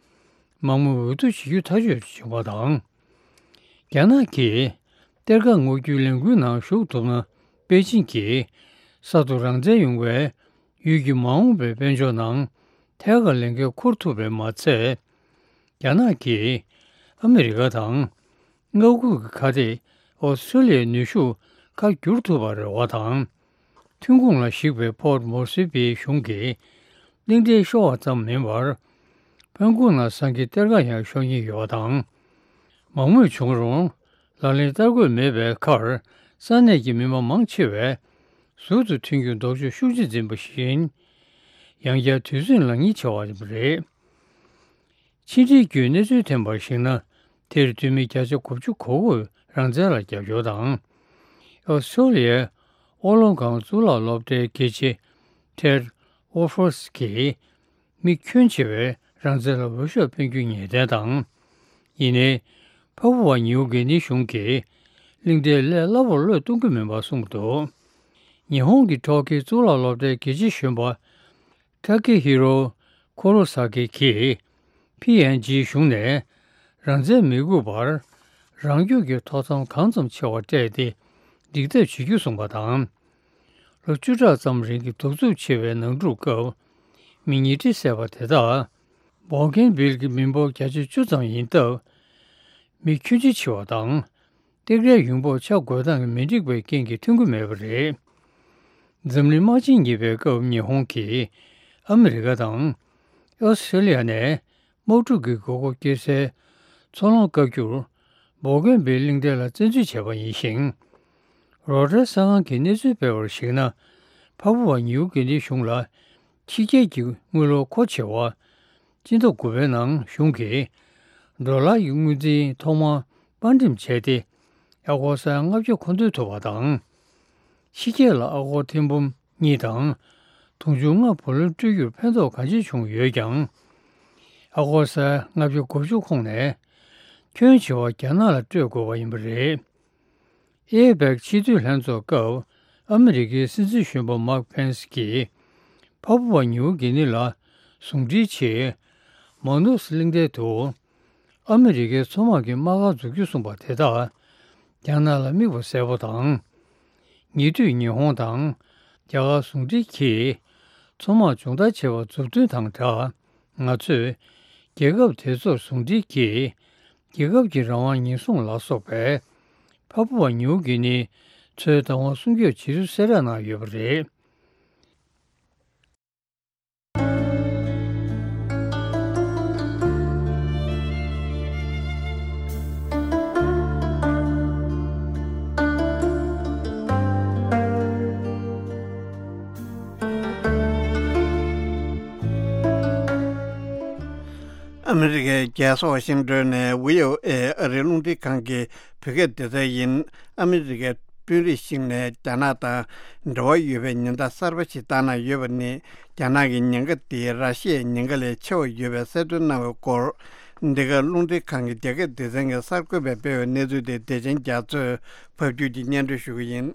མང་མོས་འོས་བསྡུ་བྱེད་རྒྱུ་ཐག་གཅོད་བྱུང་བ་དང་། རྒྱ་ནག་གིས་གཏེར་ཁ་སྔོག་རྒྱུའི་ལས་འགུལ་ནང་ཞུགས་ཐུབ་ན། པེ་ཅིན་གྱིས་གསར་དུ་རང་བཙན་ཡོང་བའི་ཡུལ་གྱི་མ་འོངས་པའི་དཔལ་འབྱོར་ནང་ཐད་ཀར་ལས་འགན་འཁུར་ཐུབ་པས་མ་ཚད། རྒྱ་ནག་གིས་ཨ་མི་རི་ཀ་དང་མངའ་ཁུལ་གྱི་ཁ་གཏད་ཨོ་སི་ཁྲུ་ལི་ཡའི་ནུས་ཤུགས་ཁ་བསྒྱུར་ཐུབ་པར་རེ་བ་དང་། ཐོན་ཁུངས་ལ་གཞིགས་པའི་ཕོར་ཊི་མོ་སི་བྷེའི་གཞུང་གིས་གླིང་ཕྲན་ཤོར་བ་ཙམ་མིན་པར། ཕན་ཀུང་ན་ཟངས་ཀྱི་གཏེར་ཁ་ཡང་ཤོར་ཉེན་ཡོད་པ་དང་། མང་མོས་བྱུང་རུང་ལག་ལེན་བསྟར་དགོས་མེད་པའི་ཁར། ས་གནས་ཀྱི་མི་མང་མང་ཆེ་བས་ཟུར་དུ་ཐོན་རྒྱུར་ལྡོག་ཕྱོགས་ཤུགས་ཆེ་འཛིན་པ་བཞིན། ཡང་བསྐྱར་དུས་ཚོད་ལེན་ཉེན་ཆེ་བ་རེད། ཕྱི་འབྲེལ་བརྒྱུད་གནས་ཚུལ་ཐོན་པར་གཞིགས་ན། དེར་འཐུས་མི་བརྒྱ་ཆ་དགུ་བཅུ་གོ་དགུས་རང་བཙན་ལ་རྒྱབ་སྐྱོར་དང་། ཨོ་སི་ཁྲུ་ལི་ཡའི་ཨོ་སློབ་ཁང་གཙུག་ལག་སློབ་གྲྭའི་དགེ་ཆེ་ཐེད་ཨོ་ཧྥོར་སི་གིས་མི་ཁྱོན་ཆེ་བས་རང་བཙན་ལ་འོས་ཤོག་འཕེན་རྒྱུ་ངེས་གཏན་དང་། ཡིན་ནའི། ཕ་བུ་བ་ཉིའུ་གི་ནི་གཞུང་གིས་གླིང་ཕྲན་སླད་སླ་པོར་བློས་གཏོང་གི་མིན་པར་གསུངས་འདུག་ཉི་ཧོང་གི་ཊོ་ཀིའོ་གཙུག་ལག་སློབ་གྲྭའི་དགེ་ཆེ་གཞོན་པ། ཐ་ཀེ་ཧི་རོ་ཁོ་རོ་ས་ཀི་གིས་ཕི་ཨེན་ཇིའི་གཞུང་ནས་རང་བཙན་མི་དགོས་པར་རང་སྐྱོང་གི་ཐོབ་ཐང་གང་ཙམ་ཆེ་བ་སྤྲད་དེ་འགྲིག་ཐབས་བྱེད་རྒྱུ་གསུངས་པ་དང་། ལོ་བཅུ་ཕྲག་ཙམ་རིང་གི་གདུག་རྩུབ་ཆེ་བའི་ནང་འཁྲུག་སྐབས། མི་ཉིས་ཁྲི་བསད་པ་དེ་དག་བོག་ཀེན་བིལ་གྱི་མི་འབོར་བརྒྱ་ཆ་བཅུ་ཙམ་ཡིན་སྟབས། མི་ཁྱོན་ཆེ་ཆེ་བ་དང་། སྟེགས་རའི་ཡོང་འབབ་ཆ་བགོས་སྟངས་མི་འགྲིག་པའི་རྐྱེན་གྱིས་ཐོན་གྱི་མེད་པ་རེད། འཛམ་གླིང་དམག་ཆེན་གཉིས་པའི་སྐབས་ཉི་ཧོང་གིས་ཨ་མི་རི་ཀ་དང་ཨོ་སི་ཁྲེ་ལི་ཡ་ནས་དམག་འཁྲུག་གི་དགོས་མཁོ་སྐྱེ་སའི་མཚོ་ལམ་བཀག་རྒྱུར་བོག་ཀེན་བིལ་གླིང་ཕྲན་ལ་བཙན་འཛུལ་བྱས་པ་ཡིན་ཞིང་། རོའི་ཊར་གསར་ཁང་གིས་གནས་ཚུལ་སྤེལ་བར་གཞིགས་ན། འཕགས་པ་ནིའུ་གི་ནི་གཞུང་ལ་ཕྱི་རྒྱལ་གྱི་དངུལ་ལོར་མཁོ་ཆེ་བ། སྤྱི་ཟླ་དགུ་པའི་ནང་གཞུང་གིས་ཌོ་ལར་གྱི་དངུལ་རྩིས་ཐོག་མར་དཔར་འགྲེམས་བྱས་ཏེ། ཨ་སྒོར་སར་ལྔ་བརྒྱ་མཁོ་འདོན་ཐུབ་པ་དང་། ཕྱི་རྒྱལ་ལ་ཨ་སྒོར་ཐེར་འབུམ་གཉིས་དང་། དུང་ཕྱུར་ལྔ་བུ་ལོན་སྤྲོད་རྒྱུར་ཕན་ཐོགས་གང་ཆེ་བྱུང་ཡོད་ཀྱང་། ཨ་སྒོར་སར་ལྔ་བརྒྱ་དགུ་བཅུ་ཁོངས་ནས། ཁྱོན་ཆེ་བ་རྒྱ་ནག་ལ་སྤྲོད་དགོས་པ་ཡིན་པ་རེད། ཨེ་པེག་ཆེས་མཐོའི་ལྷན་ཚོགས་སྐབས་ཨ་མི་རི་ཀའི་སྲིད་འཛིན་གཞོན་པ་མཱིག་ཕེན་སི་གིས་ཕ་པུ་ཝ་ནིའུ་གི་ནི་ལ་ཟུང་འབྲེལ་ཆེད་མོན་ནུ་སི་གླིང་ཕྲན་དུ་ཨ་མི་རི་ཀའི་མཚོ་དམག་གི་དམག་སྒར་འཛུགས་རྒྱུ་གསུངས་པ་དེ་དག་རྒྱ་ནག་ལ་དམིགས་པ་གསལ་པོ་དང་། ཉེ་དུས་ཉི་ཧོང་དང་རྒྱ་གར་ཟུང་འབྲེལ་གྱིས་མཚོ་དམག་སྦྱོང་བརྡར་བྱས་པ་མཛུབ་སྟོན་དང་སྦྲགས། ང་ཚོས་རྒྱལ་ཁབ་དེ་ཚོར་ཟུང་འབྲེལ་གྱིས་རྒྱལ་ཁབ་ཀྱི་རང་དབང་ཉེན་སྲུང་ལ་སོགས་པའི་ཕ་པུ་ཝ་ནིའུ་གི་ནི་མཚོའི་བདག་དབང་སྲུང་སྐྱོབ་བྱེད་ཚུལ་གསལ་བསྒྲགས་གནང་ཡོད་པ་རེད། ཨ་མི་རི་ཀའི་རྒྱལ་ས་ཝ་ཤིང་ཏོན་ནས་བྷི་ཨོ་ཨེ་ཨ་རིའི་རླུང་འཕྲིན་ཁང་གི་བོད་སྐད་སྡེ་ཚན་ཡིན། ཨ་མི་རི་ཀའི་དཔོན་རིགས་ཤིག་ནས་རྒྱ་ནག་དང་འབྲེལ་བ་ཡོད་པའི་ཉེན་བརྡ་གསར་པ་ཞིག་བཏང་གནང་ཡོད་པ་ནི། རྒྱ་ནག་གི་ཉེན་ཁ་དེ་ར་ཤི་ཡའི་ཉེན་ཁ་ལས་ཆེ་བ་ཡོད་པའི་གསལ་སྟོན་གནང་བའི་སྐོར། འདི་ག་རླུང་འཕྲིན་ཁང་གི་རྒྱ་སྐད་སྡེ་ཚན་གྱི་གསར་འགོད་པས་སྤེལ་བའི་གནས་ཚུལ་དེ་བདེ་ཆེན་རྒྱ་མཚོས་ཕབ་སྒྱུར་གྱིས་སྙན་སྒྲོན་ཞུ་གི་ཡིན།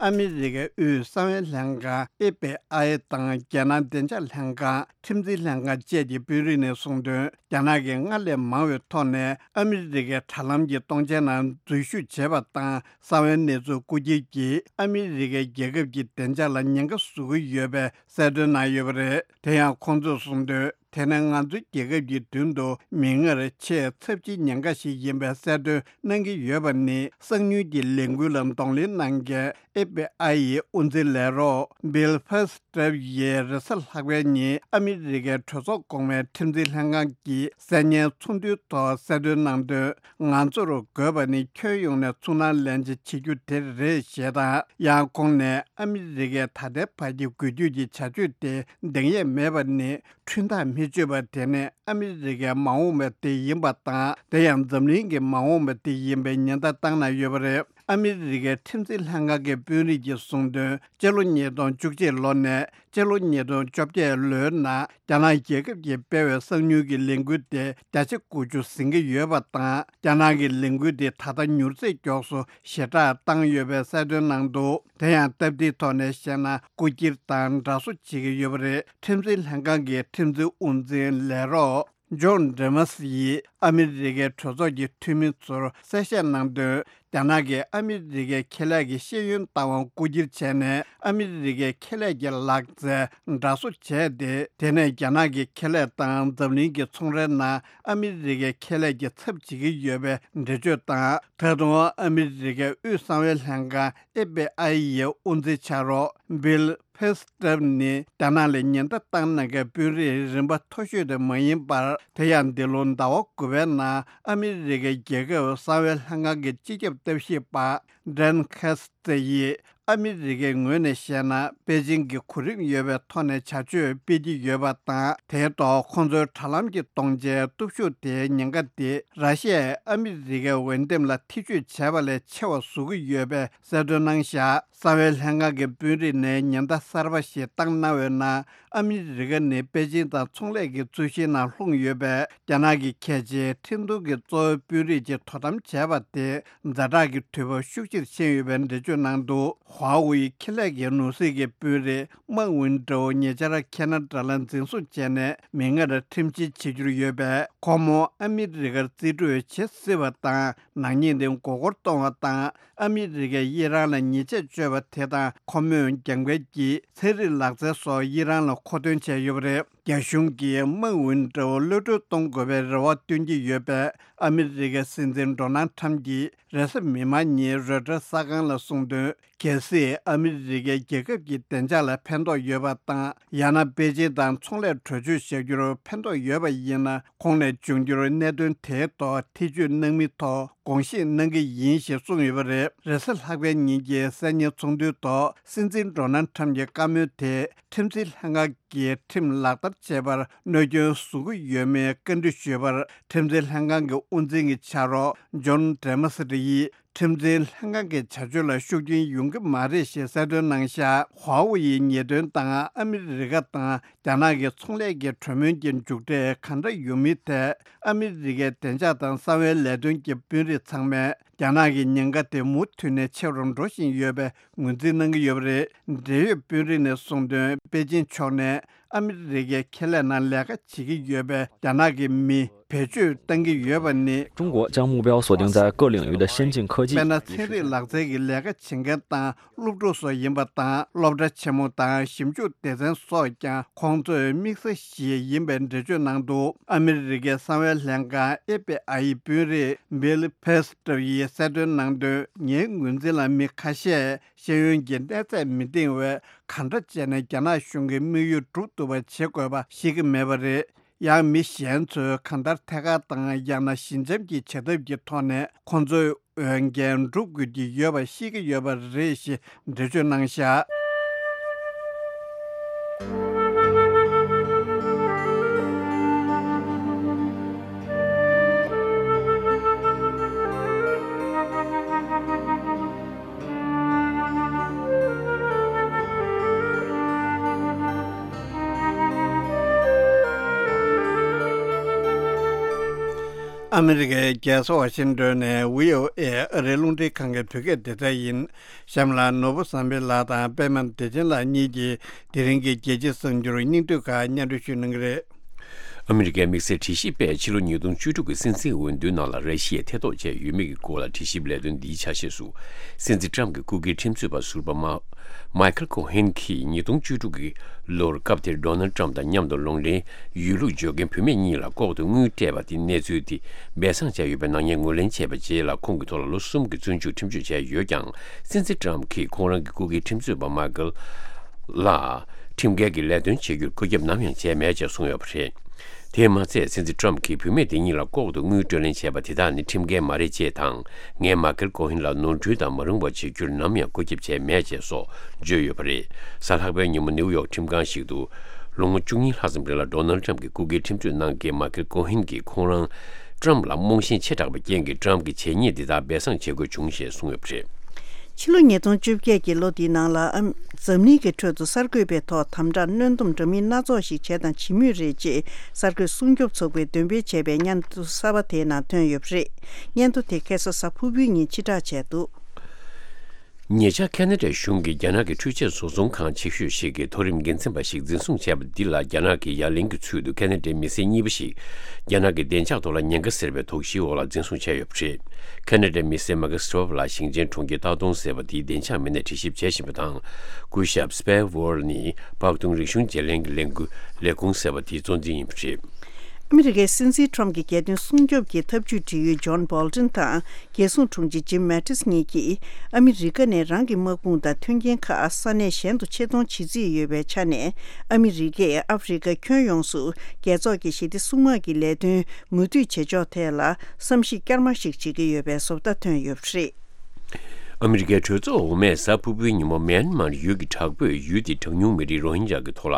ཨ་མི་རི་ཀའི་དབུས་གསང་བའི་ལྷན་ཁང་ཨེ་ཕི་ཨའི་དང་རྒྱལ་ནང་བདེ་འཇགས་ལྷན་ཁང་ཁྲིམས་འཛིན་ལྷན་ཁང་བཅས་ཀྱི་དཔོན་རིགས་ནས་གསུངས་དོན། རྒྱ་ནག་གིས་སྔར་ལས་མང་བའི་ཐོག་ནས་ཨ་མི་རི་ཀའི་དྲ་ལམ་གྱི་སྟོང་ཆའི་ནང་འཛུལ་ཞུགས་བྱས་པ་དང་། གསང་བའི་གནས་ཚུལ་རྐུ་འཁྱེར་གྱིས་ཨ་མི་རི་ཀའི་རྒྱལ་ཁབ་ཀྱི་བདེ་འཇགས་ལ་ཉེན་ཁ་བཟོ་གི་ཡོད་པའི་གསལ་སྟོན་གནང་ཡོད་པ་རེད། དེ་ཡང་ཁོང་ཚོས་གསུངས་དོན། དེ་ནི་ང་ཚོའི་རྒྱལ་ཁབ་ཀྱི་མདུན་དུ་མིག་སྔར་ཆེས་ཚབས་ཆེའི་ཉེན་ཁ་ཞིག་ཡིན་པའི་གསལ་སྟོན་གནང་གི་ཡོད་པ་ནི། གསང་མྱུལ་གྱི་ལས་འགུལ་ལ་གདོང་ལེན་གནང་མཁན་ཨེ་ཕི་ཨའི་ཡི་དབུ་འཛིན་ལས་རོགས་བྷིལ་ཕེ་སི་ཏྲེབ་ཡིས་རེས་གཟའ་ལྷག་པའི་ཉིན་ཨ་མི་རི་ཀའི་གྲོས་ཚོགས་གོང་མའི་ཁྲིམས་འཛིན་ལྷན་ཁང་གི་གསར་རྙིང་ཚོགས་འདུའི་ཐོག་གསལ་སྟོན་གནང་དོན། ང་ཚོར་དགོས་པ་ནི་ཁྱོན་ཡོངས་ནས་ཚུར་སྣང་ལེན་བྱེད་བྱེད་རྒྱུ་དེ་རེད་ཞེས་དང་། ཡང་ཁོང་ནས་ཨ་མི་རི་ཀས་ད་ལྟའི་བར་གྱི་འགུལ་སྐྱོད་ཀྱི་བྱ་སྤྱོད་དེ་འདང་ཡས་མེད་པ་ནི། འཁྲུན་ཐག་མི་ཆོད་པ་དེ་ནི་ཨ་མི་རི་ཀའི་མ་འོངས་པ་དེ་ཡིན་པ་དང་། དེ་ཡང་འཛམ་གླིང་གི་མ་འོངས་པ་དེ་ཡིན་པའི་ཉེན་བརྡ་བཏང་གནང་ཡོད་པ་རེད། ཨ་མི་རི་ཀའི་ཁྲིམས་འཛིན་ལྷན་ཁང་གི་དཔོན་རིགས་ཀྱིས་གསུངས་དོན། སྤྱི་ལོ་ཉིས་སྟོང་བཅུ་གཅིག་ལོ་ནས་སྤྱི་ལོ་ཉིས་སྟོང་བཅོ་བརྒྱད་ལོའི་ནང་རྒྱ་ནག་རྒྱལ་ཁབ་ཀྱིས་སྤེལ་བའི་གསང་མྱུལ་གྱི་ལས་འགུལ་དེ་བརྒྱ་ཆ་དགུ་བཅུ་ཟིན་གྱི་ཡོད་པ་དང་། རྒྱ་ནག་གི་ལས་འགུལ་དེ་ད་ལྟ་མྱུར་ཚད་མགྱོགས་སུ་ཞེ་དྲག་བཏང་ཡོད་པའི་གསལ་སྟོན་གནང་འདུག་དེ་ཡང་སྟབས་བདེའི་ཐོག་ནས་བཤད་ན། རྐུ་འཁྱེར་དང་འདྲ་བཟོ་བྱེད་ཀྱི་ཡོད་པ་རེད། ཁྲིམས་འཛིན་ལྷན་ཁང་གི་ཁྲིམས་འཛིན་དབུ་འཛིན་ལས་རོགས་ཇོན་ཌེ་མོ་སི་ཡིས་ཨ་མི་རི་ཀའི་གྲོས་ཚོགས་ཀྱི་འཐུས་མི་ཚོར་གསལ་བཤད་གནང་དོན། རྒྱ་ནག་གིས་ཨ་མི་རི་ཀའི་ཁེ་ལས་ཀྱི་ཤེས་ཡོན་ལྟ་བུ་རྐུ་འཁྱེར་བྱས་ནས། ཨ་མི་རི་ཀའི་ཁེ་ལས་ཀྱི་ལག་རྩལ་འདྲ་བཟོ་བྱས་ཏེ། དེ་ནས་རྒྱ་ནག་གི་ཁེ་ལས་དང་འཛམ་གླིང་གི་ཚོང་རའི་ནང་ཨ་མི་རི་ཀའི་ཁེ་ལས་ཀྱི་ཚབ་བྱེད་ཀྱི་ཡོད་པའི་འགྲེལ་བརྗོད་དང་། ད་དུང་ཨ་མི་རི་ཀའི་དབུས་གསང་བའི་ལྷན་ཁང་ཨེ་ཕི་ཨའི་ཡི་དབུ་འཛིན་ཕྱག་རོགས་བྷིལ་ཕེ་སི་ཏྲེབ་ནི་རྒྱ་ནག་ལ་ཉེན་བརྡ་བཏང་གནང་མཁན་དཔོན་རིགས་རིམ་པ་མཐོ་ཤོས་དེ་མ་ཡིན་པར། དེ་ཡང་འདི་ལོ་ཟླ་བ་དགུ་པའི་ནང་ཨ་མི་རི་ཀའི་རྒྱལ་ཁབ་གསང་བའི་ལྷན་ཁང་གི་སྤྱི་ཁྱབ་ལྟ་ཞིབ་པ་ཌན་ཁེ་སི་ཙེ་ཡིས། ཨ་མི་རི་ཀའི་ངོས་ནས་བཤད་ན། པེ་ཅིང་གིས་གོ་རིམ་ཡོད་པའི་ཐོག་ནས་བྱ་སྤྱོད་སྤེལ་གྱི་ཡོད་པ་དང་། དེའི་ཐོག་ཁོང་ཚོའི་དྲ་ལམ་གྱི་སྟོང་ཆའི་སྟོབས་ཤུགས་དེའི་ཉེན་ཁ་དེ་ར་ཤི་ཡས་ཨ་མི་རི་ཀའི་འོས་འདེམས་ལ་ཐེ་བྱུས་བྱས་པ་ལས་ཆེ་བ་བཟོ་གི་ཡོད་པའི་གསལ་སྟོན་གནང་བཞག་གསང་བའི་ལྷན་ཁང་གི་དཔོན་རིགས་ནས་ཉེན་བརྡ་གསར་པ་ཞིག་བཏང་གནང་བའི་ནང་། ཨ་མི་རི་ཀ་ནི་པེ་ཅིང་དང་ཚོང་ལས་ཀྱི་རྩོད་གཞིའི་ནང་ལྷུང་ཡོད་པས། རྒྱ་ནག་གི་གལ་ཆེའི་ཁྲིམས་མཐུན་གྱི་གཙོ་བོའི་དཔོན་རིགས་ཀྱིས་དོ་དམ་བྱས་པ་དེ་ཛ་དྲག་གི་དུས་བབ་ཤུགས་ཆེར་ཕྱིན་ཡོད་པའི་འགྲེལ་བརྗོད་གནང་འདུག་ཧྭ་ཝེ་ཁེ་ལས་ཀྱི་ནོར་སྲིད་ཀྱི་དཔོན་རིགས་མཱ་ཝིན་ཀྲོའུ་ཉེ་ཆར་ཁེ་ན་ཌ་ལ་འཛིན་བཟུང་བྱས་ནས་མིག་སྔར་ཁྲིམས་བཤེར་བྱེད་རྒྱུར་ཡོད་པས། ཁོ་མོ་ཨ་མི་རི་ཀར་རྩིས་སྤྲོད་བྱེད་སྲིད་པ་དང་། ནག་ཉེས་དེ་མགོ་སྐོར་གཏོང་བ་དང་། ཨ་མི་རི་ཀས་ཨི་རན་ལ་ཉེས་ཆད་གཅོད་པ་དེ་དང་། ཁོ་མོས་རྒྱབ་འགལ་གྱིས་ཚན་རིག་ལག་རྩལ་སོགས་ཨི་རན་ལ་ མཁོ་འདོན་བྱས་ཡོད་པ་རེད། རྒྱ་གཞུང་གིས་དམག་འོས་འབྲེལ་བ་གློད་གྲོལ་གཏོང་དགོས་པའི་རེ་བ་བཏོན་གྱི་ཡོད་པས། ཨ་མི་རི་ཀའི་སྲིད་འཛིན་ཌོ་ནལ་ཁྲམ་གྱིས་རེས་གཟའ་མིག་དམར་ཉིན་རོའི་ཊར་གསར་ཁང་ལ་གསུངས་དོན། གལ་སྲིད་ཨ་མི་རི་ཀའི་རྒྱལ་ཁབ་ཀྱི་བདེ་འཇགས་ལ་ཕན་ཐོགས་ཡོད་པ་དང་། ཡང་ན་པེ་ཅིན་དང་ཚོང་ལས་གྲོས་ཆོད་བཞག་རྒྱུར་ཕན་ཐོགས་ཡོད་པ་ཡིན་ན། གོང་ནས་འབྱུང་འགྱུར་གནད་དོན་དེའི་ཐོག་ཐེ་བྱུས་གནང་མིན་ཐོག་དགོངས་བཞེས་གནང་གི་ཡིན་ཞེས་གསུངས་ཡོད་པ་རེད། རེས་གཟའ་ལྷག་པའི་ཉིན་གྱི་གསར་རྙིང་ཚོགས་འདུའི་ཐོག་སྲིད་འཛིན་ཌོ་ནལ་ཁྲམ་གྱི་བཀའ་མོལ་དེ་ཁྲིམས་འཛིན་ལྷན་ཁང་གིས་ཁྲིམས་ལག་བསྟར་བྱེད་པར་གནོད་སྐྱོན་བཟོ་གི་ཡོད་མེད་བཀའ་འདྲི་ཞུས་པར། ཁྲིམས་འཛིན་ལྷན་ཁང་གི་དབུ་འཛིན་གྱི་ཕྱག་རོགས་ཇོན་ཌེ་མ་སི་ཊི་ཡིས། ཁྲིམས་འཛིན་ལྷན་ཁང་གི་བྱ་སྤྱོད་ལ་ཤུགས་རྐྱེན་ཡོང་གི་མ་རེད་ཞེས་གསལ་སྟོན་གནང་བཞག་ཧྭ་ཝུའུ་ཡི་ཉེས་དོན་དང་ཨ་མི་རི་ཀ་དང་རྒྱ་ནག་གི་ཚོང་ལས་ཀྱི་གྲོས་མོལ་གྱི་མཇུག་འབྲས་གང་འདྲ་ཡོང་མིན་ཐད། ཨ་མི་རི་ཀའི་བདེ་འཇགས་དང་གསང་བའི་ལས་དོན་གྱི་དཔོན་རིགས་ཚང་མས་རྒྱ་ནག་གི་ཉེན་ཁ་དེ་མུ་མཐུད་ནས་ཆེ་རུ་འགྲོ་བཞིན་ཡོད་པའི་ངོས་འཛིན་གནང་གི་ཡོད་པ་རེད། འབྲེལ་ཡོད་དཔོན་རིགས་ནས་གསུངས་དོན། པེ་ཅིན་ཕྱོགས་ནས། ཨ་མི་རི་ཀའི་ཁེ་ལས་ནང་ལས་ཀ་བྱེད་ཀྱི་ཡོད་པའི་རྒྱ་ནག་གི་མི་བེད་སྤྱོད་གཏང་གི་ཡོད་པ་ནི། 中国将目标锁定在各领域的先进科技。 དཔེར་ན། ཚན་རིག་ལག་རྩལ་གྱི་ལས་ཀ་བྱེད་མཁན་དང་སློབ་ཕྲུག་སོགས་ཡིན་པ་དང་། སློབ་གྲྭ་ཆེན་མོ་དང་ཞིབ་འཇུག་སྡེ་ཚན་སོགས་ཀྱང་ཁོང་ཚོའི་དམིགས་ས་ཞིག་ཡིན་པའི་འགྲེལ་བརྗོད་གནང་འདུག་ཨ་མི་རི་ཀའི་གསང་བའི་ལྷན་ཁང་ཨེཕ་བི་ཨའི་དཔོན་རིགས་བྷིལ་ཕེ་སི་ཊར་ཡིས་གསལ་སྟོན་གནང་དོན། ངའི་ངོས་འཛིན་ལ་མི་ཁ་ཤས་ཤེས་ཡོན་གྱི་གནས་ཚད་མི་འདིང་བས། གང་འདྲ་བྱས་ནས་རྒྱ་ནག་གཞུང་གི་དམིགས་ཡུལ་སྒྲུབ་ཐུབ་པ་བྱེད་དགོས་པ་ཤེས་ཀྱི་མེད་པ་རེད། ཡང་མི་གཞན་ཚོས་གང་ལྟར་ཐད་ཀར་དང་ཡང་ན་ཞི་འཇམ་གྱི་བྱ་ཐབས་ཀྱི་ཐོག་ནས་ཁོང་ཚོའི་འོས་འགན་སྒྲུབ་དགོས་ཀྱི་ཡོད་པ་ཤེས་ཀྱི་ཡོད་པ་རེད་ཞེས་འགྲེལ་བརྗོད་གནང་བཞག་ཨ་མི་རི་ཀའི་རྒྱལ་ས་ཝ་ཤིང་ཏོན་ནས་བྷི་ཨོ་ཨེ་ཨ་རིའི་རླུང་འཕྲིན་ཁང་གི་བོད་སྐད་སྡེ་ཚན་ཡིན། གཤམ་ལ་ནོར་བུ་བསམ་འཕེལ་ལགས་དང་པད་མ་བདེ་ཆེན་ལགས་གཉིས་ཀྱིས་དེ་རིང་གི་རྒྱལ་སྤྱིའི་གསར་འགྱུར་སྙིང་བསྡུས་ཁག་སྙན་སྒྲོན་ཞུ་གནང་གི་རེད། ཨ་མི་རི་ཀའི་དམིགས་བསལ་དྲི་ཞིབ་པས་ཕྱི་ལོ་ཉིས་སྟོང་བཅུ་དྲུག་གི་སྲིད་འཛིན་འོས་བསྡུའི་ནང་ལ་ར་ཤི་ཡས་ཐེ་གཏོགས་བྱས་ཡོད་མེད་ཀྱི་སྐོར་ལ་དྲི་ཞིབ་ལས་དོན་འདིའི་ཆ་ཤས་སུ། སྲིད་འཛིན་ཊམ་གྱི་སྐུ་སྒེར་ཁྲིམས་རྩོད་པ་ཟུར་པ་མ། མའི་ཁལ་ཀོ་ཧན་གྱིས་ཉིས་སྟོང་བཅུ་དྲུག་གི་ལོར་སྐབས་དེར་ཌོ་ནལ་ཊམ་དང་མཉམ་དུ་ལོང་ལེན་ཡོད་ལུགས་བརྗོད་མཁན་བུད་མེད་གཉིས་ལ་ལྐོག་ཏུ་དངུལ་སྤྲད་པ་དེ་གནས་ཚུལ་དེ་སྦས་གསང་བྱས་ཡོད་པའི་ནག་ཉེས་ངོས་ལེན་བྱས་པའི་རྗེས་ལ་ཁོང་གི་ཐོག་ལ་ལོ་གསུམ་གྱི་བཙོན་འཇུག་ཁྲིམས་གཅོད་བྱས་ཡོད་ཀྱང་། སྲིད་འཛིན་ཊམ་གྱིས་ཁོང་རང་གི་སྐུ་སྒེར་ཁྲིམས་རྩོད་པ་མའི་ཁལ་ལ་ཁྲིམས་འགལ་གྱི་ལས་དོན་བྱེད་རྒྱུར་བཀོད་ཁྱབ་ནམ་ཡང་བྱས་མེད་ཅེས་གསུངས་ཡོད་པ་རེད། དེས་མ་ཚད་སྲིད་འཛིན་ཊམ་གྱིས་བུད་མེད་དེ་གཉིས་ལ་ལྐོག་ཏུ་དངུལ་སྤྲོད་ལེན་བྱས་པ་དེ་དག་ནི་ཁྲིམས་འགལ་མ་རེད་ཅེས་དང་། ངས་མའི་ཁལ་ཀོ་ཧིན་ལ་ནོར་འཁྲུལ་དང་མ་རུངས་པ་བྱེད་རྒྱུར་ནམ་ཡང་བཀོད་ཁྱབ་བྱས་མེད་ཅེས་སོགས་བརྗོད་ཡོད་པ་རེད། གཟའ་ལྷག་པའི་ཉིན་མོ་ནེའུ་ཡོག་ཁྲིམས་ཁང་ཞིག་ཏུ་ལོ་ངོ་བཅུ་གཉིས་ལྷག་ཙམ་རིང་ལ་ཌོ་ནལ་ཊམ་གྱི་སྐུ་སྒེར་ཁྲིམས་རྩོད་གནང་མཁན་མའི་ཁལ་ཀོ་ཧིན་གྱིས་ཁོང་རང་ཊམ་ལ་རྨོངས་ཞེན་ཆེ་དྲགས་པའི་རྐྱེན་གྱིས་ཊམ་གྱི་བྱས་ཉེས་འདི་དག་སྦས་གསང་བྱེད་དགོས་བྱུང་ཞེས་གསུངས་ཡོད་པ་རེད། ཕྱི་ལོ་ཉིས་སྟོང་བཅོ་བརྒྱད་ཀྱི་ལོ་འདིའི་ནང་ལ་ཨམ། འཛམ་གླིང་གི་ཁྲོད་དུ་གསར་འགོད་པའི་ཐོག་དམ་དྲག་གནོན་སྡོམ་འདྲ་མིན་སྣ་ཚོགས་ཤིག་བྱས་དང་བྱེད་མུས་རེད་ཅེས་གསར་འགོད་སྲུང་སྐྱོབ་ཚོགས་པས་འདོན་སྤེལ་བྱས་པའི་སྙན་ཐོ་གསར་པ་དེའི་ནང་ཐོན་ཡོད་པ་རེད། སྙན་ཐོ་དེ་ཁ་སང་གཟའ་ཕུར་བུའི་ཉིན་ཕྱིར་བསྒྲགས་བྱས་འདུག་ཉེ་ཆར་ཁ་ན་ཌའི་གཞུང་གིས་རྒྱ་ནག་གི་འཕྲུལ་ཆས་བཟོ་ཚོང་ཁང་ཆེ་ཤོས་ཤིག་གི་མཐོ་རིམ་འགན་འཛིན་པ་ཞིག་འཛིན་བཟུང་བྱས་པ་འདི་ལ་རྒྱ་ནག་གི་ཡ་ལན་གྱི་ཚུལ་དུ་ཁ་ན་ཌའི་མི་སེར་གཉིས་པ་ཞིག་རྒྱ་ནག་གི་བདེ་འཇགས་ཐོག་ལ་ཉེན་ཁ་ཟེར་བའི་དོགས་གཞིའི་འོག་ལ་འཛིན་བཟུང་བྱས་ཡོད་པ་རེད། ཁ་ན་ཌའི་མི་སེར་མ་ཀི་སི་ཊོབ་ལ་ཞིང་ཆེན་གྲོང་ཁྱེར་ཏཱ་ཏུང་ཟེར་བ་དེའི་བདེ་འཇགས་མི་སྣས་དྲི་ཞིབ་བྱེད་བཞིན་པ་དང་། སྐུ་ཞབས་སི་པེ་ཝོར་ནི་སྤག་དུང་རིག་གཞུང་བརྗེ་ལེན་གྱི་ལས་འགུལ་ལས་ཁུངས་ཟེར་བ་དེའི་གཙོ་འཛིན་ཡིན་པ་རེད། ཨ་མི་རི་ཀའི་སྲིད་འཛིན་ཁྲོམ་གྱི་རྒྱལ་དོན་སྲུང་སྐྱོབ་ཀྱི་ཐབས་ཇུས་འབྲེལ་ཡོད་ཇོན་བྷོལ་ཏིན་དང་རྒྱལ་སྲུང་དྲུང་ཆེ་ཇིམ་མེ་ཏིས་གཉིས་ཀྱིས་ཨ་མི་རི་ཀ་ནས་རང་གི་དམག་དཔུང་དང་མཐུན་རྐྱེན་ཁག་ས་གནས་གཞན་དུ་ཆེད་གཏོང་བྱེད་རྩིས་ཡོད་པའི་ཆ་ནས། ཨ་མི་རི་ཀས་ཨ་ཧྥེ་རི་ཁ་ཁྱོན་ཡོངས་སུ་རྒྱལ་ཚོགས་ཀྱི་ཞི་བདེ་སྲུང་དམག་གི་ལས་དོན་མུ་མཐུད་བྱེད་ཕྱོགས་ཐད་ལ་བསམ་གཞིག་བསྐྱར་མ་ཞིག་བྱེད་ཀྱི་ཡོད་པའི་བཟོ་ལྟ་ཐོན་ཡོད་པ་རེད། ཨ་མི་རི་ཀའི་གྲོས་ཚོགས་འོག་མས་གཟའ་ཕུར་བུའི་ཉིན་མོ་མེན་མར་ཡུལ་གྱི་དྲག་པོས་ཡུལ་དེའི་གྲངས་ཉུང་མི་རིགས་རོ་ཧིན་ཇཱ་གི་ཐོག་ལ་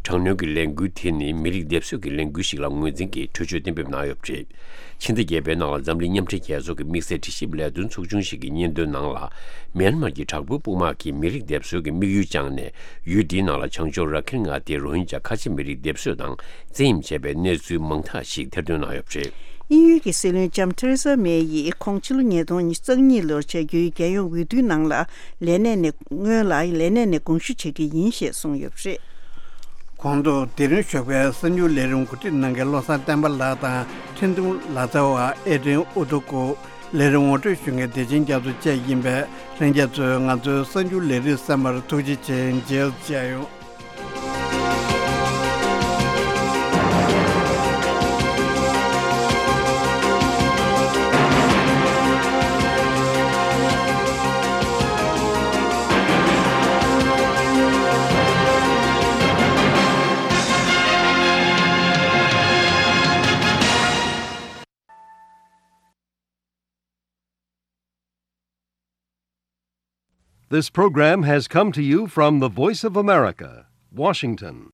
དྲག་གནོན་གྱི་ལས་འགུལ་དེ་ནི་མི་རིགས་སྡེབ་གསོད་ཀྱི་ལས་འགུལ་ཞིག་ལ་ངོས་འཛིན་གྱིས་གྲོས་ཆོད་གཏན་འབེབས་གནང་ཡོད་པ་རེད། ཕྱི་ཟླ་བརྒྱད་པའི་ནང་ལ་འཛམ་གླིང་མཉམ་འབྲེལ་རྒྱལ་ཚོགས་ཀྱི་དམིགས་བསལ་དྲི་ཞིབ་ལས་དོན་ཚོགས་ཆུང་ཞིག་གི་སྙན་ཐོའི་ནང་ལ། མེན་མར་གྱི་དྲག་པོའི་དཔུང་དམག་གིས་མི་རིགས་སྡེབ་གསོད་ཀྱི་དམིགས་ཡུལ་བཅངས་ནས། ཡུལ་འདིའི་ནང་ལ་བྱང་ཕྱོགས་ར་ཁིན་མངའ་སྡེའི་རོ་ཧིན་ཇཱ་ཁ་ཆེ་མི་རིགས་སྡེབ་གསོད་དང་བཙན་གཡེམ་བྱས་པའི་གནས་ཚུལ་མང་དག་ཞིག་ཐེར་འདོན་གནང་ཡོད་པ་རེད། དབྱིན་ཡུལ་གྱི་སྲིད་བློན་ལྕམ་ཐེ་རེ་ས་མེ་ཡིས་ཁོང་ཕྱི་ལོ་ཉིས་སྟོང་ཉི་ཤུ་རྩ་གཉིས་ལོར་བྱ་རྒྱུའི་རྒྱལ་ཡོངས་འོས་བསྡུའི་ནང་ལ་ལས་གནས་ནས་སྔོན་ལ་ལས་གནས་ནས་དགོངས་ཞུ་བྱེད་ཀྱི་ཡིན་ཞེས་གསུངས་ཡོད་པ་རེད། གོང་དུ་དེ་རིང་ཞོགས་པའི་གསར་འགྱུར་ལས་རིམ་གོ་སྒྲིག་གནང་མཁན་བློ་བཟང་བསྟན་པ་ལགས་དང་འཕྲིན་གཏོང་ལག་རྩལ་བ་ཨེ་ཌྲིན་ཨུ་ཏུ་ཀུ། ལས་རིམ་ངོ་སྤྲོད་ཞུ་མཁན་བདེ་ཆེན་རྒྱ་མཚོ་བཅས་ཡིན་པས། ལྷན་རྒྱས་ཚོས་ང་ཚོའི་གསར་འགྱུར་ལས་རིམ་གསན་པར་ཐུགས་རྗེ་ཆེ། མཇལ་བཅར་ཡོང་། This program has come to you from the Voice of America, Washington.